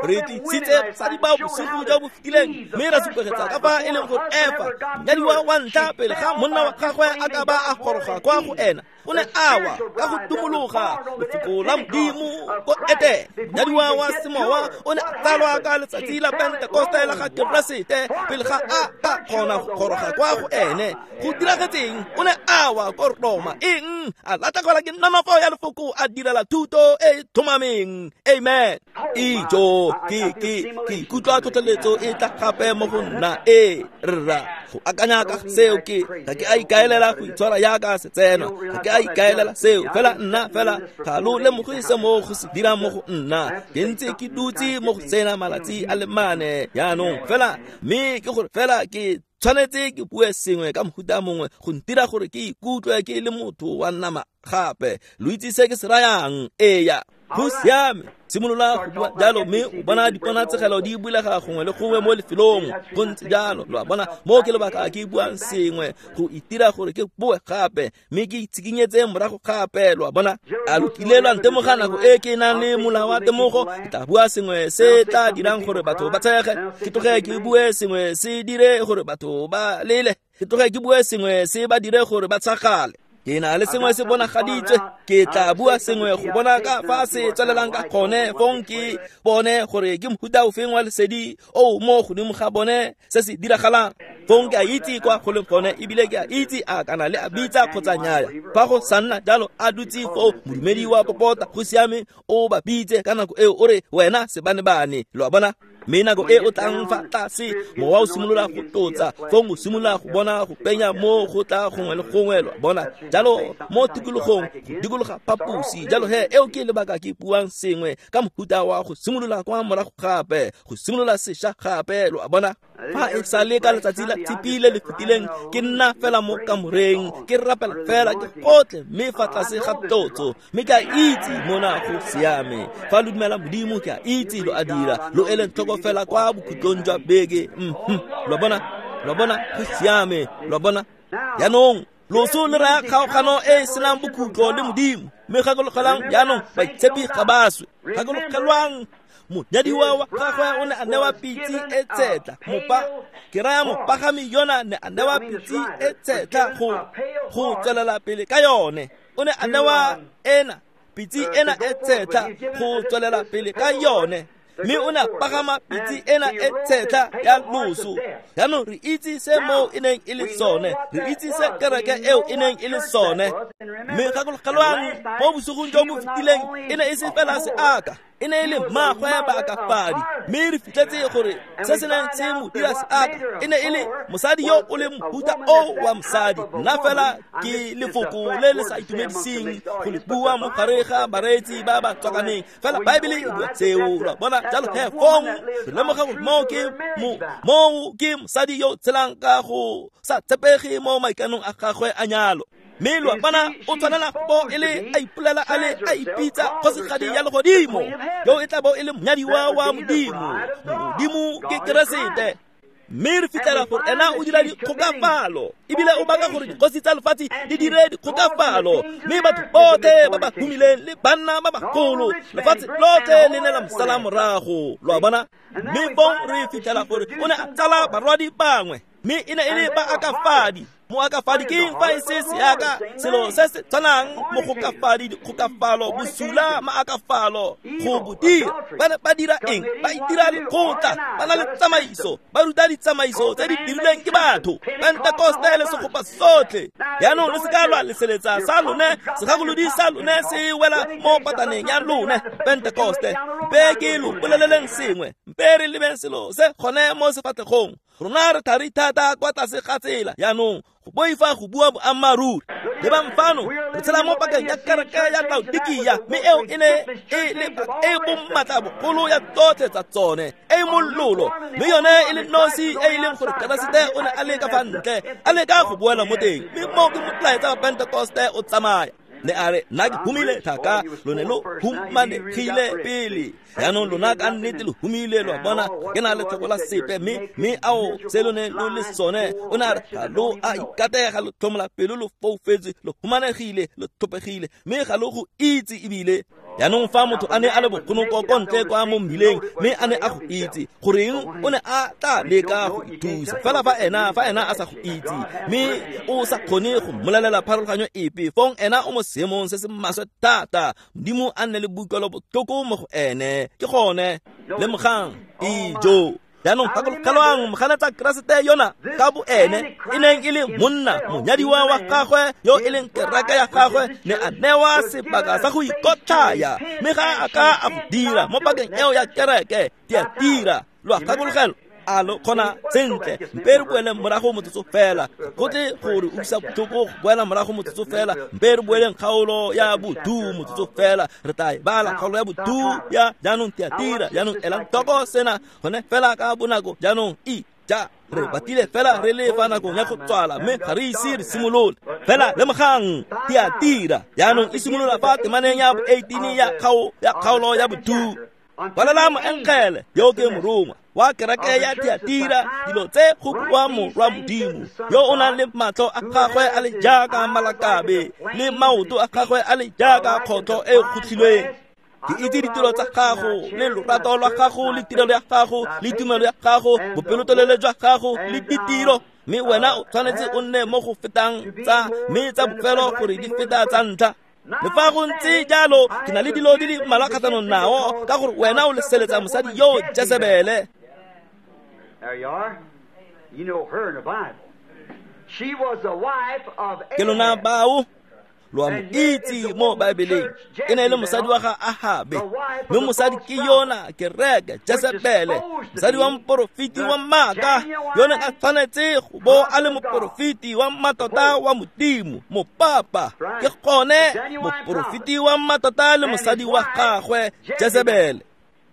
Re tlisitse basadi bao bosigo jo bo fetileng, mme ra supegetsa ka fa e leng gore Efa, monyadiwa wa ntlha pele ga monna wa gagwe a ka ba a goroga kwa go ena, o ne a wa ka go tumologa lefoko la Modimo ko Etene. Monyadiwa wa semowa o ne a tsalwa ka letsatsi la Pentekoste la ga Keresete pele ga a ka kgona go goroga kwa go ene. Go diragetseng? O ne a wa ko Roma. Eng? A latlhegelwa ke nonofo ya lefoko, a direla thuto e tlhomameng. Amen. Ijo, ke ikutlwa tlhotlheletso e tla gape mo go nna. E rra, go akanya ka seo ke ga ke a ikaelela go itshwara yaka setseno, ga ke a ikaelela seo, fela nna fela ga lo lemoge se mo go se dirang mo go nna. Ke ntse ke dutse mo go tsena malatsi a le mane jaanong fela, mme ke gore fela ke tshwanetse ke bue sengwe ka mohuta mongwe go ntira gore ke ikutlwe ke le motho wa nama gape. Lo itse se ke se rayang? Eya, go siame. Simolola go bua jalo, mme o bona diponatsegelo di bulega gongwe le gongwe mo lefelong. Go ntse jalo, lo a bona. Mo ke lebaka ke buang sengwe go itira gore ke boe gape, mme ke itshikinyetse morago gape, lo a bona. A lo kile lwa ntemoga nako e ke nang le molao wa temogo? Ke tla bua sengwe se tla dirang gore batho ba tshege, ke tloge ke bue sengwe se dire gore batho ba lele, ke tloge ke bue sengwe se ba dire gore ba tshagale. Ke na le sengwe se bonagaditswe, ke tla bua sengwe go bona ka fa se tswelelang ka gone, fong ke bone gore ke mohuta ofeng wa lesedi o mo godimo ga bone se se diragalang. Fong ke a itse kwa go leng gone, ebile ke a itse a kana le a bitsa kgotsa nnyaya. Fa go sa nna jalo, a dutse foo modumedi wa popota, go siame, o ba bitse ka nako eo, o re wena sebanebane, lo a bona. Mme nako e o tlang fa tlase, mowa o simolola go tlotsa, fong o simolola go bona go penya mo go tla gongwe le gongwe, lo a bona. Jalo mo tikologong, go dikologa phaposi. Jalo he eo ke lebaka ke buang sengwe ka mohuta wa go simolola kwa morago gape, go simolola sešwa gape, lo a bona. Fa e sale ka letsatsi la Tshipi le le fetileng, ke nna fela mo kamoreng, ke rapela fela ke gotle, mme fa tlase ga tlotso, mme ke a itse mona go siame. Fa lo dumela Modimo, ke a itse lo a dira, lo eleng tlhoko fela kwa bokhutlong jwa beke. Lo bona, lo bona, go siame, lo bona. Jaanong loso le raya kgaogano e e senang bokhutlo le Modimo. Mme gakologelang jaanong, baitshepi ga ba swe. Gakologelwang, monyadiwa wa gagwe o ne a newa pitse e tshetla, ke raya mopagami yona ne a newa pitse e tshetla go tswelela pele ka yone. O ne a newa ena pitse ena e tshetla go tswelela pele ka yone, mme o ne a pagama pitse ena e tshetla ya loso. Jaanong re itse se moo e neng e le sone, re itse se kereke eo e neng e le sone. Mme gakologelwang, mo bosigong jo bo fetileng e ne e se fela seaka, e ne e le mmagwe baakafadi. Mme re fitlhetse gore se se neng se mo dira seaka e ne e le mosadi yo o leng mohuta o wa mosadi. Nna fela ke lefoko le le sa itumediseng go le bua mo gare ga bareetsi ba ba tswakaneng, fela Baebele e bua seo, lo a bona. Jalo he fong re lemoga gore moo ke mosadi yo tshelang ka go sa tshepege mo maikanong a gagwe a nyalo. Mme lo a bona o tshwanela bo e le a ipolela a le a ipitsa kgosigadi ya legodimo, yo e tla bo e le monyadiwa wa Modimo. Modimo ke Keresete. Mme re fitlhela gore ena o dira dikgokafalo, ebile o baka gore dikgosi tsa lefatshe di dire dikgokafalo, mme batho botlhe ba ba humileng le banna ba bagolo, lefatshe lotlhe le ne la mosala morago. Lo a bona? Mme fong re fitlhela gore o ne a tsala barwadi bangwe, mme e ne e le baakafadi. Moakafadi ke eng fa e se seaka, selo se se tshwanang mogokafadi, dikgokafalo, bosula, maakafalo, go bo dira. Ba ne ba dira eng? Ba itira lekgotla, ba na le tsamaiso, ba ruta ditsamaiso tse di dirilweng ke batho. Pentekoste le segopa sotlhe. Jaanong le se ka lwa leseletsa sa lone, segakolodi sa lone se wela mo pataneng ya lone. Pentekoste, mpe ke lo boleleleng sengwe, mpe re lebeng selo se gone mo sefatlhegong. Rona re thari thata kwa tlase ga tsela jaanong, go boifa go bua boammaaruri. Lebang fano, re tshela mo pakeng ya kereke ya Laodikia, mme eo e ne e le e bommatla bogolo ya tsotlhe tsa tsone, e e mololo, mme yone e le nosi e e leng gore Keresete o ne a le ka fa ntle, a leka go boela mo teng, mme mo ke molaetsa wa Pentekoste o tsamaya. Ne a re, nna ke humile thaka, lo ne lo humanegile pele. Jaanong lona ka nnete lo humile, lo a bona, ke na le tlhoko la sepe, mme ao se lo ne lo le sone. O ne a re, ga lo a ikatega, lo tlhomola pelo, lo foufetse, lo humanegile, lo tlhopegile, mme ga lo go itse ebile. Jaanong fa motho a ne a le bogonoko ko ntle kwa mo mmileng, mme a ne a go itse, goreng o ne a tla leka go ithusa. Fela fa ena a sa go itse, mme o sa kgone go mmolelela pharologanyo epe, fong ena o mo seemong se se maswe thata. Modimo a nne le boikuelo botlhoko mo go ene. Ke gone lemogang ijo. Jaanong gakologelwang moganetsa Keresete yona ka bo ene e neng e le monna, monyadiwa wa gagwe yo e leng kereke ya gagwe, ne a newa sebaka sa go ikotlhaya, mme ga a ka a go dira mo pakeng eo ya kereke. Tiatira, lo a gakologelwa? A lo kgona sentle? Mpe re boeleng morago motsotso fela, go tle gore utlwisa botlhoko go boela morago motsotso fela. Mpe re boeleng kgaolo ya bodu motsotso fela, re tla e bala kgaolo ya bodu ya jaanong Tiatira. Jaanong elang tlhoko sena gone fela ka bonako. Jaanong ja re batile fela re le fa nakong ya go tswala, mme ga re ise re simolole. Fela lemogang Tiatira jaanong e simolola fa temaneng ya bo 18 ya kgaolo ya bodu. Kwalela moengele yo ke morongwa wa kereke ya Tiatira dilo tse go bua morwa Modimo, yo o nang le matlho a gagwe a le jaaka malakabe, le maoto a gagwe a le jaaka kgotlho e kgotlhilweng. Ke itse ditiro tsa gago, le lorato lwa gago, le tirelo ya gago, le tumelo ya gago, bopelotelele jwa gago, le ditiro, mme wena o tshwanetse o nne mo go fetang tsa, mme tsa bofelo gore di feta tsa ntlha. Le fa go ntse jalo, ke na le dilo di le mmalwa kgatlhanong nao, ka gore wena o leseletsa mosadi yo Jezebele. Ke lona bao lo a mo itse mo Baebeleng, e ne e le mosadi wa ga Ahabe, mme mosadi ke yona kereke Jezebele, mosadi wa moporofeti wa maaka, yo neng a tshwanetse go bo a le moporofeti wa mmatota wa Modimo, mopapa. Ke gone moporofeti wa mmatota le mosadi wa gagwe Jezebele.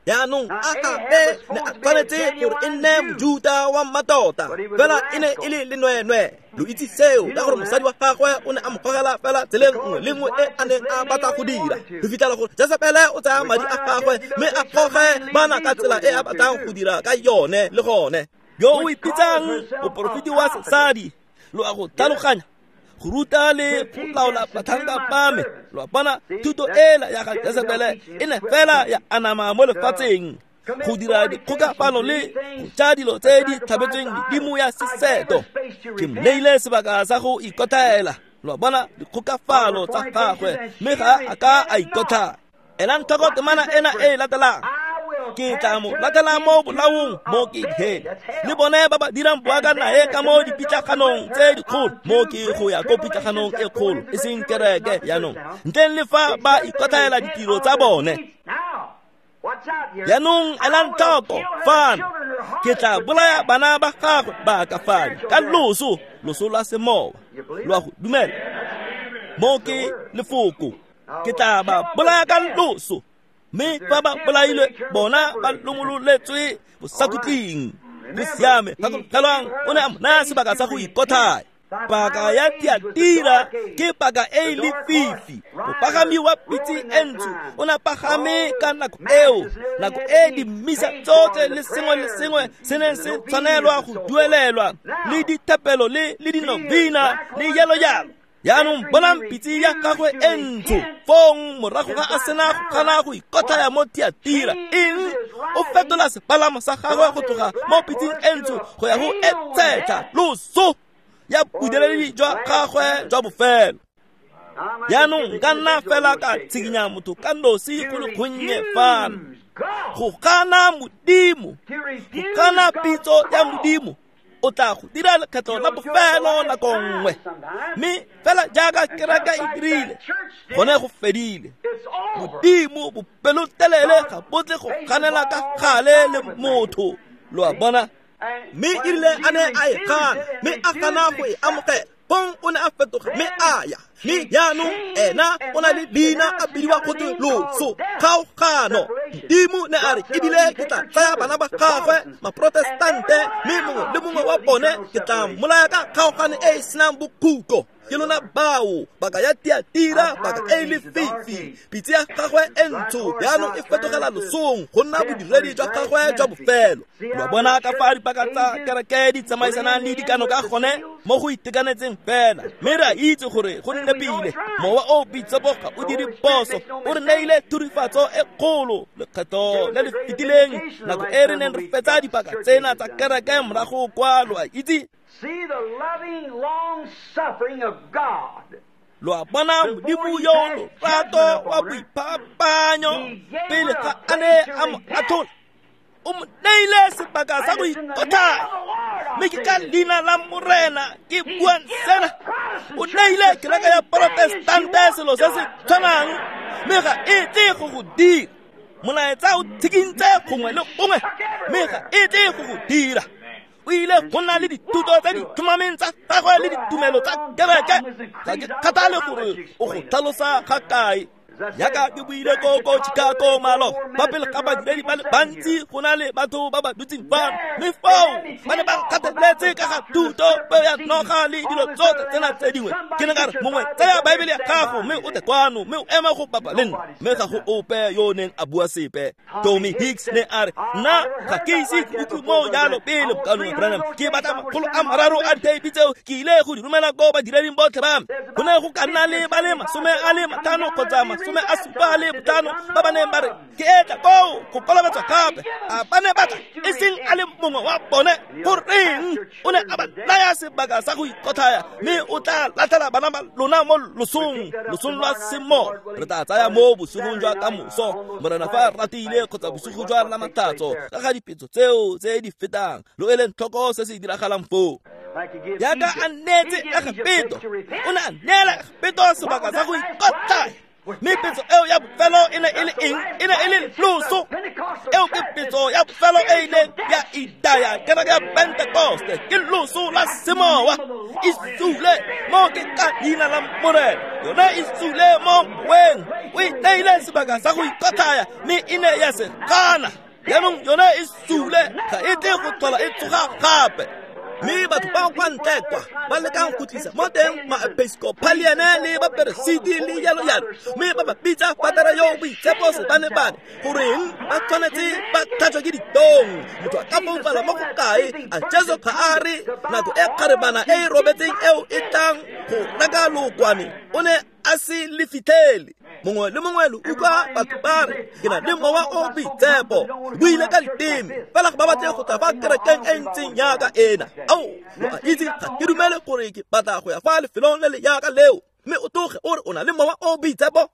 Jaanong Ahabe ne a tshwanetse gore e nne Mojuta wa mmatota, fela e ne e le lenweenwee. Lo itse seo ka gore mosadi wa gagwe o ne a mo gogela fela tseleng nngwe le nngwe e a neng a batla go dira. Re fitlhela gore Jezebele o tsaya madi a gagwe mme a goge bana ka tsela e a batlang go dira ka yone le gone. Yo o ipitsang moporofeti wa sesadi, lo a go tlhaloganya, go ruta le go laola batlhanka ba me. Lo a bona, thuto ela ya ga Jezebele e ne fela ya anama mo lefatsheng, go dira dikgokafalo le go ja dilo tse di tlhabetsweng medimo ya seseto. Ke mo neile sebaka sa go ikotlhaela. Lo a bona dikgokafalo tsa gagwe, mme ga a ka a ikotlhaya. Elang tlhoko temana ena e latelang. Ke tla mo latela mo bolaong mo ke dihele, le bone ba ba dirang boaka nae ka mo dipitlaganong tse dikgolo, mo ke go ya ko pitlaganong e kgolo, e seng kereke jaanong, ntleng le fa ba ikotlhaela ditiro tsa bone. Jaanong elang tlhoko fano, ke tla bolaya bana ba gagwe ba ka fano ka loso, loso lwa semowa. Lo a go dumela? Mo ke lefoko, ke tla ba bolaya ka loso, mme fa ba bolailwe bona ba lomololetswe bosakhutleng. Go siame, gakologelwang o ne a mo naya sebaka sa go ikotlhaya. Paka ya Tiatira ke paka e lefifi. Mopagami wa pitse e ntsho o ne a pagame ka nako eo, nako e dimisa tsotlhe le sengwe le sengwe se neng se tshwanelwa go duelelwa, le dithapelo le dinovina le jalo jalo. Jaanong bonang pitse ya gagwe e ntsho fong morago ga a sena go gana go ikotlhaya mo Tiatira. Eng? O fetola sepalamo sa gagwe go tloga mo pitseng e ntsho go ya go e tshetlha, loso ya bodiredi jwa gagwe jwa bofelo. Jaanong nka nna fela ka tshikinya motho ka nosi go le gonnye fano. Go gana Modimo, go gana pitso ya Modimo, o tla go dira lekgetlo la bofelo nako nngwe. Mme fela jaaka kereke e dirile, gone go fedile. Modimo bopelotelele ga bo tle go ganela ka gale le motho, lo a bona. Mme erile a ne a e gana, mme a gana go e amogela, fong o ne a fetoga mme a ya. Mme jaanong ena o na le leina a bidiwa gotwe loso, kgaogano. Modimo ne a re ebile ke tla tsaya bana ba gagwe maprotestante, mme mongwe le mongwe wa bone ke tla mmolaya ka kgaogano e e senang bokhutlo. Ke lona bao, baka ya Tiatira, baka e lefifi. Pitse ya gagwe e ntsho jaanong e fetogela losong go nna bodiredi jwa gagwe jwa bofelo. Lo bona ka fa dipaka tsa kereke di tsamaisanang le dikano ka gone mo go itekanetseng fela. Mme re a itse gore go nepile. Mowa o boitshepo ga o dire phoso, o re neile thurifatso e kgolo lekgetho le le fetileng nako e re neng re fetsa dipaka tsena tsa kereke morago kwa, lo a itse. See the loving long suffering of God. Lo a bona Modimo yo lorato wa boiphapanyo pele ga a ne a mo atlhola, o mo neile sebaka sa go ikotlhaya. Mme ke ka leina la Morena ke buang sena. O neile kereke ya Protestante selo se se tshwanang, mme ga e tle go go dira. Molaetsa o tshikintse gongwe le gongwe, mme ga e tle go go dira. O ile go nna le dithuto tse di tlhomameng tsa gagwe le ditumelo tsa kereke. Ga ke kgathale gore o go tlhalosa ga kae. Jaaka ke buile ko Chicago maloba, fa pele ga badiredi ba le bantsi go na le batho ba ba dutseng fano, mme foo ba ne ba nkgatheletse ka ga thuto, peo ya noga le dilo tsotlhe tsena tse dingwe. Ke ne ka re, mongwe tsaya Baebele ya gago mme o tle kwano mme o eme go bapa le nna. Mme ga go ope yo o neng a bua sepe. Tommy Hicks ne a re, nna ga ke ise ke utlwe mo jalo pele, Mokaulengwe Branham. Ke batla 300 a ditheipi tseo ke ile go di romela ko badireding botlhe ba me. Go ne go ka nna le ba le 50 kgotsa 75 ba ba neng ba re ke etla koo go kolobetswa gape. A ba ne ba tla, e seng a le mongwe wa bone. Goreng? O ne a ba naya sebaka sa go ikotlhaya, mme o tla latlhela bana ba lona mo losong, losong lwa semoya. Re tla tsaya mo bosigong jwa kamoso, Morena fa a ratile, kgotsa bosigo jwa Lamatlhatso, ka ga dipetso tseo tse di fetang. Lo eleng tlhoko se se diragalang foo. Jaaka a neetse Egepeto, o ne a neela Egepeto sebaka sa go ikotlhaya. Mme petso eo ya bofelo e ne e le eng? E ne e le loso. Eo ke petso ya bofelo e ileng ya itaya kereke ya Pentekoste, ke loso la semowa. E sule mo ke ka leina la Morena, yone e sule mo moweng. O e neile sebaka sa go ikotlhaya, mme e ne ya se gana. Jaanong yone e sule, ga e tle go tlhola e tsoga gape. Mme batho ba kwa ntle kwa ba lekang go tlisa mo teng maepiskopaliane le baperesiti le jalo jalo, mme ba ba bitsa fatara yo boitshepo sebane-bane. Goreng ba tshwanetse ba tlhatswa ke ditong? Motho a ka foufala mo go kae? A Jesu ga a re nako e kgarebana e e robetseng eo e tlang go reka lookwane o ne a se le fitlhele? Mongwe le mongwe lo utlwa batho ba re ke na le mowa o boitshepo, buile ka diteme, fela ga ba batle go tla fa kerekeng e ntseng jaaka ena. Ao, lo a itse ga ke dumele gore ke batla go ya fa lefelong le le jaaka leo, mme o tloge o re o na le mowa o boitshepo.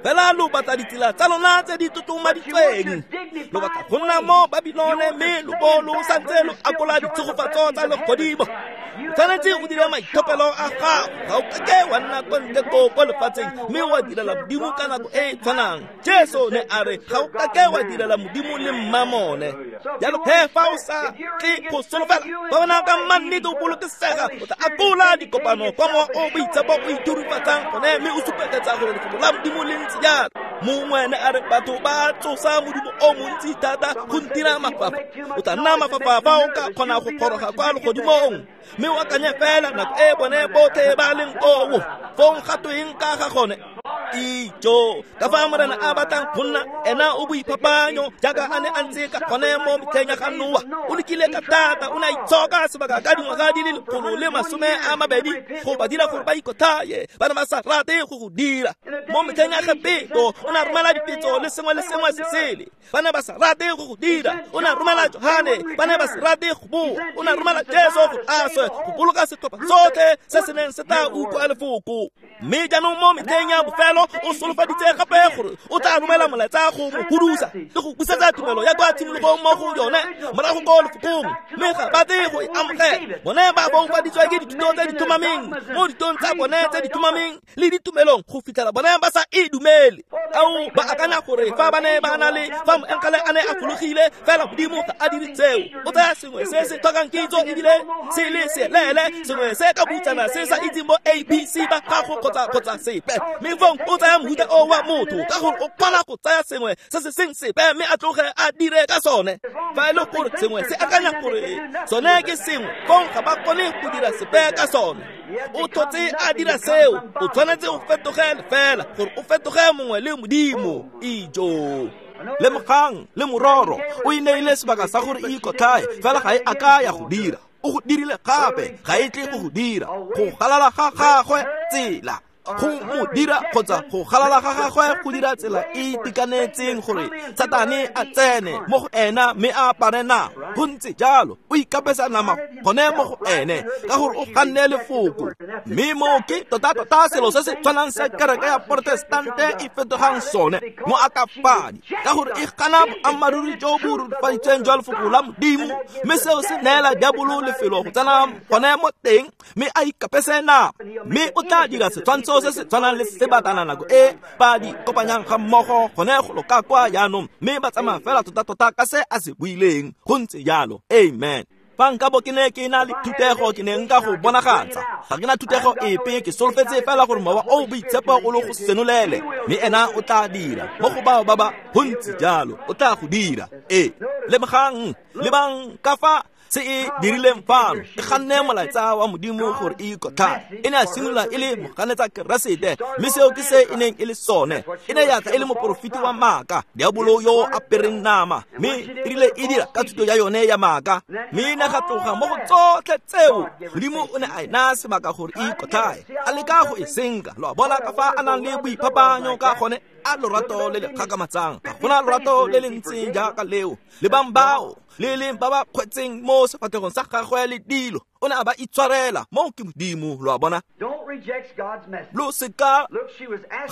Fela lo batla ditsela tsa lona tse di tlotlomaditsweng, lo batla go nna mo Babilone, mme lo bo lo santse lo akola ditshegofatso tsa legodimo. O tshwanetse o dire maithopelo a gago, ga o kake wa nna kwa ntle koo ko lefatsheng mme wa direla Modimo ka nako e e tshwanang. Jesu ne a re ga o kake wa direla Modimo le mmamone. Jalo he fa o sa tle go solofela, ba bona ka mannete o bolokesega, o tla akola dikopano kwa mowa o boitshepo o ithurifatsang gone, mme o supegetsa gore lefoko la Modimo le ntse jalo. Mongwe ne a re batho ba tsosa modumo o montsi thata go ntira mafafa. O tla nna mafafa fa o ka kgona go goroga kwa legodimong. Mme o akanye fela nako e bone botlhe ba leng koo. Fong ga tweng ka ga gone? Ijo, ka fa Morena a batlang go nna ena o boiphapanyo jaaka a ne a ntse ka gone mo metlheng ya ga Noa. O lekile ka thata, o ne a itshoka sebaka ka dingwaga di le 120 go ba dira gore ba ikothaye. Ba ne ba sa rate go go dira. Mo metlheng ya ga Petro, o ne a romela dipetso le sengwe le sengwe se sele. Ba ne ba sa rate go go dira. O ne a romela Johane, ba ne ba sa rate go boa. O ne a romela Jesu go a swe go boloka setlhopha sotlhe se se neng se tla utlwa lefoko. Mme jaanong mo metlheng ya bofelo o solofaditse gape gore o tla romela molaetsa go mo hudusa le go busetsa tumelo ya kwa tshimologong mo go yone morago ko lefokong. Mme ga ba tle go e amogela. Bone ba boufaditswe ke dithuto tse di tlhomameng mo ditong tsa bone tse di tlhomameng le ditumelong go fitlhela bone ba sa e dumele. Ao ba akanya gore fa ba ne ba na le fa moengele a ne a fologile fela Modimo ga a dire tseo. O tsaya sengwe se se tlhokang kitso ebile se le selele, sengwe se ka butsana se sa itseng bo ABC ba gago kgotsa sepe. Mme fong o tsaya mohuta o wa motho ka gore o kgona go tsaya sengwe se se seng sepe mme a tloge a dire ka sone. Fa e le gore sengwe se akanya gore sone ke sengwe, fong ga ba kgone go dira sepe ka sone. O tlhotse a dira seo, o tshwanetse o fetoge fela gore o fetoge mongwe le Modimo. Ijo. Lemogang le mororo o e neile sebaka sa gore e ikotlhae, fela ga e a ka ya go dira. O go dirile gape, ga e tle go go dira. Go galala ga gagwe tsela go mo dira kgotsa go galala ga gagwe go dira tsela e itekanetseng gore Satane a tsene mo go ena mme a apare nama. Go ntse jalo, o ikapesa nama gone mo go ene ka gore o ganne lefoko. Mme mo ke tota-tota selo se se tshwanang se kereke ya Protestante e fetogang sone mo akafadi, ka gore e gana boammaaruri jo bo rurifaditsweng jwa lefoko la Modimo, mme seo se neela diabolo lefelo go tsena gone mo teng mme a ikapese nama. Mme o tla dira setshwantsho se se tshwanang le sebatana nako e ba di kopanyang ga mmogo gone go loka kwa jaanong, mme ba tsamaya fela tota-tota ka se a se buileng. Go ntse jalo. Amen. Fa nkabo ke ne ke na le thutego, ke ne nka go bonagatsa. Ga ke na thutego epe, ke solofetse fela gore mowa o boitshepo o le go senolele, mme ena o tla dira mo go bao ba ba. Go ntse jalo, o tla go dira. Ee, lemogang, lebang ka fa se e dirileng fano. E ganne molaetsa wa Modimo gore e ikotlhae. E ne a simolola e le moganetsa Keresete, mme seo ke se e neng e le sone. E ne ya tla e le moporofeti wa maaka, diabolo yo o apereng nama, mme e rile e dira ka thuto ya yone ya maaka. Mme e ne ga tloga mo go tsotlhe tseo. Modimo o ne a e naya sebaka gore e ikotlhae, a leka go e senka. Lo a bona ka fa a nang le boiphapanyo ka gone, a lorato le le kgakamatsang. Ga gona lorato le le ntseng jaaka leo. Lebang bao le leng ba ba kgwetseng mo sefatlhegong sa gagwe le dilo, o ne a ba itshwarela. Mo ke Modimo, lo a bona. Lo seka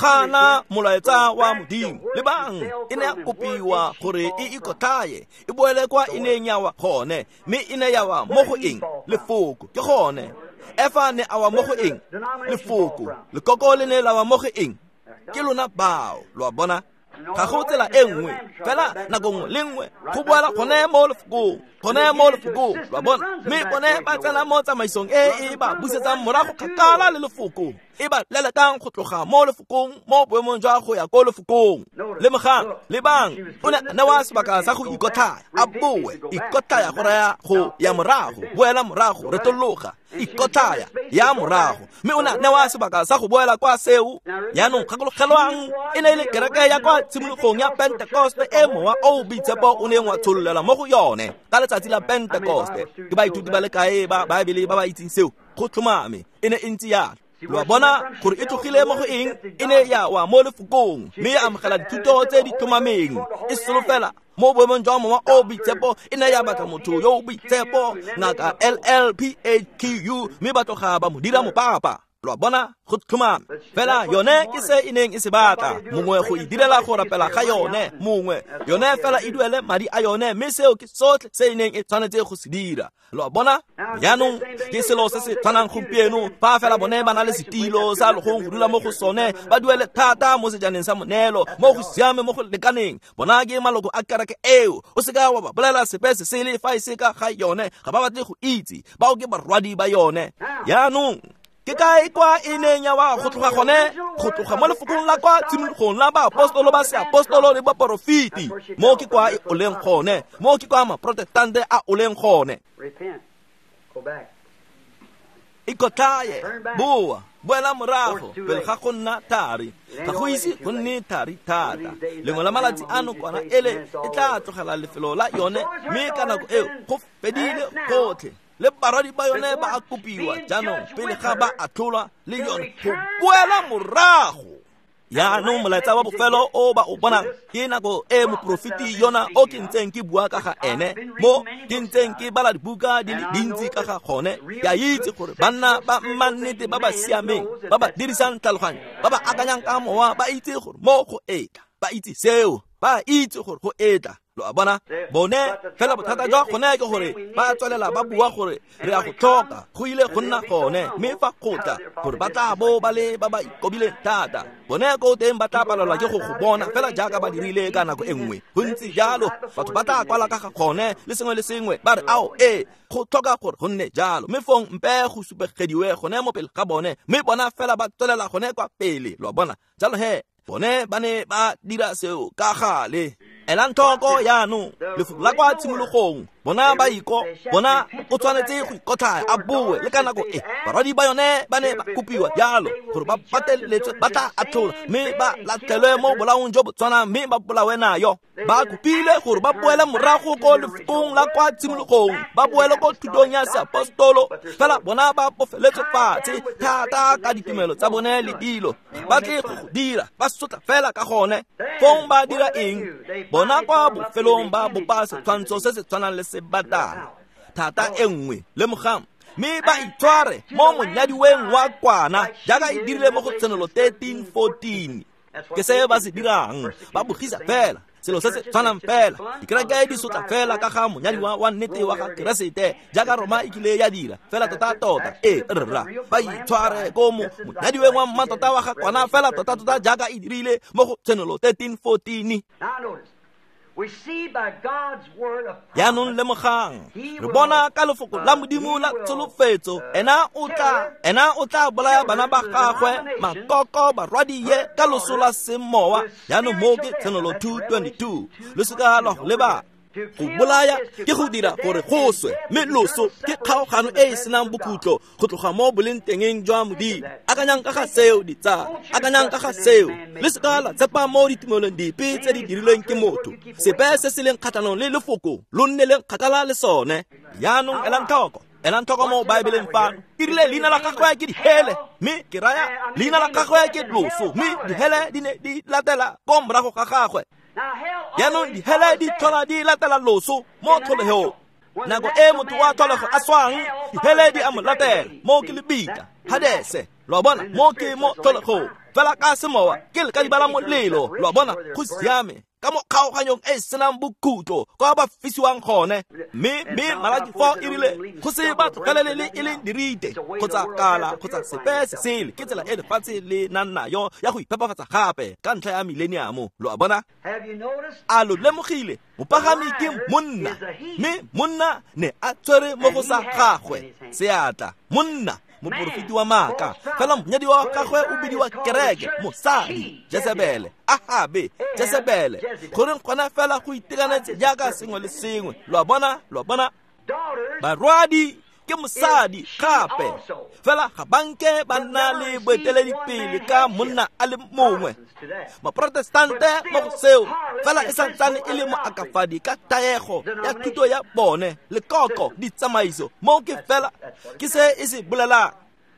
gana molaetsa wa Modimo. Lebang, e ne ya kopiwa gore e ikotlhaye, e boele kwa e neng ya wa gone, mme e ne ya wa mo go eng? Lefoko. Ke gone. Efa ne a wa mo go eng? Lefoko. Lekoko le ne la wa mo go eng? Ke lona bao, lo a bona. Ga go tsela e nngwe, fela nako nngwe le nngwe go boela gone mo lefokong, gone mo lefokong, lo a bona. Mme bone ba tsena mo tsamaisong e e ba busetsang morago kgakala le lefoko, e ba lelekang go tloga mo lefokong mo boemong jwa go ya ko lefokong. Lemogang, lebang, o ne a newa sebaka sa go ikotlhaya, a boe. Ikotlhaya go raya go ya morago, boela morago, retologa. Ikotlhaya ya morago, mme o ne a newa sebaka sa go boela kwa seo. Jaanong gakologelwang, e ne e le kereke ya kwa tshimologong ya Pentekoste e mowa o boitshepo o neng wa tshololela mo go yone ka letsatsi la Pentekoste. Ke baithuti ba le kae ba Baebele ba ba itseng seo? Go tlhomame, e ne e ntse jalo. Lo a bona gore e tlogile mo go eng? E ne ya wa mo lefokong, mme ya amogela dithuto tse di tlhomameng. E solofela mo boemong jwa mowa o boitshepo, e ne ya batla motho yo o boitshepo, ngaka LLPHQ, mme ba tloga ba mo dira mopapa. Lo a bona, go tlhomame. Fela yone ke se e neng e se batla, mongwe go e direla go rapela ga yone, mongwe yone fela e duele madi a yone, mme seo ke sotlhe se e neng e tshwanetse go se dira. Lo a bona? Jaanong ke selo se se tshwanang gompieno, fa fela bone ba na le setilo sa logong go dula mo go sone, ba duele thata mo sejaneng sa moneelo, mo go siame mo go lekaneng. Bona ke maloko a kereke eo. O seka wa ba bolela sepe se sele fa e se ka ga yone, ga ba batle go itse. Bao ke barwadi ba yone. Jaanong ke Ke kae kwa e neng ya wa go tloga gone? Go tloga mo lefokong la kwa tshimologong la baapostolo ba seapostolo le baporofeti. Mo ke kwa e oleng gone, mo ke kwa maprotestante a oleng gone. Ikotlhaye, boa, boela morago pele ga go nna thari. Ga go ise go nne thari thata. Lengwe la malatsi ano kwana ele e tla tlogela lefelo la yone, mme ka nako eo go fedile gotlhe. Le barwadi ba yone ba a kopiwa jaanong pele ga ba atlholwa le yone go boela morago. Jaanong molaetsa wa bofelo o ba o bonang ke nako e moprofeti yona o ke ntseng ke bua ka ga ene, mo ke ntseng ke bala dibuka di le dintsi ka ga gone. Ke a itse gore banna ba mmannete ba ba siameng, ba ba dirisang tlhaloganyo, ba ba akanyang ka mowa, ba itse gore mo go etla, ba itse seo, ba itse gore go etla. Lo a bona? Bone fela bothata jwa gone ke gore ba tswelela ba bua gore re a go tlhoka, go ile go nna gone, mme fa go tla gore ba tla bo ba le ba ba ikobileng thata, bone ko teng ba tla palelwa ke go go bona fela jaaka ba dirile ka nako e nngwe. Go ntse jalo, batho ba tla kwala ka ga gone le sengwe le sengwe, ba re ao ee, go tlhoka gore go nne jalo, mme fong mpe go supegediwe gone mo pele ga bone, mme bona fela ba tswelela gone kwa pele. Lo a bona? Jalo he, bone ba ne ba dira seo ka gale. Elang tlhoko jaanong lefoko la kwa tshimologong, bona ba iko, bona o tshwanetse go ikotlhaya a boe le ka nako e. Barwadi ba yone ba ne ba kopiwa jalo gore ba pateletswe, ba tla atlholwa mme ba latlhelwe mo bolaong jo bo tshwanang, mme ba bolawe nayo. Ba kopile gore ba boele morago ko lefokong la kwa tshimologong, ba boele ko thutong ya seapostolo, fela bona ba bofeletswe fatshe thata ka ditumelo tsa bone le dilo. Ba tle go go dira, ba sotla fela ka gone. Fong ba dira eng? Bona kwa bofelong ba bopa setshwantsho se se tshwanang le sebatana, thata e nngwe. Lemogang, mme ba itshware mo monyadiweng wa kwana jaaka e dirile mo go Tshenolo 13:14. Ke se ba se dirang, ba bogisa fela selo se se tshwanang fela. Dikereke di sotla fela ka ga monyadiwa wa nnete wa ga Keresete jaaka Roma e kile ya dira fela tota-tota. Ee rra, ba itshware ko monyadiweng wa mmatota wa ga kwana fela tota-tota jaaka e dirile mo go Tshenolo 13:14. Jaanong lemogang, re bona ka lefoko la Modimo la tsholofetso, ena o tla bolaya bana ba gagwe makoko barwadie ka loso la semowa. Jaanong mo ke Tshenolo 2:22. Lo seka lwa go lebala. Go bolaya ke go dira gore go swe, mme loso ke kgaogano e e senang bokhutlo go tloga mo boleng tengeng jwa Modimo. Akanyang ka ga seo, ditsala, akanyang ka ga seo. Le seka la tshepa mo ditumelong dipe tse di dirilweng ke motho. Sepe se se leng kgatlhanong le lefoko lo nne leng kgakala le sone. Jaanong elang tlhoko, elang tlhoko mo Baebeleng fano. E rile leina la gagwe ke dihele, mme ke raya leina la gagwe ke loso, mme dihele di ne di latela ko morago ga gagwe. Jaanong dihele di tlhola di latela loso mo tlholegong. Nako e motho wa tlholego a swang, dihele di a mo latela. Mo ke lebitla, Hadese. Lo a bona? Mo ke mo tlholegong. Fela ka semowa ke lekadiba la molelo. Lo a bona? Go siame. Ka mo kgaoganyong e senang bokhutlo kwa ba fisiwang gone. Mme Malaki 4 e rile go se ba tlogelele le e leng dirite kgotsa kala kgotsa sepe se sele. Ke tsela e lefatshe le nang nayo ya go iphepafatsa gape ka ntlha ya mileniamo. Lo a bona? A lo lemogile? Mopagami ke monna, mme monna ne a tshwere mo go sa gagwe seatla. Monna, moporofeti wa maaka, fela monyadiwa wa gagwe o bidiwa kereke, mosadi, Jezebele, Ahabe, Jezebele. Goreng gona fela go itekanetse jaaka sengwe le sengwe. Lo a bona? Lo a bona? Barwadi ke mosadi gape, fela ga banke ba nna le boeteledipele ka monna a le mongwe. Maprotestante mo go seo fela e santsane e le moakafadi ka taego ya thuto ya bone, lekoko, ditsamaiso. Mo ke fela ke se e se bolelang.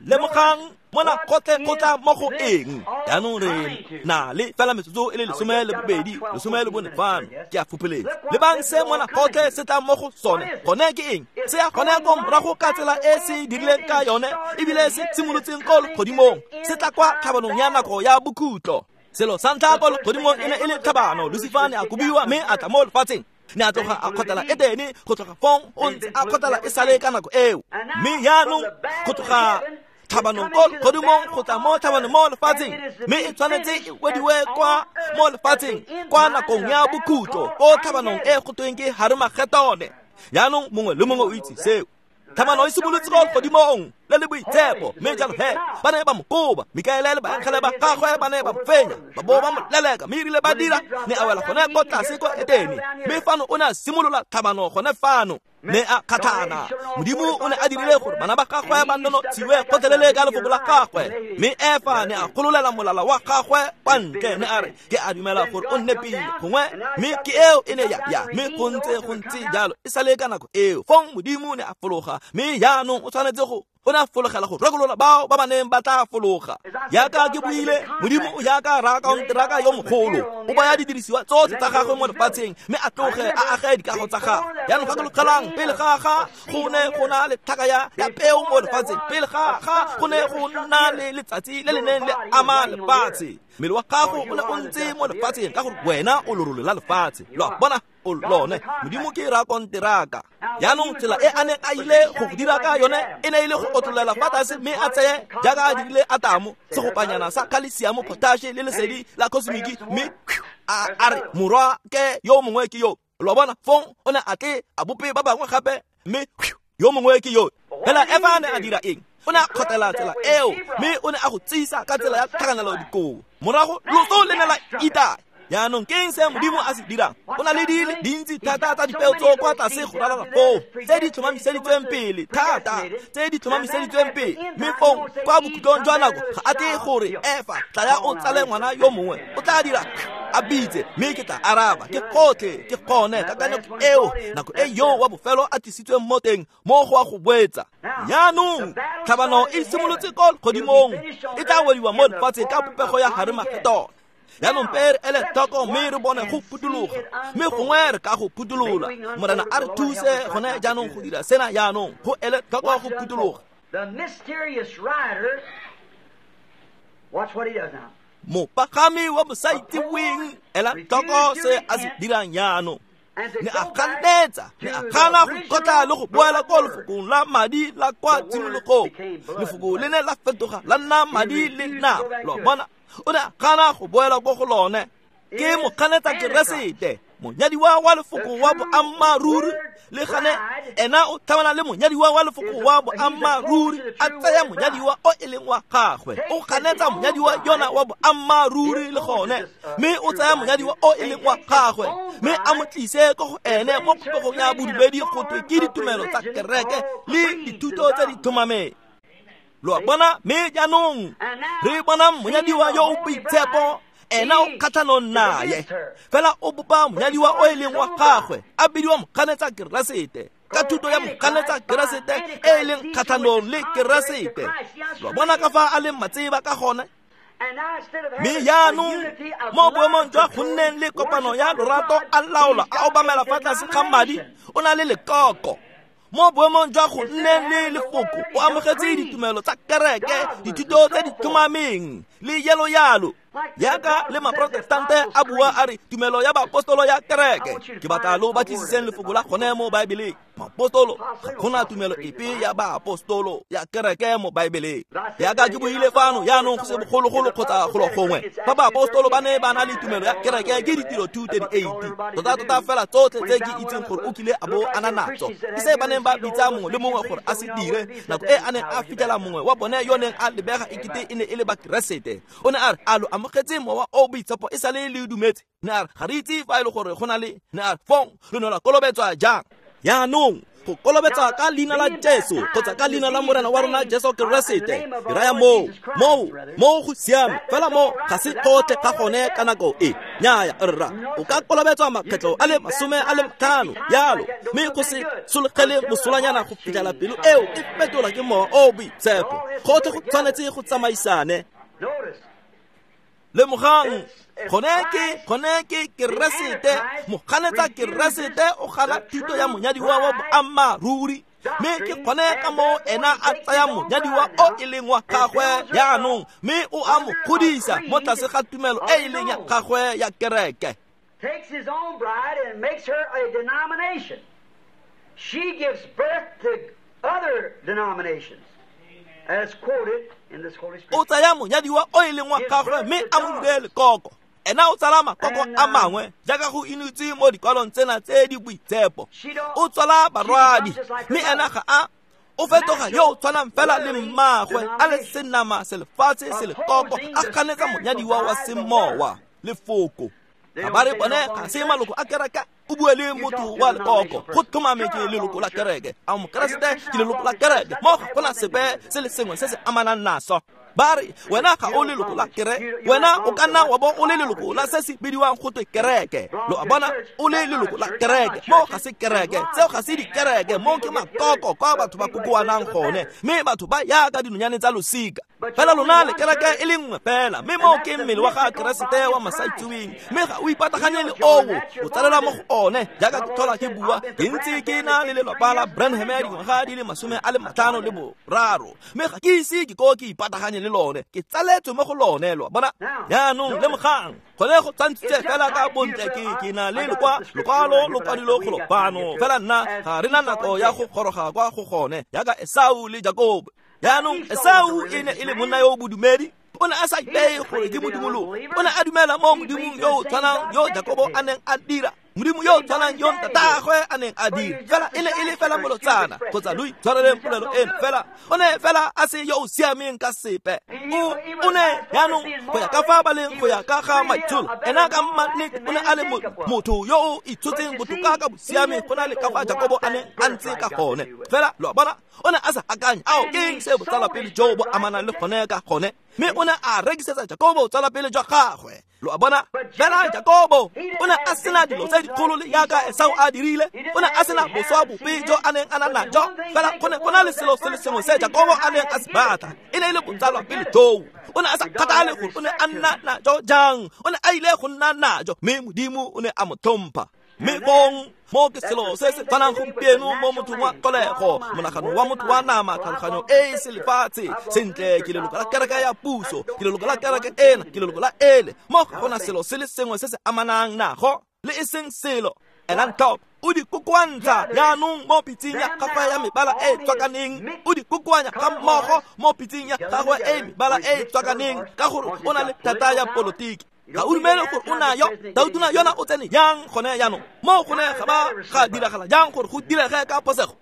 Lemogang mona gotlhe go tla mo go eng. Jaanong re na le fela metsotso e le 12, 14 fano. Ke a fopholetsa. Lebang se mona gotlhe se tla mo go sone. Gone ke eng? Se ya gone ko morago ka tsela e se dirileng ka yone, ebile se simolotseng ko legodimong. Se tla kwa tlhabanong ya nako ya bokhutlo. Selo sa ntlha ko legodimong e ne e le tlhabano. Lucifer ne a kobiwa mme a tla mo lefatsheng. Ne a tloga a kgotlela Edene, go tloga fong o ntse a kgotlela e sale ka nako eo. Mme jaanong go tloga tlhabanong ko legodimong go tla mo tlhabanong mo lefatsheng, mme e tshwanetse e wediwe kwa mo lefatsheng kwa nakong ya bokhutlo ko tlhabanong e go tweng ke Harmagetone. Jaanong mongwe le mongwe o itse seo. Tlhabano e simolotse ko legodimong le le boitshepo. Mme jalo he ba ne ba mo koba, Mikaele le baengele ba gagwe ba ne ba mo fenya, ba bo ba mo leleka, mme erile ba dira ne a wela gone ko tlase ko Etene. Mme fano o ne a simolola tlhabano gone fano, ne a kgatlhana. Modimo o ne a dirile gore bana ba gagwe ba nonotshiwe gotlhelele ka lefoko la gagwe, mme Efa ne a gololela molala wa gagwe kwa ntle, ne a re ke a dumela gore o nepile gongwe, mme ke eo e ne ya ya, mme go ntse jalo e sale ka nako eo. Fong Modimo ne a fologa, mme jaanong o tshwanetse go o ne a fologela go rekolola bao ba ba neng ba tla fologa. Jaaka ke buile, Modimo o jaaka rakaonteraka yo mogolo, o baya didirisiwa tsotlhe tsa gagwe mo lefatsheng, mme a tloge a age dikago tsa gagwe. Jaanong gakologelang, pele ga ga go ne go na le tlhaka ya peo mo lefatsheng, pele ga ga go ne go nna le letsatsi le le neng le ama lefatshe, mmele wa gago o ne o ntse mo lefatsheng ka gore wena o lorole la lefatshe. Lo a bona, o lone. Modimo ke rakonteraka. Jaanong tsela e a neng a ile go dira ka yone e ne e le go otlolela fa tlase, mme a tseye jaaka a dirile Atamo segopanyana sa khalesiamo, potashe le lesedi la kosmiki, mme a re morwa ke yo mongwe ke yo. Lo bona, fong o ne a tle a bope ba bangwe gape, mme yo mongwe ke yo. Fela Efa ne a dira eng? O ne a kgotela tsela eo, mme o ne a go tsisa ka tsela ya tlhakanelo dikobo. Morago loso le ne la itaya. Jaanong ke eng se Modimo a se dirang? O na le di le dintsi thata tsa dipeo tso kwa tlase go ralala foo, tse di tlhomamiseditsweng pele thata, tse di tlhomamiseditsweng pele. Mme fong kwa bokhutlong jwa nako ga a tle gore Efa tlaya o tsale ngwana yo mongwe, o tla dira a bitse, mme ke tla araba. Ke gotlhe, ke gone kakanyo eo nako e yo wa bofelo a tlisitsweng mo teng mo go a go boetsa. Jaanong tlhabano e simolotse ko legodimong, e tla wediwa mo lefatsheng ka popego ya Harimagedona. Jaanong pe re ele tlhoko, mme re bone go phuthuloga, mme gongwe re ka go phuthulola. Morena a re thuse gone jaanong go dira sena jaanong, go ele tlhoko go phuthuloga. Mopagami wa bosaitseweng, ela tlhoko se a se dirang jaanong. Ne a ganetsa, ne a gana go ikotla le go boela ko lefokong la madi la kwa tshimologong. Lefoko le ne la fetoga la nna madi le nama. Lo bona, o ne a gana go boela ko go lone. Ke moganetsa Keresete, monyadiwa wa lefoko wa boammaaruri, le gane ena o tlhabana le monyadiwa wa lefoko wa boammaaruri, a tsaya monyadiwa o e leng wa gagwe. O ganetsa monyadiwa yona wa boammaaruri le gone, mme o tsaya monyadiwa o e leng wa gagwe, mme a mo tlise ko go ene mo popegong ya bodumedi go twe ke ditumelo tsa kereke le dithuto tse di tlhomameng. Lo a bona, mme jaanong re bona monyadiwa yo o boitshepo, ena o kgatlhanong naye, fela o bopa monyadiwa o e leng wa gagwe, a bidiwa moganetsa Keresete ka thuto ya moganetsa Keresete e e leng kgatlhanong le Keresete. Lo bona ka fa a leng matseba ka gone. Mme jaanong mo boemong jwa go nneng le kopano ya lorato a laola a obamela fa tlase ga madi, o na le lekoko. Mo boemong jwa go nneng le lefoko, o amogetse ditumelo tsa kereke, dithuto tse di tlhomameng le yalo yalo. Jaaka le maprotestante a bua a re tumelo ya baapostolo ya kereke. Ke batla lo batlisiseng lefoko la gone mo Baebeleng. Maapostolo, ga gona tumelo epe ya baapostolo ya kereke mo Baebeleng. Jaaka ke buile fano jaanong go se bogologolo kgotsa golo gongwe, fa baapostolo ba ne ba na le tumelo ya kereke ke ditiro 2:38. Tota-tota fela tsotlhe tse ke itseng gore o kile a bo a na natso, ke se ba neng ba bitsa mongwe le mongwe gore a se dire. Nako e a neng a fitlhela mongwe wa bone yo neng a lebega ekete e ne e le Bakeresete, o ne a re a lo amogetse mowa o boitshepo e sale le dumetse. Ne a re ga re itse fa e le gore go na le, ne a re fong lo ne la kolobetswa jang? Jaanong go kolobetsa ka leina la Jesu kgotsa ka leina la Morena wa rona Jesu Keresete, ke raya moo go siame, fela mo ga se gotlhe ga gone ka nako e. Nnyaya rra, o ka kolobetswa makgetlo a le 50 yalo, mme go se sologele mosolanyana go fitlhela pelo eo e fetola ke mowa o boitshepo. Gotlhe go tshwanetse go tsamaisane. Lemogang, gone ke Keresete, moganetsa Keresete o gana thuto ya monyadiwa wa boammaaruri, mme ke gone ka moo ena a tsaya monyadiwa o e leng wa gagwe jaanong, mme o a mo godisa mo tlase ga tumelo e e leng ya gagwe ya kereke. Takes his own bride and makes her a denomination. She gives birth to other denominations, as quoted in this Holy Scripture. O tsaya monyadiwa o e leng wa gagwe mme a mo dire lekoko. Ena o tsala makoko a mangwe jaaka go inotse mo dikwalong tsena tse di boitshepo. O tswala barwadi, mme ena ga a O fetoga yo tshwanang fela le mmagwe a le senama selefatshe selekoko a ganetsa monyadiwa wa semowa lefoko. Ga ba re bone ga se maloko a kereke, o bue le motho wa lekoko go tlhomame ke leloko la kereke. A mokeresete ke leloko la kereke, mo ga gona sepe se le sengwe se se amanang naso. Ba re wena ga o leloko la kereke, wena o ka nna wa bo o le leloko la se se bidiwang go twe kereke. Lo a bona, o le leloko la kereke, mo ga se kereke, tseo ga se dikereke, mo ke makoko kwa batho ba kokoanang gone, mme batho ba ya ka dinonyane tsa losika. Fela lona le kereke e le nngwe fela, mme mo ke mmele wa ga Keresete wa masaitseweng, mme ga o ipataganye le oo, o tsalelwa mo go one. Jaaka ke tlhola ke bua, ke ntse ke na le lelapa la Branham ya dingwaga di le 53, mme ga ke ise ke ko ke ipataganye le lone, ke tsaletswe mo go lone. Lo bona jaanong lemogang gone go tshwantshitse fela ka bontle. Ke na le lokwalo lo kwadilwe golo fano, fela nna ga re na nako ya go goroga kwa go gone, jaaka Esau le Jakobo. Jaanong Esau e ne e le monna yo o bodumedi, o ne a sa ipeye gore ke modimologo, o ne a dumela mo modimong yo o tshwanang yo Jakobo a neng a dira, modimo yo o tshwanang yo ntatagwe a neng a dira, fela e ne e le fela molotsana. Kgotsa lo itshwareleng polelo eno, fela o ne fela a se yo o siameng ka sepe. O ne jaanong go ya ka fa ba leng go ya ka ga maitsholo, ena ka mannete o ne a le motho yo o itshotseng botoka ka bosiame go na le ka fa Jakobo a neng a ntse ka gone. Fela lo a bona, o ne a sa akanye ao ke eng se botsalapele jo bo amanang le gone ka gone, mme o ne a rekisetsa Jakobo botsalapele jwa gagwe. Lo a bona, fela Jakobo o ne a sena dilo tse dikgolo le jaaka Esau a dirile, o ne a sena boswa bope jo a neng a na najo, fela go ne go na le selo se le sengwe se Jakobo a neng a se batla, e ne e le botsalwapele joo. O ne a sa kgathale gore o ne a nna najo jang, o ne a ile go nna najo, mme Modimo o ne a mo tlhompha. Mme bong mo ke selo se se tshwanang gompieno mo mothong wa tlholego, monagano wa motho wa nama, tlhaloganyo e e selefatshe. Sentle, ke leloko la kereke ya puso, ke leloko la kereke ena, ke leloko la ele. Mo ga gona selo se le sengwe se se amanang nago, le e seng selo. Elang tlhoko, o di kokoantsha jaanong mo pitseng ya gagwe ya mebala e e tswakaneng, o di kokoanya ga mmogo mo pitseng ya gagwe e mebala e e tswakaneng, ka gore o na le thata ya polotiki. Ga o dumele gore o nayo, Tautona yona o tsene jang gone jaanong? Mo gone ga ba ga diragala jang gore go direge ka phosego?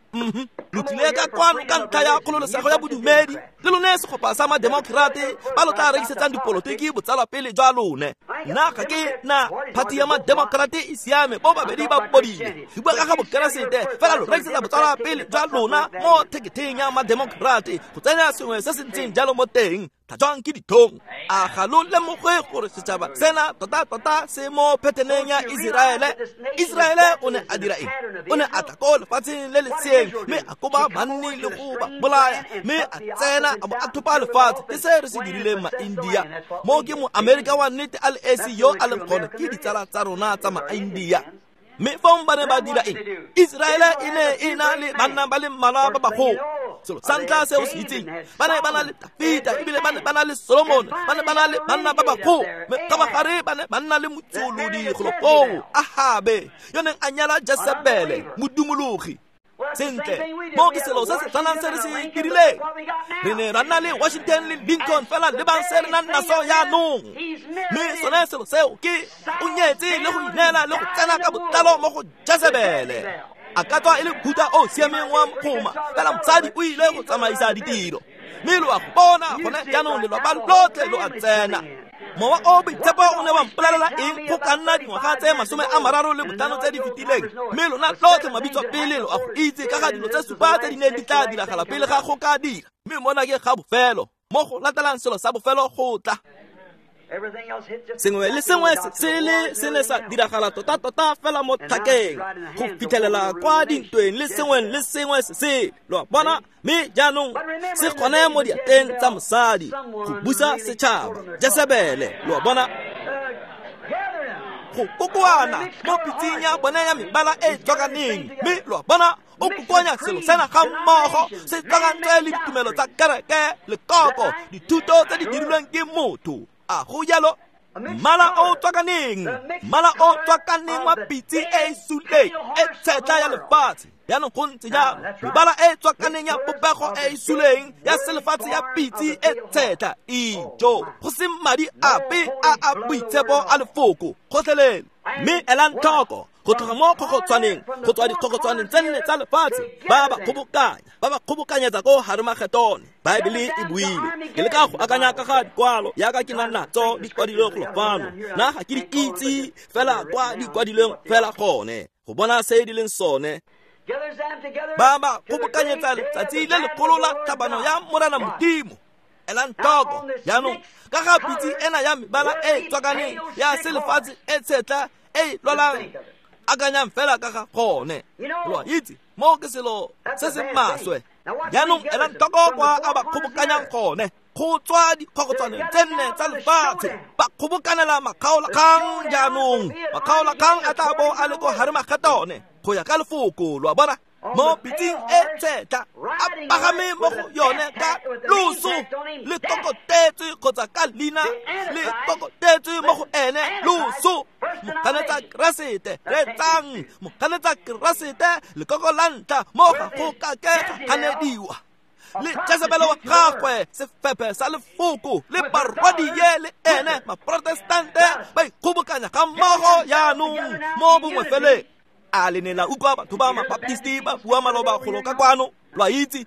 Lo tlile ka kwano ka ntlha ya kgololosego ya bodumedi, le lone segopa sa mademokrate ba lo tla rekisetsang dipolotiki botsalwapele jwa lone. Nna ga ke na party ya mademokrate e siame, bo babedi ba bodile. Di bua ka ga bokeresete, fela lo rekisetsa botsalwapele jwa lona mo theketheng ya mademokrate go tsenya sengwe se se ntseng jalo mo teng. Tlhatswang ke dithong. A ga lo lemoge gore setšhaba sena tota-tota se mo pheteneng ya Iseraele? Iseraele o ne a dira eng? O ne a tla ko lefatsheng le le seeng, mme a koba banni le go ba bolaya, mme a tsena a bo a thopa lefatshe. Ke se re se dirileng ma-India. Mo ke mo-Amerika wa nnete a le esi yo a leng gone ke ditsala tsa rona tsa ma-India. Mme fong ba ne ba dira eng? Iseraele e ne e na le banna ba le mmalwa ba bagolo. Selo sa ntlha se o se itseng, ba ne ba na le Dafita, ebile ba ne ba na le Solomon, ba ne ba na le banna ba bagolo. Mme kgabagare ba ne ba nna le motsolodi golo koo, Ahabe, yo neng a nyala Jesebele, modumologi. Sentle, mo ke selo se se tshwanang se re se dirileng. Re ne ra nna le Washington le Lincoln, fela le bang se re nang naso jaanong. Mme sone selo seo ke o nyetse le go ineela le go tsena ka botlalo mo go Jesebele. A ka tswa e le khuta o siameng wa mokgoma, fela mosadi o ile go tsamaisa ditiro. Mme lo a go bona gone jaanong, lelapa lotlhe lo a tsena. Mowa o boitshepo o ne wa mpolelela eng go ka nna dingwaga tse 35 tse di fetileng? Mme lona lotlhe mabitso pele lo a go itse ka ga dilo tse supa tse di neng di tla diragala pele ga go ka dira. Mme mona ke ga bofelo, mo go latelang selo sa bofelo go tla. Sengwe le sengwe se le se ne sa diragala tota-tota fela mo tlhakeng go fitlhelela kwa dintweng le sengwe le sengwe se se lo a bona. Mme jaanong se gone mo diatleng tsa mosadi go busa setšhaba, Jesebele. Lo a bona, go kokoana mo pitseng ya bone ya mebala e e tswakaneng. Mme lo a bona, o kokoanya selo sena ga mmogo se tswakantswe le ditumelo tsa kereke, lekoko, dithuto tse di dirilweng ke motho. A go jalo, mmala o tswakaneng, mmala o tswakaneng wa pitse e e suleng e tshetla ya lefatshe. Jaanong go ntse jalo, mebala e tswakaneng ya popego e e suleng ya selefatshe ya pitse e tshetla. Ijo, go se madi ape a a boitshepo a lefoko gotlhelele. Mme elang tlhoko, Go tloga mo kgokgotshwaneng, go tswa dikgokgotshwaneng tse nne tsa lefatshe, ba ba kgobokanya, ba ba kgobokanyetsa ko Harmageddon. Baebele e buile. Ke leka go akanya ka ga dikwalo yaka ke nang natso di kwadilwe golo fano. Nna ga ke di itse fela kwa di kwadilweng fela gone, go bona se di leng sone. Ba ba kgobokanyetsa letsatsi le legolo la tlhabano ya Morena Modimo. Elang tlhoko jaanong ka ga pitse ena ya mebala e tswakaneng ya selefatshe e tshetla e lwalang, akanyang fela ka ga gone. Lo a itse mo ke selo se se maswe. Jaanong elang tlhoko kwa a ba kgobokanyang gone, go tswa dikgokgotshwaneng tse nne tsa lefatshe, ba kgobokanela makgaolakgang. Jaanong makgaolakgang a tla bo a le ko Harmageddon go ya ka lefoko, lo a bona, mo pitseng e tshetla, a pagame mo go yone ka loso le kokotetswe kgotsa ka leina le kokotetswe mo go ene loso. Moganetsa Keresete, reetsang, moganetsa Keresete lekoko la ntlha mo ga go ka ke ga ganediwa. Le Jezebele wa gagwe, sefephe sa lefoko, le barwadie le ene maprotestante ba ikgobokanya ga mmogo jaanong mo bongwefeleng. A le ne la utlwa batho ba mabaptisti ba bua maloba golo ka kwano, lo a itse,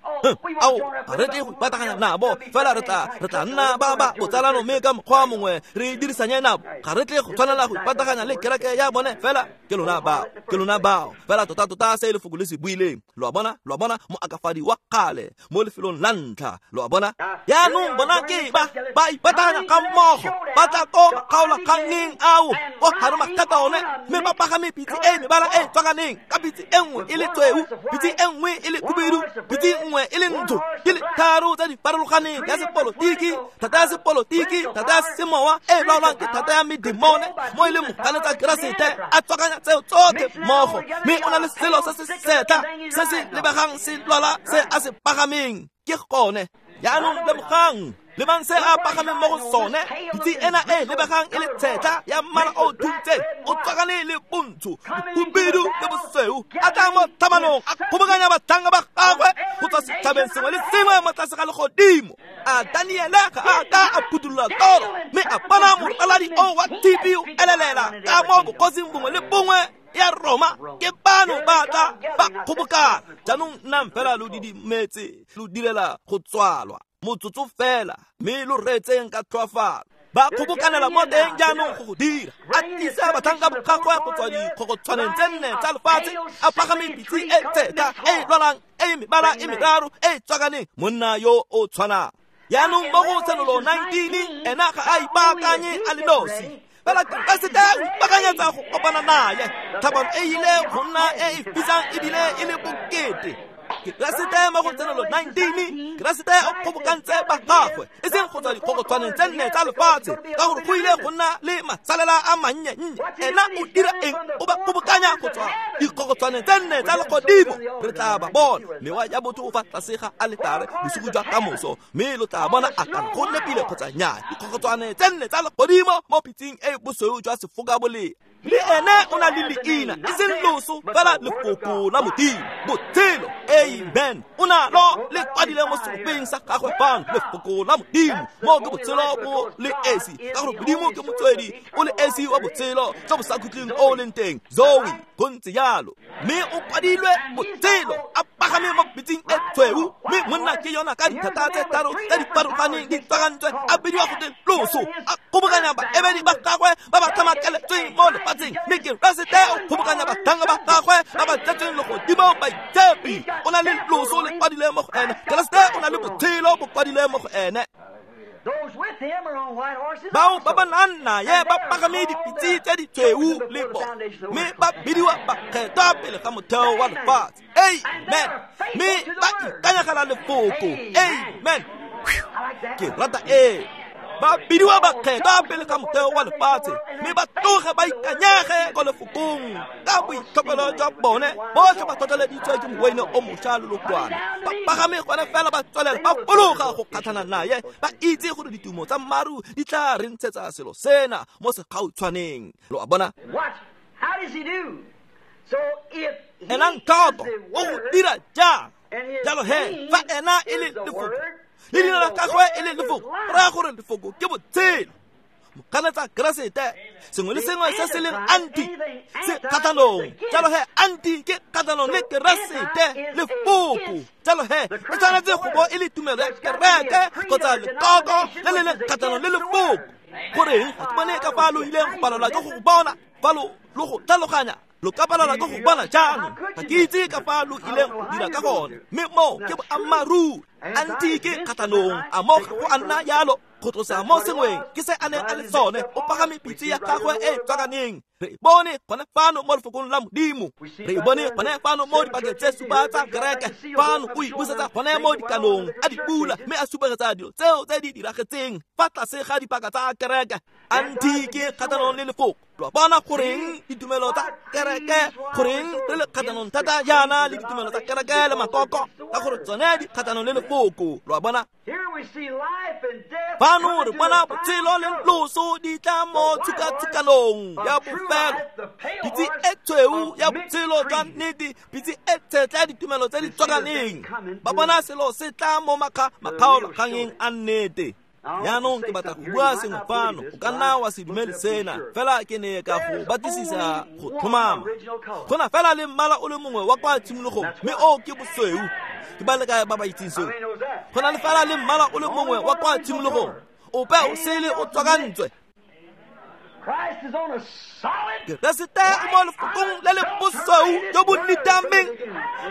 ao ga re tle go ipataganya nabo, fela re tla nna ba ba botsalano mme ka mokgwa mongwe re dirisanye nabo. Ga re tle go tshwanela go ipataganya le kereke ya bone, fela ke lona bao, ke lona bao. Fela tota-tota se lefoko le se buileng, lo a bona, lo a bona, moakafadi wa kgale mo lefelong la ntlha, lo a bona. Jaanong bona ke ba ba ipataganya ga mmogo, ba tla ko makgaolakgangeng ao ko Harmageddon, mme ba pagame pitse e mebala e tswakaneng, ka pitse e nngwe e le tsweu, pitse e nngwe e le khubedu, pitse nngwe e le ntsho, di le tharo tse di farologaneng, ya sepolotiki, thata ya sepolotiki, thata ya semowa e laolwang ke thata ya medemone, mo e leng moganetsa Keresete a tswakanya tseo tsotlhe mmogo, mme o na le selo se se setla se se lebegang se lwala se a se pagameng. Ke gone jaanong lemogang, lebang se a pagameng mo go sone, pitse ena e lebegang e le tshetla ya mmala o thuntseng, o tswakane le bontsho, bohubedu le bosweu, a tla mo tlhamanong a kgobokanya batlhanka ba gagwe go tswa setšhabeng sengwe le sengwe mo tlase ga legodimo. A Daniele ga a ka a phuthulola toro, mme a bona moraladi o wa tshipi o elelela ka mo bokgosing bongwe le bongwe ya Roma. Ke bano ba tla ba kgobokana. Jaanong nnang fela lo didimetse, lo direla go tswalwa motsotso fela, mme lo reetseng ka tlhoafalo. Ba kgobokanela mo teng jaanong go go dira. A tlisa batlhanka ba gagwe go tswa dikgokgotshwaneng tse nne tsa lefatshe, a pagame pitse e tshetla e lwalang e mebala e meraro e tswakaneng, monna yo o tshwanang. Jaanong mo go Tshenolo 19, ena ga a ipaakanye a le nosi, fela Keresete o ipaakanyetsa go kopana naye. Tlhabano e ile go nna e e fisang ebile e le bokete. Keresete mo go Tshenolo 19, Keresete o kgobokantse ba gagwe, e seng go tswa dikgokgotshwaneng tse nne tsa lefatshe, ka gore go ile go nna le masalela a mannye-nnye. Ena o dira eng? O ba kgobokanya go tswa dikgokgotshwaneng tse nne tsa legodimo. Re tla ba bona mewa ya botho fa tlase ga aletare bosigo jwa kamoso, mme lo tla bona a kana go nepile kgotsa nnyaa. Dikgokgotshwane tse nne tsa legodimo mo pitseng e bosweu jwa sefokabolea. Le ene o na le leina, e seng loso, fela lefoko la Modimo, botshelo. Amen. O na lo le kwadile mo seropeng sa gagwe fano, lefoko la Modimo, mo ke botshelo bo le esi, ka gore Modimo ke motswedi o le esi wa botshelo jo bo sa khutleng o leng teng, Zoe, go ntse jalo. Mme o kwadilwe botshelo, a pagame mo pitseng e tshweu, mme monna ke yona ka dithata tse tharo tse di farologaneng di tswakantswe, a bidiwa go te loso, a kgobokanya baemedi ba gagwe ba ba tlhamakeletsweng mo lefatsheng. Mme Keresete o kgobokanya batlhanka ba gagwe ba ba tletsweng legodimo baitshepi. O na le loso le kwadile mo go ene. Keresete o na le botshelo bo kwadile mo go ene. Bao ba ba nang naye ba pagame dipitse tse di tshweu le bona, mme ba bidiwa bakgethwa pele ga motheo wa lefatshe. Amen. Mme ba ikanyegela lefoko. Amen. Ke rata e. Ba bidiwa bakgethwa pele ga motheo wa lefatshe, mme ba tloge ba ikanyege ko lefokong ka boitlhophelo jwa bone. Botlhe ba tlhotlheleditswe ke moweine o mošwa le lokwane. Ba pagame gone fela ba tswelela ba fologa go kgatlhana naye, ba itse gore ditumo tsa maru di tla re ntshetsa selo sena mo segautshwaneng. Lo a bona? Elang tlhoko, o go dira jang? Jalo he, fa ena e le lefoko, le leina la gagwe e le lefoko, go raya gore lefoko ke botshelo. Moganetsa Keresete. Sengwe le sengwe se se leng anti se kgatlhanong. Jalo he anti ke kgatlhanong le Keresete, lefoko. Jalo he e tshwanetse go bo e le tumelo ya kereke kgotsa lekoko le le leng kgatlhanong le lefoko. Goreng ga ke bone ka fa lo ileng go palelwa ke go bona, fa lo go tlhaloganya, lo ka palelwa ke go bona jaanong. Ga ke itse ka fa lo ileng go dira ka gone, mme mo ke boammaaruri. Anti ke kgatlhanong, a mo ga go a nna yalo. Go tlosa mo sengweng ke se a neng a le sone. O pagame pitse ya gagwe e tswakaneng. Re bone gone fano mo lefokong la Modimo, re bone gone fano mo dipakeng tse supa tsa kereke. Fano o ipusetsa gone mo dikanong, a di bula mme a supegetsa dilo tseo tse di diragetseng fa tlase ga dipaka tsa kereke. Anti ke kgatlhanong le lefoko. Lo bona goreng ditumelo tsa kereke, goreng re le kgatlhanong thata jaana le ditumelo tsa kereke le makoko, ka gore tsone di kgatlhanong le lefoko. Lo bona? Fano re bona botshelo le loso di tla mo tshukatshukanong ya bofelo. Pitse e tshweu ya botshelo jwa nnete, pitse e tshetla ya ditumelo tse di tswakaneng. Ba bona selo se tla mo makgaolakgangeng a nnete. Jaanong ke batla go bua sengwe fano, o ka nna wa se dumele sena, fela ke ne ka go batlisisa go tlhomama. Go na fela le mmala o le mongwe wa kwa tshimologong, mme o ke bosweu. Ke ba le kae ba ba itseng seo? Go na le fela le mmala o le mongwe wa kwa tshimologong, ope o sele o tswakantswe. Keresete o mo lefokong le le bosweu jo bo nitameng,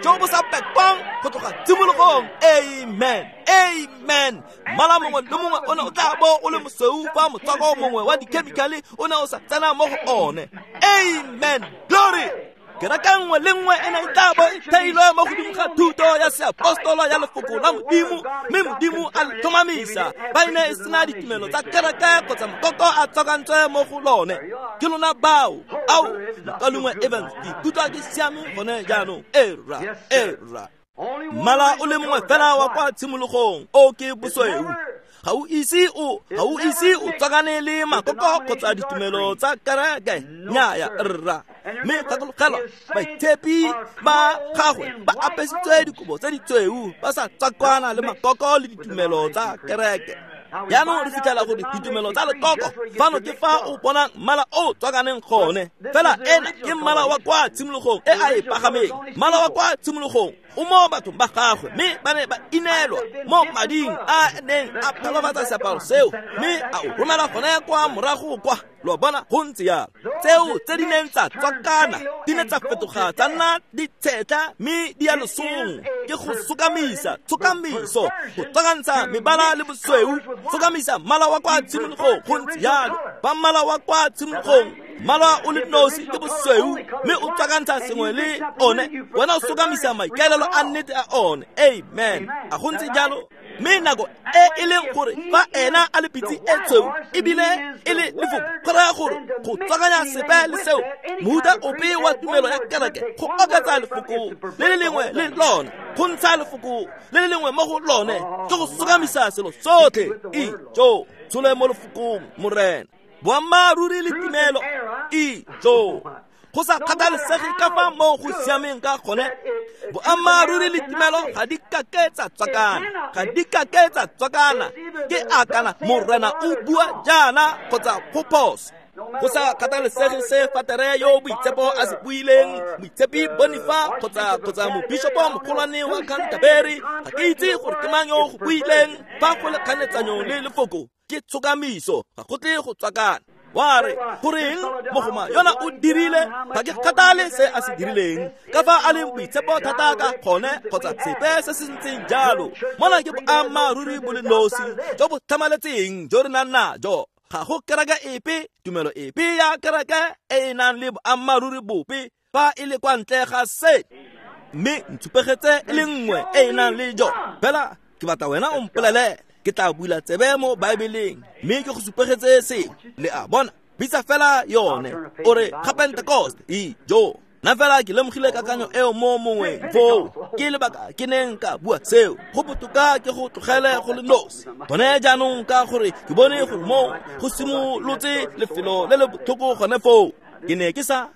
jo bo sa pekwang go tloga tshimologong. Amen, amen. Mmala mongwe le mongwe o ne o tla bo o le mosweu fa motswako mongwe wa dikhemikhale o ne o sa tsena mo go one. Amen, glory. Kereke nngwe le nngwe e ne e tla bo e theilwe mo godimo ga thuto ya seapostolo ya lefoko la Modimo, mme Modimo a le tlhomamisa. Ba e ne e sena ditumelo tsa kereke kgotsa makoko a tswakantswe mo go lone. Ke lona bao. Ao, mokaulengwe Evans, ke ikutlwa ke siame gone jaanong. Era, era. Mmala o le mongwe fela wa kwa tshimologong, o ke bosweu. Ga o ise o tswakane le makoko kgotsa ditumelo tsa kereke. Nnyaya, rra. Mme gakologelwa, baitshepi ba gagwe ba apesitswe dikobo tse ditshweu, ba sa tswakana le makoko le ditumelo tsa kereke. Jaanong re fitlhela gore ditumelo tsa lekoko fano ke fa o bonang mmala o tswakaneng gone. Fela ena ke mmala wa kwa tshimologong e a e pagameng. Mmala wa kwa tshimologong o mo bathong ba gagwe, mme ba ne ba inelwa mo mading a neng a phalofatsa seaparo seo, mme a o romela gone kwa morago kwa. Lo bona go ntse jalo. Tseo tse di neng tsa tswakana di ne tsa fetoga tsa nna ditshetla mme di ya losong. Ke go sokamisa, tshokamiso, go tswakantsha mebala le bosweu, sokamisa mmala wa kwa tshimologong. Go ntse jalo. Ba mmala wa kwa tshimologong, mmala o le nosi ke bosweu, mme o tswakantsha sengwe le one, wena o sokamisa maikaelelo a nnete a one. Amen. A go ntse jalo. Mme nako e e leng gore fa ena a le pitse e tshweu ebile e le lefoko, go raya gore go tswakanya sepe le seo, mohuta ope wa tumelo ya kereke, go oketsa lefoko le le lengwe le lone, go ntsha lefoko le le lengwe mo go lone, ke go sokamisa selo sotlhe. Ijo, tshole mo lefokong, Morena. Boammaaruri le tumelo. Ijo, go sa kgathalesege ka fa mo go siameng ka gone, boammaaruri le tumelo ga di kake tsa tswakana, ga di kake tsa tswakana. Ke akana Morena o bua jaana kgotsa go phoso. Go sa kgathalesege se fatere yo boitshepo a se buileng, moitshepi Bonifa kgotsa mobishopo mogolwane wa Canterbury, ga ke itse gore ke mang yo go buileng. Fa go le kganetsanyo le lefoko, ke tshokamiso, ga go tle go tswakana. Wa re, goreng mogoma yona o dirile, ga ke kgathale se a se dirileng, ka fa a leng boitshepo thata ka gone kgotsa sepe se se ntseng jalo. Mona ke boammaaruri bo le nosi jo bo tlhamaletseng jo re nang najo. Ga go kereke epe, tumelo epe ya kereke e e nang le boammaaruri bope fa e le kwa ntle ga se. Mme ntshupegetse e le nngwe e e nang le jo. Fela ke batla wena o mpolelele, ke tla bula tsebe mo Baebeleng mme ke go supegetse sengwe. Le a bona, bitsa fela yone, o re ga Pentecost. Ijo, nna fela ke lemogile kakanyo eo mo mongweng foo, ke lebaka ke neng ka bua seo. Go botoka ke go tlogele go le nosi gone jaanong, ka gore ke bone gore mo go simolotse lefelo le le botlhoko gone foo. Ke ne ke sa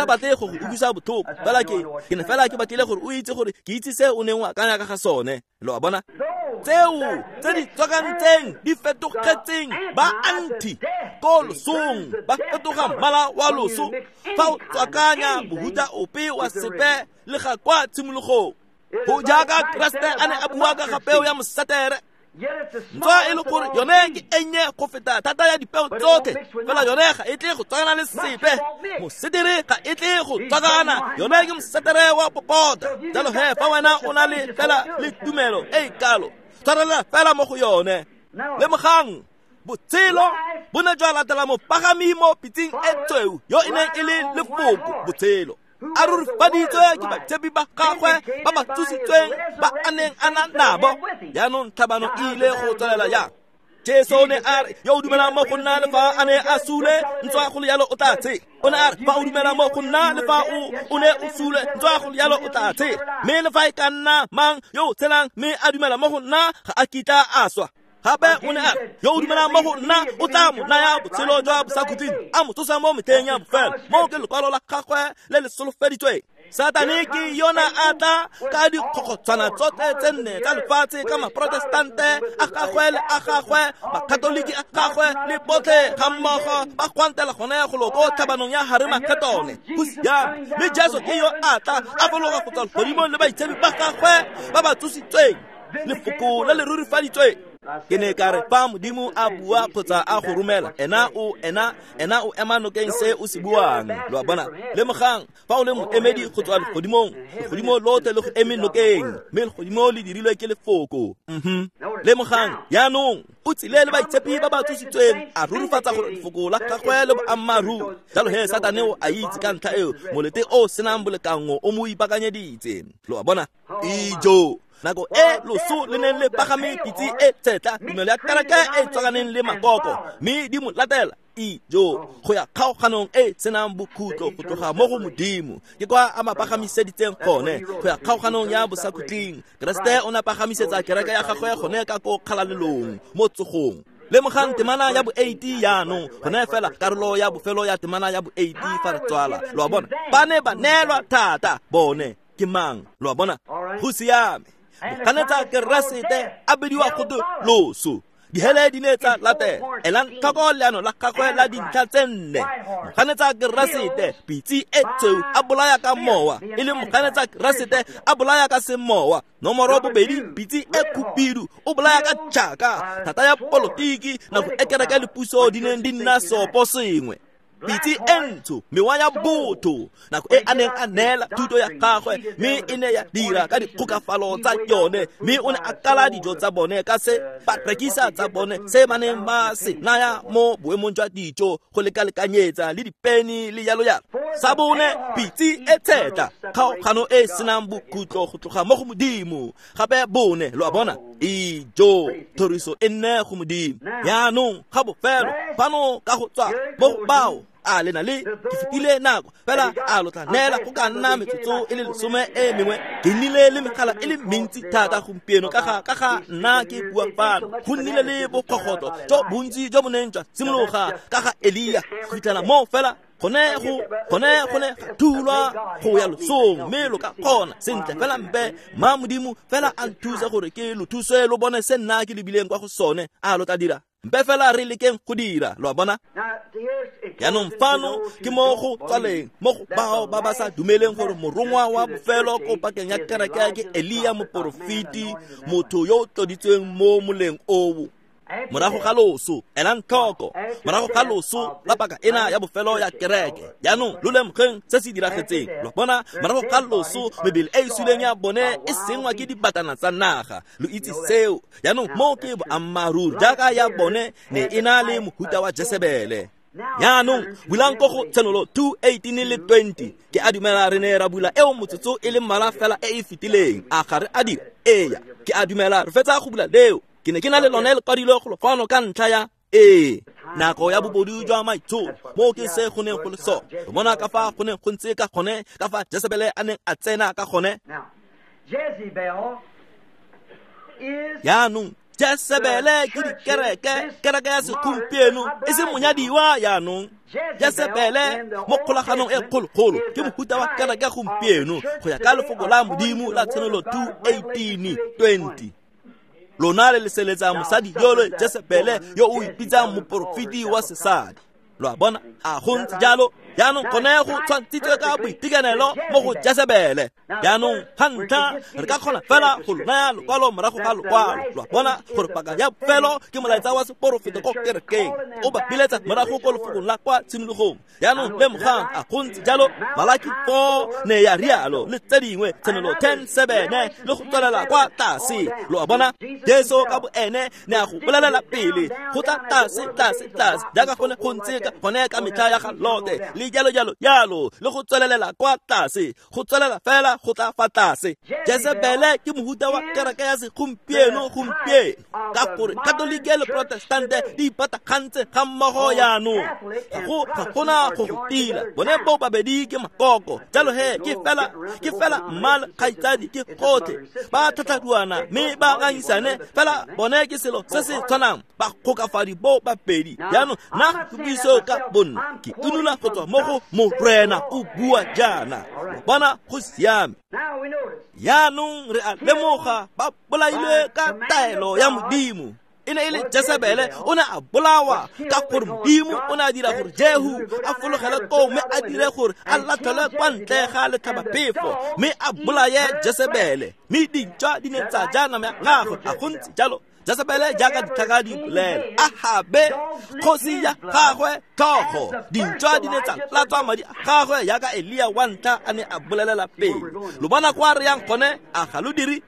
batle go go utlwisa botlhoko, fela ke ne fela ke batlile gore o itse gore ke itse se o neng o akanya ka ga sone. Lo a bona? Tseo tse di tswakantseng di fetogetseng ba anti ko losong, ba fetoga mmala wa loso fa o tswakanya mohuta ope wa sepe le ga kwa tshimologong. Go jaaka Keresete a ne a bua ka ga peo ya mosetere, ntswa e le gore yone ke ennye go feta thata ya dipeo tsotlhe, fela yone ga e tle go tswakana le sepe. Mosetere ga e tle go tswakana, yone ke mosetere wa popota. Jalo he fa wena o na le fela le tumelo e e kalo, tshwarelela fela mo go yone. Lemogang, botshelo bo ne jwa latela mopagami mo pitseng e tshweu yo e neng e le lefoko botshelo, a rurifaditswe ke baitshepi ba gagwe ba ba tsositsweng ba a neng a na nabo. Jaanong tlhabano e ile go tswelela jang? Jesu o ne a re, yo o dumelang mo go nna le fa a ne a sule, ntswa go le jalo o tla tshela. O ne a re, fa o dumela mo go nna le fa o ne o sule, ntswa go le jalo o tla tshela. Mme le fa e ka nna mang yo o tshelang mme a dumela mo go nna, ga a kitla a swa. Gape o ne a re, yo o dumelang mo go nna o tla mo naya botshelo jwa bosakhutleng, a mo tsosa mo metlheng ya bofelo. Moo ke lekwalo la gagwe le le solofeditsweng. Satane ke yona a tla ka dikgokgotshwana tsotlhe tse nne tsa lefatshe, ka maprotestante a gagwe le a gagwe, bakatoliki a gagwe le botlhe ga mmogo ba gwantela gone go lo ko tlhabanong ya Haremaketone. Go siame. Mme Jesu ke yo a tla a fologa go tswa legodimong le baitshepi ba gagwe ba ba tsositsweng, lefoko le le rurifaditsweng. Ke ne ka re, fa Modimo a bua kgotsa a go romela, ena o ema nokeng se o se buang. Lo a bona? Lemogang, fa o le moemedi go tswa legodimong, legodimo lotlhe le go eme nokeng, mme legodimo le dirilwe ke lefoko. Lemogang, jaanong o tsile le baitshepi ba ba tsositsweng, a rurifatsa gore lefoko la gagwe le boammaaruri. Jalo he Satane o a itse ka ntlha eo, molete o senang bolekango o mo ipaakanyeditse. Lo a bona? Ijo! Nako e loso le neng le pagame pitse e tshetla, tumelo ya kereke e tswakaneng le makoko, mme di mo latela ijo go ya kgaoganong e senang bokhutlo go tloga mo go Modimo. Ke kwa a mapagamiseditseng gone go ya kgaoganong ya bosakhutleng. Keresete o ne a pagamisetsa kereke ya gagwe gone ka ko kgalalelong mo tsogong. Lemogang temana ya bo-8 jaanong, gone fela karolo ya bofelo ya temana ya bo-8 fa re tswala. Lo a bona? Ba ne ba neelwa thata bone ke mang? Lo a bona? Go siame. Moganetsa Keresete a bidiwa go twe loso. Dihele di ne tsa latela. Elang tlhoko leano la gagwe la dintlha tse nne. Moganetsa Keresete, pitse e tshweu, a bolaya ka mowa, e le moganetsa Keresete a bolaya ka semowa. Nomoro bobedi, pitse e khubidu, o bolaya ka tšhaka, thata ya polotiki, nako e kereke le puso di neng di nna seopo sengwe. Pitse e ntsho, mewa ya botho, nako e a neng a neela thuto ya gagwe, mme e ne ya dira ka dikgokafalo tsa yone, mme o ne a kala dijo tsa bone ka se ba rekisa tsa bone se ba neng ba se naya mo boemong jwa dijo go lekalekanyetsa le dipeni le jalo jalo. Sa bone, pitse e tshetla, kgaogano e senang bokhutlo go tloga mo go Modimo. Gape bone, lo a bona? Ijo, thoriso e nne go Modimo. Jaanong ga bofelo fano ka go tswa mo go bao a le na le ke fetile nako fela, a lo tla neela go ka nna metsotso e le 10 e mengwe. Ke nnile le megala e le mentsi thata gompieno ka ga nna ke bua fano. Go nnile le bokgogotlo jo bontsi jo bo neng jwa simologa ka ga Elia go fitlhela mo fela gone ga thulwa go ya losong, mme lo ka kgona sentle fela mpe ma Modimo fela a nthuse gore ke lo thuse lo bone se nna ke lebileng kwa go sone. A lo tla dira? Mpe fela re lekeng go dira. Lo a bona? Jaanong fano ke mo go tswaleng mo go bao ba ba sa dumeleng gore morongwa wa bofelo ko pakeng ya kereke ke Elia moporofeti, motho yo o tloditsweng mo moleng oo. Morago ga loso, elang tlhoko, morago ga loso la paka ena ya bofelo ya kereke. Jaanong lo lemogeng se se diragetseng. Lo bona, morago ga loso mebele e e suleng ya bone e sengwa ke dibatana tsa naga. Lo itse seo. Jaanong mo ke boammaaruri, jaaka ya bone ne e na le mohuta wa Jesebele. Jaanong bulang ko go Tshenolo 2:18 le 20. Ke a dumela re ne ra bula eo motsotso e le mmalwa fela e e fetileng. A ga re a dira? Eya, ke a dumela re fetsa go bula leo. Ke ne ke na le lone lekwadilwe go fano ka ntlha ya ee nako ya bobodu jwa maitsholo. Mo ke se go neng go le sone. Re bona ka fa go neng go ntse ka gone, ka fa Jesebele a neng a tsena ka gone. Jaanong Jesebele ke dikereke, kereke ya segompieno e se monyadiwa. Jaanong Jesebele mo kgolaganong e kgologolo ke mohuta wa kereke gompieno go ya ka lefoko la Modimo la Tshenolo 2:18-20. Lona le leseletsa mosadi yole Jesebele yo o ipitsang moporofeti wa sesadi. Lo a bona, a go ntse jalo. Jaanong gone go tshwantshitswe ka boitekanelo mo go Jesebele. Jaanong ga ntlha re ka kgona fela go lo naya lokwalo morago ga lokwalo. Lo a bona gore paka ya bofelo ke molaetsa wa seporofeto ko kerekeng, o ba biletsa morago ko lefokong la kwa tshimologong. Jaanong lemogang, a go ntse jalo. Malaki 4 ne ya rialo, le tse dingwe, Tshenolo 10:7 le go tswelela kwa tlase. Lo a bona, Jesu ka boene ne a go bolelela pele go tla tlase tlase tlase, jaaka gone go ntse ka gone ka metlha ya ga Lote, le jalo jalo jalo, le go tswelelela kwa tlase, go tswelela fela go tla fa tlase. Jesebele ke mohuta wa kereke ya segompieno gompieno, ka gore Katolike le Protestante di ipatagantse ga mmogo jaanong. Ga gona go go tila, bone bo babedi ke makoko. Jalo he ke fela mma le kgaitsadi ke gotlhe, ba tlhatlharuana mme ba ngangisane fela, bone ke selo se se tshwanang, ba kgokafadi bo babedi. Jaanong nna ke buiso ka bonna, ke inola go tswa mo go Morena o bua jaana. Bona, go siame. Jaanong re a lemoga ba bolailwe ka taelo ya Modimo. E ne e le Jesebele o ne a bolawa ka gore Modimo o ne a dira gore Jehu a fologele koo mme a dire gore a latlhelwe kwa ntle ga letlhabaphefo mme a bolaye Jesebele, mme dintšwa di ne tsa ja nama ya gagwe. A go ntse jalo. Jesebele jaaka ditlhaka di bolela, Ahabe kgosi ya gagwe tlhogo, dintšwa di ne tsa latswa madi a gagwe jaaka Elia wa ntlha a ne a bolelela pele. Lo bona kwa re yang gone, a ga lo dire?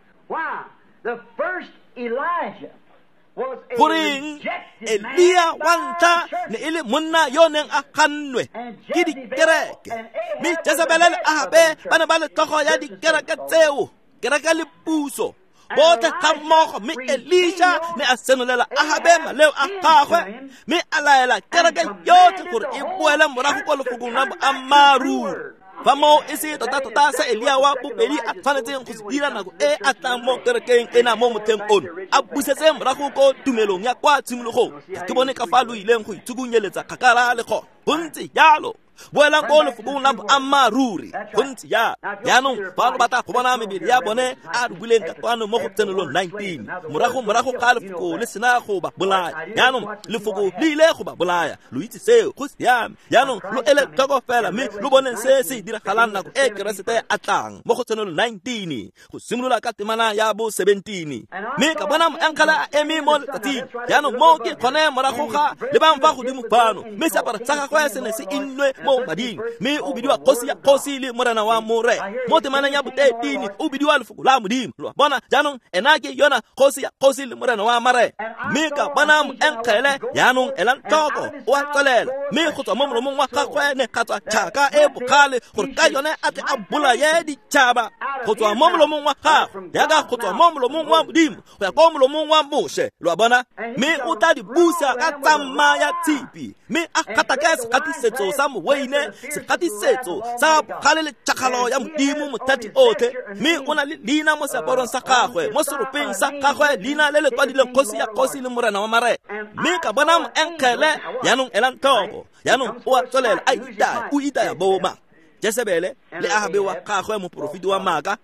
Goreng Elia wa ntlha ne e le monna yo neng a gannwe ke dikereke, mme Jesebele le Ahabe ba ne ba le tlhogo ya dikereke tseo, kereke le puso botlhe ga mmogo. Mme Elisha ne a senolela Ahabe maleo a gagwe, mme a laela kereke yotlhe gore e boele morago kwa lefokong la boammaaruri. Fa moo e se tota-tota se Elia wa bobedi a tshwanetseng go se dira nako e a tlang mo kerekeng ena mo motlheng ono, a busetse morago ko tumelong ya kwa tshimologong. Ke bone ka fa lo ileng go ithukunyeletsa kgakala le gone. Go ntse jalo. Boelang ko lefokong la boammaaruri. Go ntse jalo. Jaanong fa lo batla go bona mebele ya bone a re buleng ka kwano mo go Tshenolo 19, morago ga lefoko le sena go ba bolaya. Jaanong lefoko le ile go ba bolaya, lo itse seo, go siame. Jaanong lo ele tlhoko fela mme lo boneng se se diragalang nako e Keresete a tlang mo go Tshenolo 19, go simolola ka temana ya bo 17. Mme ka bona moengele a eme mo letsatsing. Jaanong mo ke gone morago ga lebang fa godimo fano, mme seaparo sa gagwe se ne se innwe mo mading, mme o bidiwa kgosi ya kgosi le morena wa more. Mo temaneng ya bo-13 o bidiwa lefoko la Modimo. Lo a bona, jaanong ena ke yona kgosi ya kgosi le morena wa mare. Mme ka bona moengele, jaanong elang tlhoko, o a tswelela, mme go tswa mo molomong wa gagwe ne ga tswa tšhaka e bogale, gore ka yone a tle a bolaye ditšhaba. Go tswa mo molomong wa gagwe, jaaka go tswa mo molomong wa Modimo go ya ko molomong wa Moshe. Lo a bona, mme o tla di busa ka tsamma ya tshipi, mme a gatake segatisetso sa moweine, segatisetso sa bogale le tšhakgalo ya Modimo mothati otlhe. Mme o na le leina mo seaparong sa gagwe, mo seropeng sa gagwe, leina le le kwadileng kgosi ya kgosi le morena wa mare. Mme ka bona moengele, jaanong elang tlhoko, jaanong o a tswelela a itaya, o itaya boma Jesebele le Ahabe wa gagwe moporofeti wa maaka.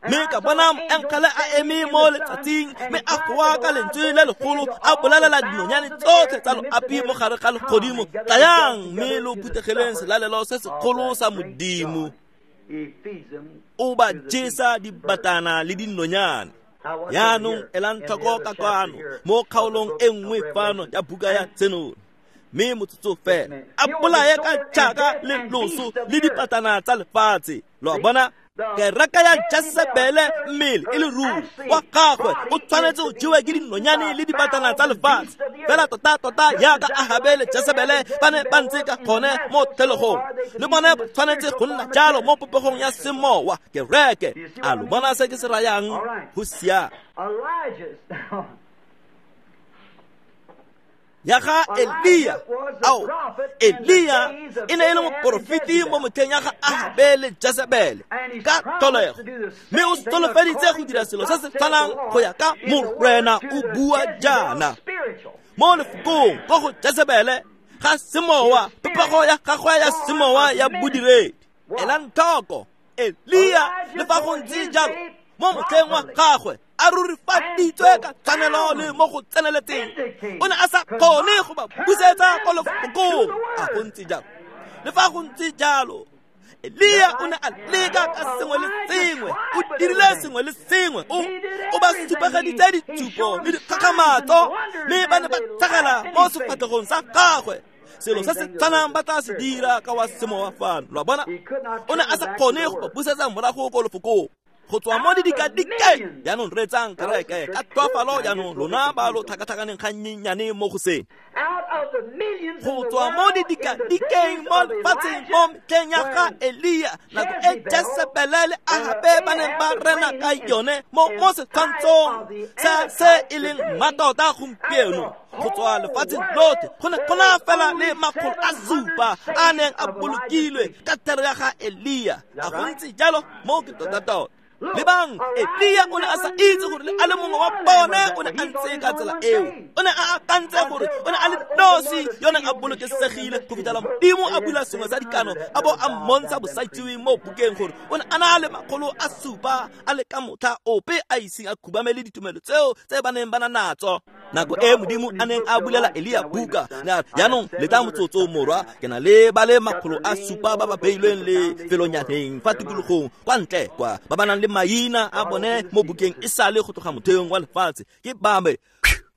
Mme ka bona moengele a eme mo letsatsing, mme a goa ka lentswe le legolo, a bolelela dinonyane tsotlhe tsa loapi mo gare ga legodimo, tlayang mme lo phuthegeleng selalelo se segolo sa Modimo. O ba jesa dibatana le dinonyane. Jaanong elang tlhoko ka kwano mo kgaolong e nngwe fano ya buka ya Tshenolo. Mme motsotso fela a bolaye ka tšhaka le loso le dipatana tsa lefatshe. Lo a bona, kereke ya Jesebele mmele e le ruri wa gagwe o tshwanetse o jewe ke dinonyane le dibatana tsa lefatshe, fela tota-tota jaaka Ahabe le Jesebele ba ne ba ntse ka gone mo tlholegong, le bone ba tshwanetse go nna jalo mo popegong ya semowa kereke. A lo bona se ke se rayang? Go siame. Ya ga Elia, ao Elia e ne e le moporofeti mo motlheng ya ga Ahabe le Jesebele ka tlholego, mme o solofeditse go dira selo se se tshwanang go ya ka Morena o bua jaana mo lefokong ko go Jesebele ga semowa, popego ya gagwe ya semowa ya bodiredi. Elang tlhoko, Elia le fa go ntse jalo mo motlheng wa gagwe a rurifaditswe ka tshwanelo le mo go tseneletseng, o ne a sa kgone go ba busetsa ko lefokong. A go ntse jalo? Le fa go ntse jalo, Elia o ne a leka ka sengwe le sengwe, o dirile sengwe le sengwe, o ba supegeditse ditshupo le dikgakgamatso, mme ba ne ba tlhagela mo sefatlhegong sa gagwe. Selo se se tshwanang ba tla se dira ka wa semowa fano. Lo a bona? O ne a sa kgone go ba busetsa morago ko lefokong. Go tswa mo didikadikeng. Jaanong reetsang kereke ka tlhoafalo jaanong, lona ba lo tlhakatlhakaneng ga nnyenyane mo go seng. Go tswa mo didikadikeng mo lefatsheng mo metlheng ya ga Elia, nako e Jesebele le Ahabe ba neng ba rena ka yone mo setshwantshong sa se e leng mmatota gompieno. Go tswa lefatsheng lotlhe go ne go na fela le 700 a neng a bolokilwe ka thero ya ga Elia. A go ntse jalo? Mo ke tota-tota. Lebang, Elia o ne a sa itse gore le a le mongwe wa bone o ne a ntse ka tsela eo. O ne a akantse gore o ne a le nosi yo neng a bolokesegile go fitlhela Modimo a bula sengwe sa dikano a bo a mmontsha bosaitsiweng mo bukeng gore o ne a na le 700 a le ka motlha ope a iseng a khubamele ditumelo tseo tse ba neng ba na natso. Nako e Modimo a neng a bulela Elia buka, jaanong letla motsotso morwa, ke na le ba le 700 ba ba beilweng le felonyaneng fa tikologong kwa ntle kwa, ba ba nang le maina a bone mo bukeng e sale go tloga motheong wa lefatshe. Ke ba me.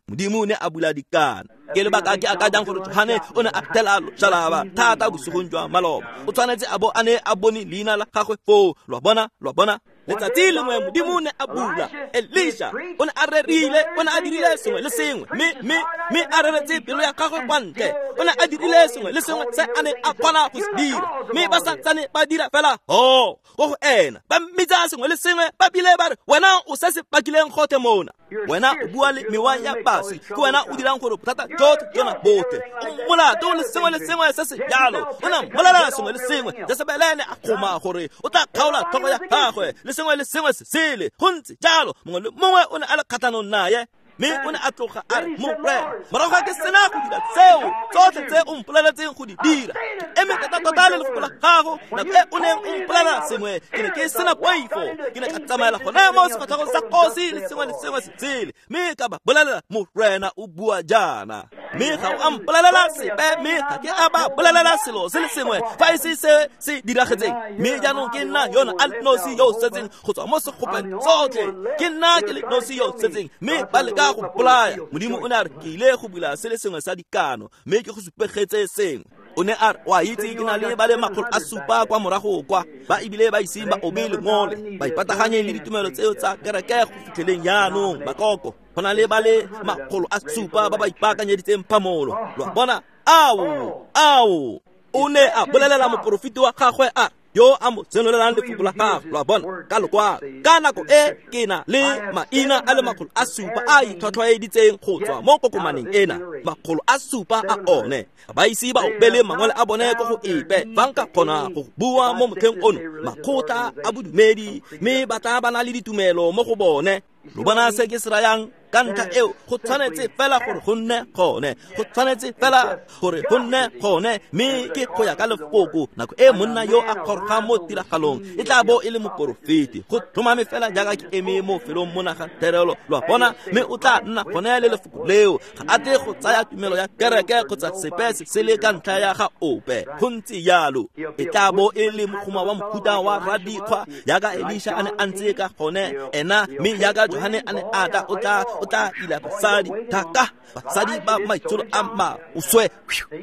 Modimo o ne a bula dikano. Ke lebaka ke akanyang gore Johane o ne a thela loshalaba thata bosigong jwa maloba. O tshwanetse a bo a ne a bone leina la gagwe foo. Lo a bona? Lo a bona? Letsatsi lengwe Modimo o ne a bula Elisha, o ne a rerile, o ne a dirile sengwe le sengwe, mme a reretse pelo ya gagwe kwa ntle. O ne a dirile sengwe le sengwe se a neng a kgona go se dira, mme ba santsane ba dira fela ho ko go ena, ba mmitsa sengwe le sengwe, ba bile ba re, wena o se se pakileng gotlhe mona, wena o bua le mewa ya baswi, ke wena o dirang gore bothata jotlhe jona botlhe, o molato le sengwe le sengwe se se jalo. O ne a mmolelela sengwe le sengwe. Jesebele ne a kgoma gore o tla kgaola tlhogo ya gagwe le sengwe le sengwe se sele. Go ntse jalo, mongwe le mongwe o ne a le kgatlhanong naye, mme o ne a tloga a re, Morena, morago ga ke sena go dira tseo tsotlhe tse o mpoleletseng go di dira, ke eme tota-tota le lefoko la gago. Nako e o neng o mpolelela sengwe, ke ne ke sena poifo, ke ne ka tsamaela gone mo sefatlhegong sa kgosi le sengwe le sengwe se sele, mme ka ba bolelela, Morena o bua jaana. Mme ga o a mpolelela sepe, mme ga ke a ba bolelela selo se le sengwe fa e se se se diragetseng. Mme jaanong ke nna yona a le nosi yo o setseng go tswa mo segopeng tsotlhe, ke nna ke le nosi yo o setseng, mme ba leka go bolaya. Modimo o ne a re, ke ile go bula se le sengwe sa dikano, mme ke go supegetse sengwe. O ne a re, wa itse ke na le ba le 700 kwa morago kwa, ba ebile ba iseng ba obe lengole, ba ipataganye le ditumelo tseo tsa kereke go fitlheleng jaanong makoko. Go na le ba le 700 ba ba ipaakanyeditseng phamolo. Lo a bona? Ao, ao. O ne a bolelela moporofeti wa gagwe a yo a mo senolelang lefoko la gagwe. Lo a bona? Ka lokwalo. Ka nako e ke na le maina a le 700 a itlhwatlhwaeditseng go tswa mo kokomaneng ena, 700 a one. Ba ise ba opele mangwele a bone ko go epe, fa nka kgona go bua mo motlheng ono, makgotla a bodumedi, mme ba tla ba na le ditumelo mo go bone. Lo bona se ke se rayang? Ka ntlha eo go tshwanetse fela gore go nne gone, go tshwanetse fela gore go nne gone, mme ke go ya ka lefoko. Nako e monna yo a gorogang mo tiragalong e tla bo e le moporofeti, go tlhomame fela jaaka ke eme mo felong mo naga therelo. Lo a bona? Mme o tla nna gone le lefoko leo. Ga a tle go tsaya tumelo ya kereke kgotsa sepe se sele ka ntlha ya ga ope. Go ntse jalo. E tla bo e le mogoma wa mohuta wa radikgwa jaaka Elisha a ne a ntse ka gone ena, mme jaaka Johane a ne a tla, o tla ila basadi thaka, basadi ba maitsholo a maswe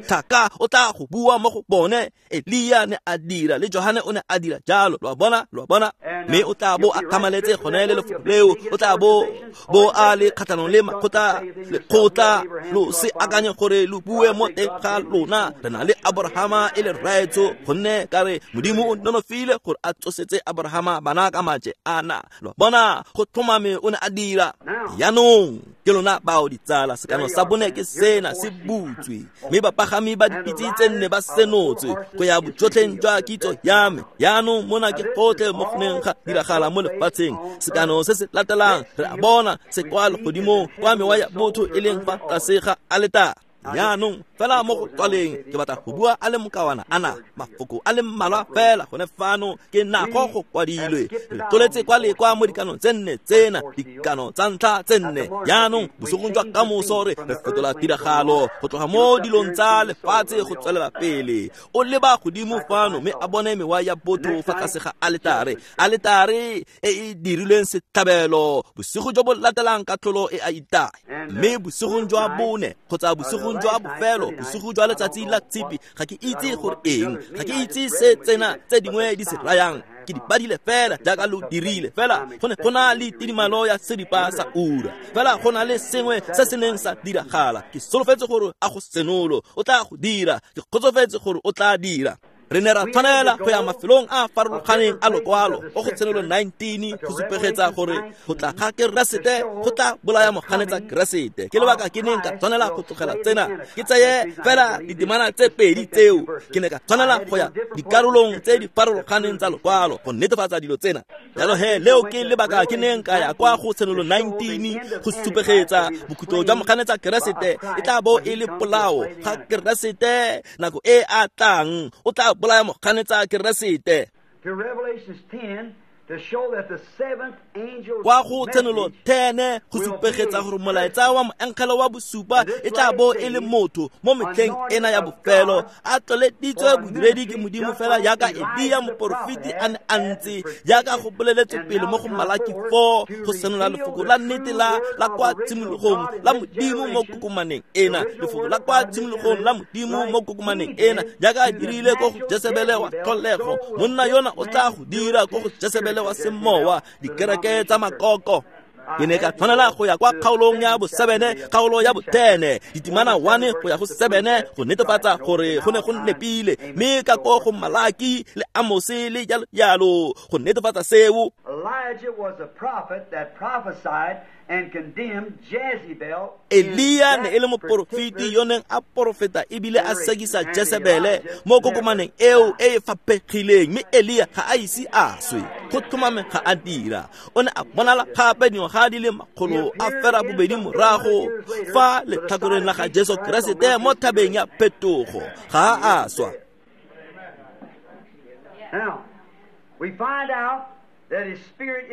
thaka, o tla go bua mo go bone. Elia ne a dira le Johane o ne a dira jalo. Lo a bona? Lo a bona? Mme o tla bo a thamaletse gone le lefoko leo. O tla bo a le kgatlhanong le makgotla, lekgotla. Lo se akanye gore lo bue mo teng ga lona, re na le Abrahama e le rraetsho, gonne ka re Modimo o nonofile gore a tsosetse Abrahama bana ka maje ana. Lo a bona? Go tlhomame o ne a dira. Jaanong ke lona bao ditsala, sekano sa bone ke sena se butswe, mme bapagami ba dipitse tse nne ba senotswe go ya bojotlheng jwa kitso ya me. Jaanong mona ke gotlhe mo go neng ga diragala mo lefatsheng. Sekano se se latelang re a bona se kwa legodimong, kwa mewa ya botho e leng fa tlase ga aletare. Jaanong fela mo go tswaleng ke batla go bua a le mokawana ana mafoko a le mmalwa fela gone fano ke nako go kwadilwe. Re tloletse kwa le kwa mo dikanong tse nne tsena, dikano tsa ntlha tse nne. Jaanong bosigong jwa kamoso re fetola tiragalo go tloga mo dilong tsa lefatshe go tswelela pele. O leba godimo fano mme a bone mewa ya botho fa tlase ga aletare, aletare e e dirilweng setlhabelo. Bosigo jo bo latelang katlholo e a itaya, mme bosigong jwa bone kgotsa bosigong jwa bofelo, bosigo jwa letsatsi la tshipi, ga ke itse gore eng, ga ke itse se tsena tse dingwe di se rayang. Ke di badile fela jaaka lo dirile, fela go ne go na le tidimalo ya seripa sa ura, fela go na le sengwe se se neng sa diragala. Ke solofetse gore a go senolo o tla go dira, ke kgotsofetse gore o tla dira. Re ne ra tshwanela go ya mafelong a farologaneng a lokwalo o go Tshenolo 19 go supegetsa gore go tla ga Keresete go tla bolaya moganetsa Keresete. Ke lebaka ke neng ka tshwanela go tlogela tsena, ke tseye fela ditemana tse pedi tseo. Ke ne ka tshwanela go ya dikarolong tse di farologaneng tsa lokwalo go netefatsa dilo tsena. Jalo he leo ke lebaka ke neng ka ya kwa go Tshenolo 19 go supegetsa bokhutlo jwa moganetsa Keresete e tla bo e le polao ga Keresete nako e a tlang o tla bolaya moganetsa Keresete. Kwa go Tshenolo 10 go supegetsa gore molaetsa wa moengele wa bosupa e tla bo e le motho mo metlheng ena ya bofelo, a tloleditswe bodiredi ke Modimo fela jaaka Elia moporofeti a ne a ntse, jaaka go boleletswe pele mo go Malaki 4 go senola lefoko la nnete la kwa tshimologong la Modimo mo kokomaneng ena, lefoko la kwa tshimologong la Modimo mo kokomaneng ena, jaaka a dirile ko go Jesebele wa tlholego. Monna yona o tla go dira ko go Jesebele wa semowa, dikereke tsa makoko. Ke ne ka tshwanela go ya kwa kgaolong ya bo-7, kgaolo ya bo-10, ditemana 1 go ya go 7 go netefatsa gore go ne go nepile, mme ka ko go Malaki le Amose le jalo jalo go netefatsa seo. Elia ne e le moporofeti yo neng a porofeta ebile a sekisa Jesebele mo kokomaneng eo e e faphegileng, mme Elia ga a ise a swe, go tlhomame ga a dira. O ne a bonala gape dingwaga di le 172 morago fa letlhakoreng la ga Jesu Keresete mo thabeng ya phetogo, ga a swa.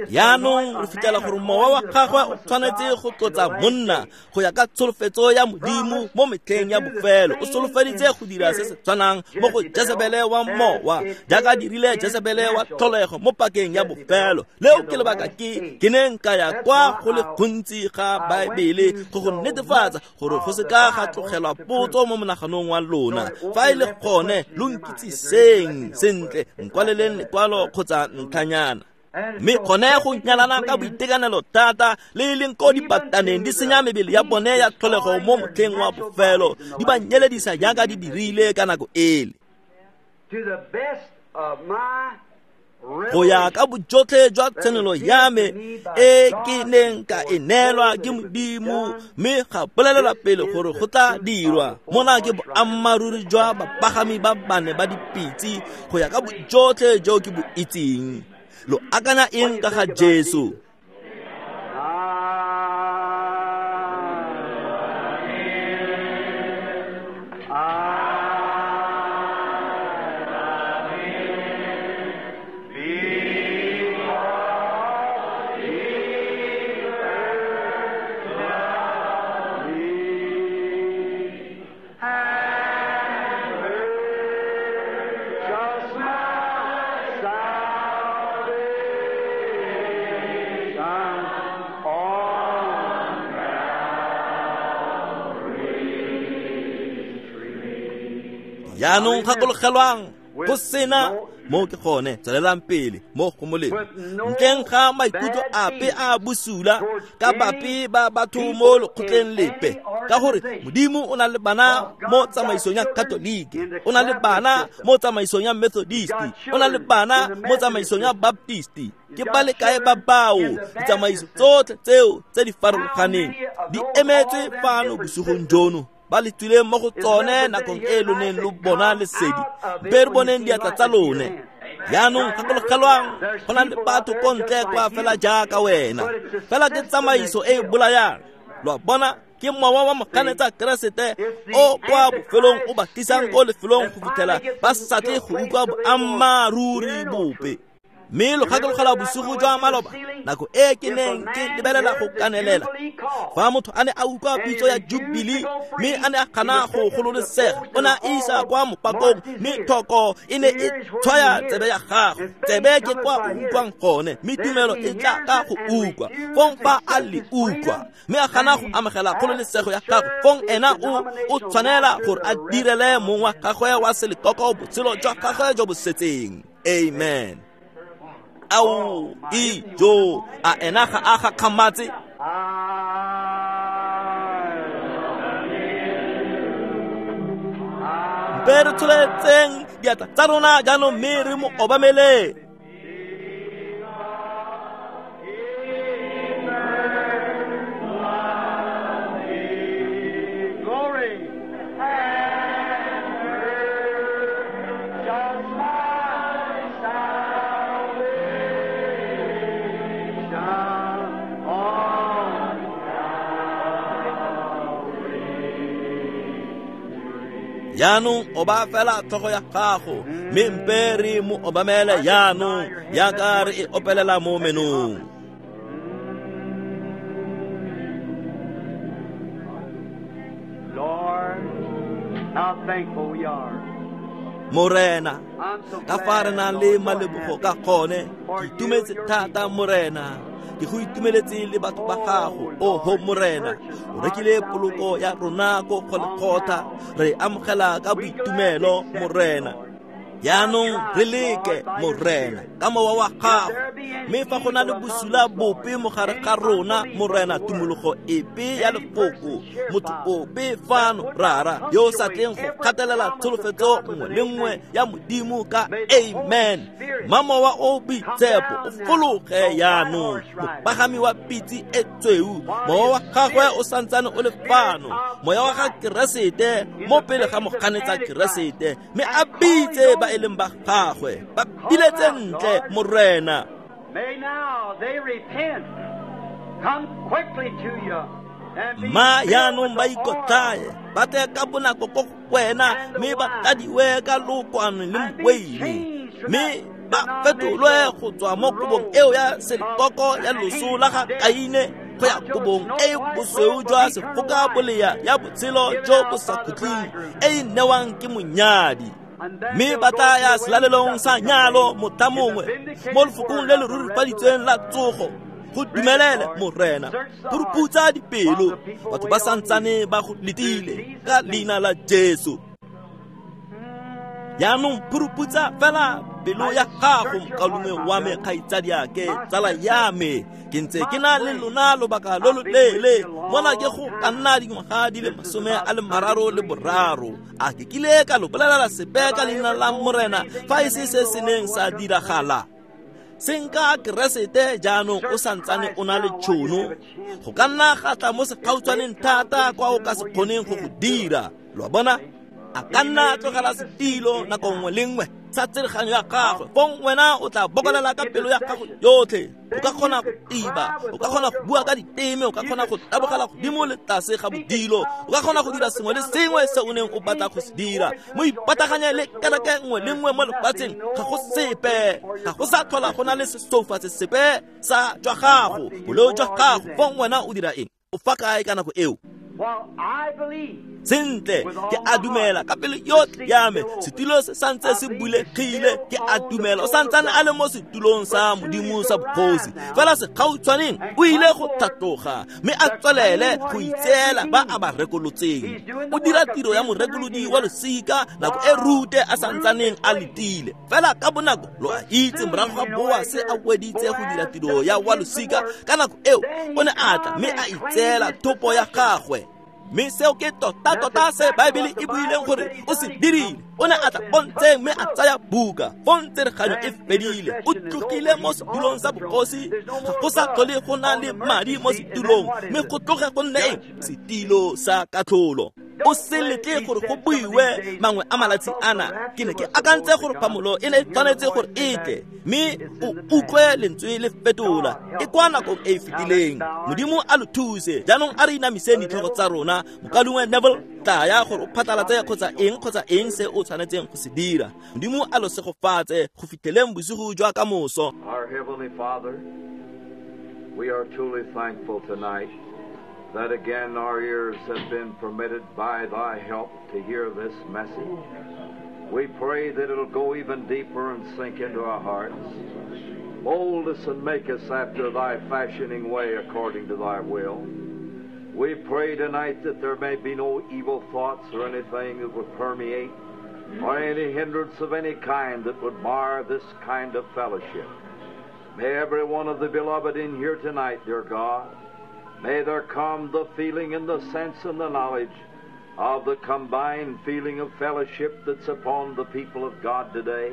Jaanong re fitlhela gore mowa wa gagwe o tshwanetse go tlotsa monna go ya ka tsholofetso ya Modimo mo metlheng ya bofelo. O solofeditse go dira se se tshwanang mo go Jesebele wa mowa jaaka dirile Jesebele wa tlholego mo pakeng ya bofelo. Leo ke lebaka ke neng ka ya kwa go le gontsi ga Baebele go go netefatsa gore go se ka ga tlogelwa potso mo monaganong wa lona. Fa e le gone lo nkitsiseng sentle, nkwaleleng lekwalo kgotsa ntlhanyana. Mme gone go nyalana ka boitekanelo thata le e leng ko dipataneng di senya mebele ya bone ya tlholego mo motlheng wa bofelo, di ba nyeledisa jaaka di dirile ka nako ele. Go ya ka bojotlhe jwa tshenolo ya me e ke neng ka e neelwa ke Modimo, mme ga bolelelwa pele gore go tla dirwa. Mona ke boammaaruri jwa bapagami ba bane ba dipitse go ya ka bojotlhe jo ke bo itseng. Lo akanya eng ka ga Jesu? Jaanong gakologelwang go sena mo ke gone tswelelang pele mo go molemo, ntleng ga maikutlo ape a bosula ka bape ba batho mo lekgotleng lepe, ka gore Modimo o na le bana mo tsamaisong ya Katolike, o na le bana mo tsamaisong ya Methodist, o na le bana mo tsamaisong ya Baptist. Ke ba le kae ba bao ditsamaiso tsotlhe tseo tse di farologaneng di emetswe fano bosigong jono, ba le tswileng mo go tsone nakong e lo neng lo bona lesedi, mpe re boneng diatla tsa lone. Jaanong gakologelwang go na le batho ko ntle kwa fela jaaka wena, fela ke tsamaiso e e bolayang. Lo a bona, Ke mowa wa moganetsa Keresete o kwa bofelong o ba tlisang ko lefelong go fitlhela ba sa tle go utlwa boammaaruri bope. Mme lo gakologelwa bosigo jwa maloba, nako e ke neng ke lebelela go kanelela, fa motho a ne a utlwa pitso ya Jubilee mme a ne a gana go gololesega, o ne a isa kwa mopakong, mme thoko e ne e tshwaya tsebe ya gagwe. Tsebe ke kwa o utlwang gone, mme tumelo e tla ka go utlwa. Fong fa a le utlwa mme a gana go amogela kgololesego ya gagwe, fong ena o tshwanela gore a direle mong wa gagwe wa selekoko botshelo jwa gagwe jo bo setseng. Amen. Ao ijo, a ena ga a gakgamatse? Mpe re tsholetseng diatla tsa rona jaanong mme re mo obamele. Glory. Jaanong o ba fela tlhogo ya gago, mme mpe re mo obamele jaanong jaaka re e opelela mo menong. Lord, how thankful we are. Morena, I'm so ka fa re glad, nang le Lord, malebogo ka gone, ke itumetse thata Morena. Ke go itumeletse le batho ba gago, oho Morena. O rekile poloko ya rona ko Golgotha, re amogela ka boitumelo Morena. Jaanong re leke Morena ka mowa wa gago, mme fa go na le bosula bope mo gare ga rona Morena, tumologo epe ya lefoko, motho ope fano rara yo o sa tleng go gatelela tsholofetso nngwe le nngwe ya Modimo ka amen, mma mowa o boitshepo o fologe jaanong, mopagami wa pitse e tsweu, mowa wa gagwe o santsane o le fano, moya wa ga Keresete mo pele ga moganetsa Keresete, mme a bitse ba e leng ba gagwe, ba biletse ntle Morena. May now they repent, come quickly to you, and be Ma filled jaanong with ba the ikotlhaye, oil ba tle ka bonako ko go wena, mme ba tladiwe ka lookwane le and be moweine, changed from mme that ba fetolwe go tswa mo kobong eo ya selekoko ya loso la ga Kaine go ya kobong e bosweu jwa sefoka bolea ya botshelo jo bo sa khutleng e e newang ke monyadi. Mme ba tla ya selalelong sa nyalo motlha mongwe mo lefokong le le rurifaditsweng la tsogo. Go dumelele Morena, go ruputsa dipelo, batho ba santsane ba go letile ka leina la Jesu. Jaanong phuruputsa fela pelo ya gago, mokaulengwe wa me, kgaitsadiake, tsala ya me. Ke ntse ke na le lona lobaka lo lo leele, mona ke go ka nna dingwaga di le 33. A ke kile ka lo bolelela sepe ka leina la Morena fa e se se se neng sa diragala? Senka Keresete jaanong o santsane o na le tšhono, go ka nna ga tla mo segautshwaneng thata kwa o ka se kgoneng go go dira. Lo a bona? A ka nna a tlogela setilo nako nngwe le nngwe sa tsereganyo ya gagwe, fong wena o tla bokolela ka pelo ya gago yotlhe. O ka kgona go tiba, o ka kgona go bua ka diteme, o ka kgona go tabogela godimo le tlase ga bodilo, o ka kgona go dira sengwe le sengwe se o neng o batla go se dira. Mo ipataganye le kereke nngwe le nngwe mo lefatsheng, ga go sepe, ga go sa tlhola go na le sesoufatse sepe sa jwa gago, boleo jwa gago. Fong wena o dira eng? O fa kae ka nako eo? While I believe Sentle, ke a dumela ka pelo yotlhe ya me, setilo se santse se bulegile. Ke a dumela o santsane a le mo setulong sa Modimo sa bogosi, fela segautshwaneng o ile go tlhatloga mme a tswelele go itseela ba a ba rekolotseng. O dira tiro ya morekolodi wa losika nako e Rute a santsaneng a letile. Fela ka bonako lo a itse, morago ga Boase a weditse go dira tiro ya wa losika, ka nako eo o ne a tla mme a itseela thopo ya gagwe. Mme seo ke tota-tota se Baebele e buileng gore o se dirile. O ne a tla pontsheng mme a tsaya buka. Fong tsereganyo e fedile, o tlogile mo setulong sa bogosi. Ga go sa tlhole go na le madi mo setulong, mme go tloge go nne eng? Setilo sa katlholo. O se letle gore go buiwe mangwe a malatsi ana. Ke ne ke akantse gore phamolo e ne e tshwanetse gore e tle, mme o utlwe lentswe le fetola e kwa nakong e e fetileng. Modimo a lo thuse. Jaanong a re inamiseng ditlhogo tsa rona. Mokalungwe Neville, tlaya gore o phatlalatse kgotsa eng se o tshwanetseng go se dira. Modimo a lo segofatse go fitlheleng bosigo jwa ka moso. Our Heavenly Father, we are truly thankful tonight that again our ears have been permitted by Thy help to hear this message. We pray that it'll go even deeper and sink into our hearts. Mold us and make us after Thy fashioning way according to Thy will. We pray tonight that there may be no evil thoughts or anything that would permeate or any hindrance of any kind that would mar this kind of fellowship. May every one of the beloved in here tonight, dear God, may there come the feeling and the sense and the knowledge of the combined feeling of fellowship that's upon the people of God today.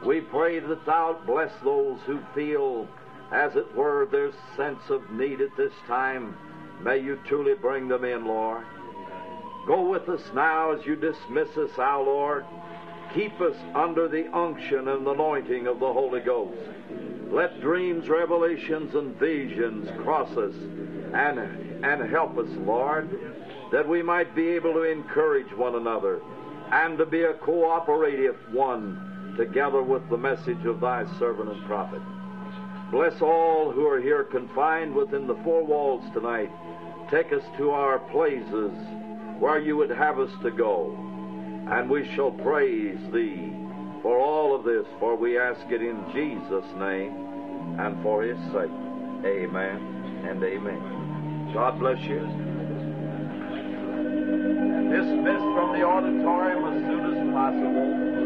We pray that Thou bless those who feel, as it were, their sense of need at this time. May you truly bring them in, Lord. Go with us now as you dismiss us, our Lord. Keep us under the unction and anointing of the Holy Ghost. Let dreams, revelations, and visions cross us and help us, Lord, that we might be able to encourage one another and to be a cooperative one together with the message of Thy servant and prophet. Bless all who are here confined within the four walls tonight. Take us to our places where you would have us to go, and we shall praise Thee for all of this, for we ask it in Jesus' name and for His sake. Amen and amen. God bless you. Dismissed from the auditorium as soon as possible.